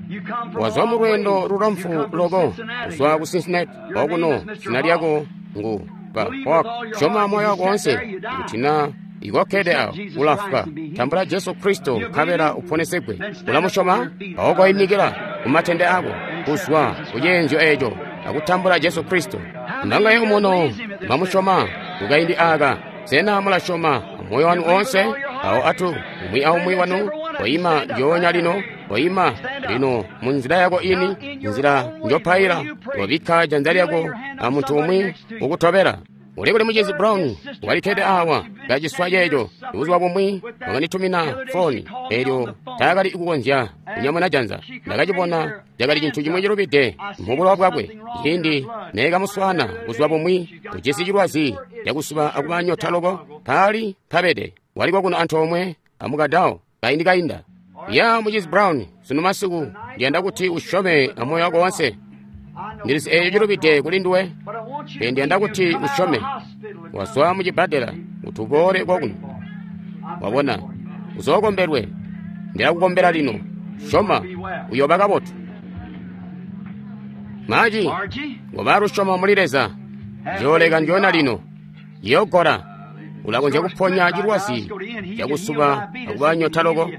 You come from Wazwa a mu long lwendo way. lulamfu You come from loko, Cincinnati. kuzwa ku Cincinnati, Your okuno, name is Mister zina lyako ngu ba Believe with Hawk. all your Syoma heart. moyo If wako you wonse, sat there, you die. kuti na ikokkede awo, ulafwa. Tambula Jesu Kristo, nkabela uponesegwe. Ulamusyoma? Mpawo koyimikila kumatende ako, kuzwa kuceenzyo eco, akutambula Jesu Kristo. Mbangaye umuno mwamusyoma kukaindi aka? Sena mulasyoma amoyo wanu onse? Awo atu umwi aumwi wanu koyima njoonya lino, koyima lino munzila yako ini, nzila njopaila, wabikka janza lyako amuntu umwi ukutobela. Uli kuli mucizi Brown walikkede awa kaciswa ceeco. Buzuba bumwi wakanditumina foni eelyo taakali kukonzya kunyamuna janza. Ndakacibona cakali cintu cimwi cilubide mubulowa bwakwe. Ciindi neekamuswaana buzuba bumwi ujisi cilwazi cakusuba akuba nyota loko, paali mpabede wali kwakuno antoomwe amukadawo kaindi kainda. Ya mucizi Brown, sunu masiku ndiyanda kuti usyome amoyo wako wonse. Ndilizi eeco cilubide kuli nduwe, But I want you pele to ndiyanda believe kuti you come out usyome. of the hospital and Wazwa mucibbadela kuti uboole kwakuno. I'm Wabona, praying for you. uzookombelwe. Ndilakukombela lino. Syoma, uyooba kabotu. Maji, Margie, ngoba lusyomo muli Leza, njooleka njoona lino. Yogola, ulakonzya kuponya cilwazi cakusuba akuba nyota loko.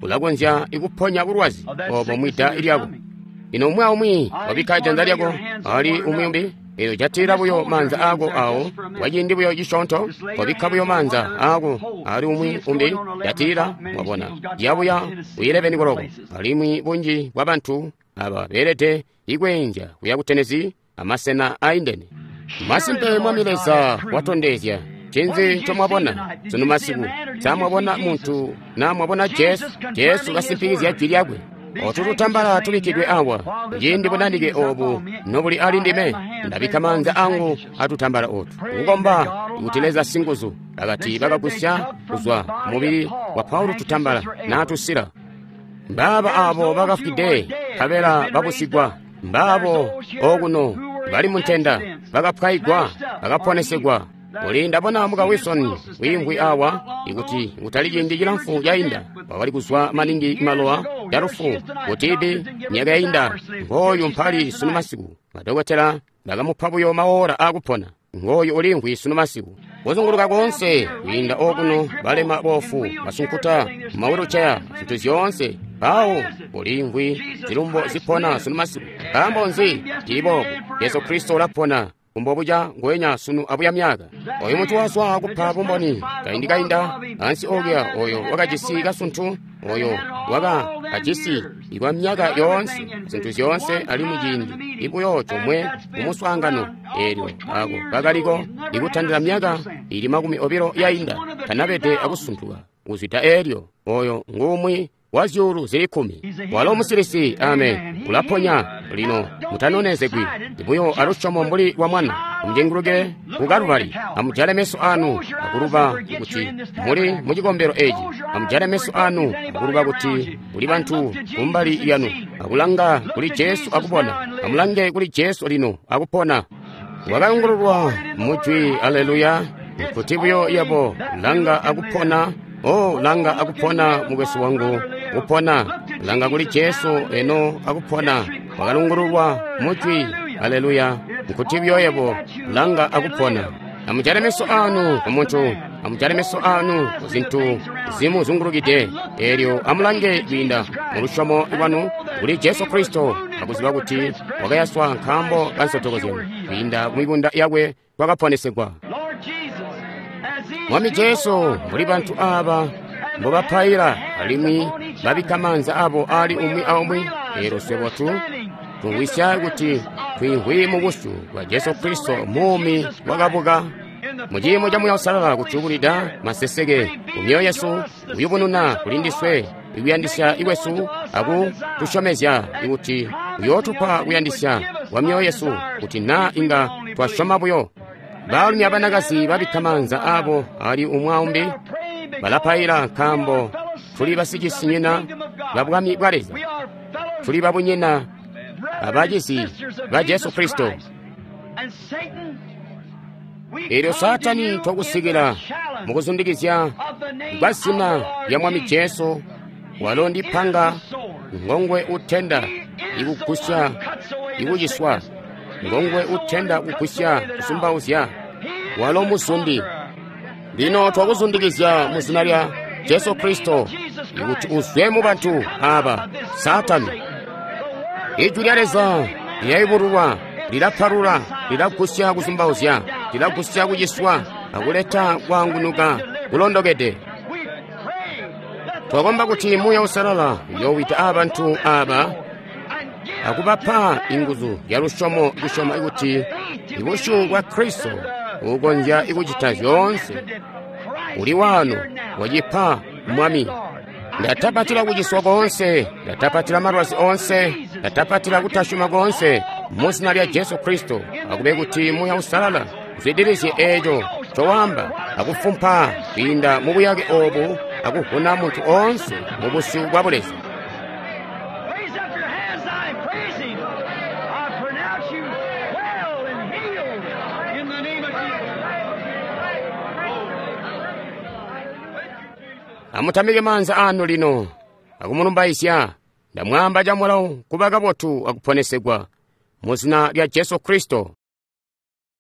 Ulakonzya ikuponya bulwazi obo mwida lyako. Lino umwi aumwi wabikka janza lyako ali umwi umbi. Elyo jatila buyo maanza aako awo kwaciindi buyo cisyoonto, kobikka buyo maanza aako ali umwi umbi, jatila, mwabona, yabuya ku ileveni koloko. Alimwi bunji bwa bantu aba beelede ikweenzya kuya ku Tennessee amasena aindene. Masimpe Mwami Leza watondezya. Ncinzi ncomwabona sunu masiku? Sa mwabona muntu na mwabona Jesu? Jesu kasimpikizya jwi lyakwe. Otu tutambala tubikkidwe awa, ciindi bunanike obu nobuli ali ndime, ndabikka maanza angu atutambala otu kukomba kuti Leza singuzu akati bakagusya kuzwa mubili wa Paulo tutambala natusila. Mbaaba abo bakafwide nkabela babusigwa, mbaabo okuno bali muntenda bakapwayigwa bakaponesegwa. Uli ndabona muka Wilson wiimvwi awa, ikuti kutali ciindi cilamfu cainda wakali kuzwa maningi malowa ya lufu kutibi myaka yainda. Ngooyu mpali sunu masiku, madokotela bakamupa buyo maora akupona. Ngooyu ulimvwi sunu masiku, kuzunguluka koonse kwiinda okuno, balema, bofu, basunkuta, mawheelchair, zintu zyoonse. Mpawo ulimvwi zilumbo zipona sunu masiku. Nkaambo nzi cili boobu? Yesu Kristo ulapona kumbobuca ngwenya sunu abuya myaka. Oyu muntu wazwa kupa bumboni kaindi kainda ansi okuya, oyo wakajisi kasuntu, oyo waka kajisi ikwa myaka yoonse, zintu zyoonse, alimwi ciindi ibuyo comwe kumuswaangano eelyo ako kakaliko ikutandila myaka ili makumi obilo yainda, tanabede akusuntuka kuzwida eelyo. Oyo ngumwi wa zyuulu zili kkumi. Walo musilisi, amen, ulaponya. Lino mutanonezegwi buyo alusyomo mbuli lwa mwana. Amucenguluke ku Kalubali, amujale meso anu akuluba kuti muli mucikombelo eci. Amujale meso anu akuluba kuti kuli bantu kumbali yanu, akulanga kuli Jesu akubona. Amulange kuli Jesu lino akupona. Wakayungululwa mujwi, aleluya, kuti buyo yabo langa akupona. Oh, langa akupona mukwesu wangu, kupona. Langa kuli Jesu eno akupona. Wakalungululwa mujwi, aleluya, nkuti buyo yebo langa akupona. Amujale meso anu kumuntu, amujale meso anu ku zintu zimuzungulukide. Eelyo amulange kwiinda mu lusyomo lwanu kuli Jesu Kristo, akuziba kuti wakayaswa nkaambo ka nsotoko zyanu, kwiinda mu mibunda yakwe twakaponesegwa. Mwami Jesu, mbuli bantu aba mbobapaila alimwi babikka maanza abo ali umwi aumwi, eelyo swebo tu tumvwisya kuti twiimvwi mu busyu bwa Jesu Kristo muumi wakabuka mu ciimo ca Muuya Uusalala kutukulida maseseke ku myoyo yesu, kuyubununa kuli ndiswe ikuyandisya ikwesu aku tusyomezya ikuti uyootupa kuyandisya kwa myoyo yesu kuti naa inga twasyoma buyo. Baalumi abanakazi babikka maanza abo ali umwi aumbi balapaila nkaambo tuli basicisinyina ba Bwami bwa Leza, tuli babunyina abacizi ba Jesu Kristo. Eelyo Saatani twakusikila mukuzundikizya kwa zina lya Mwami Jesu, walo ndi panga ngongwe utenda ikugusya ikuciswa, ngongwe utenda kugusya kusumbauzya, walo muzundi. Lino twakuzundikizya mu zina lya Jesu Kristo ikuti uzwe mu bantu aba Saatani. Ijwi lya Leza lilayubululwa, lilapalula, lilagusya kusumbauzya, lilagusya kuciswa, akuleta kwaangunuka kulondokede. Twakomba kuti Muuya Uusalala uyoowita abantu aba akubapa inguzu ya lusyomo kusyoma kuti ibusyu bwa Kristo ukonzya ikucita zyoonse uli wano wacipa Mwami. Ndatapatila kuciswa koonse, ndatapatila malwazi oonse, ndatapatila kutasyoma koonse mu zina lya Jesu Kristo. Akube kuti Muuya Uusalala uzwidilizye eeco ncowaamba akufumpa kwiinda mu buyake oobu akuvuna muntu oonse mu busyu bwa Buleza. Raise up your hands, I praise Him. I pronounce you well and healed in the name of Jesus. Amutamike maanza anu lino akumulumbaizya. Ndamwaamba camulawo kuba kabotu akuponesegwa mu zina lya Jesu Kristo.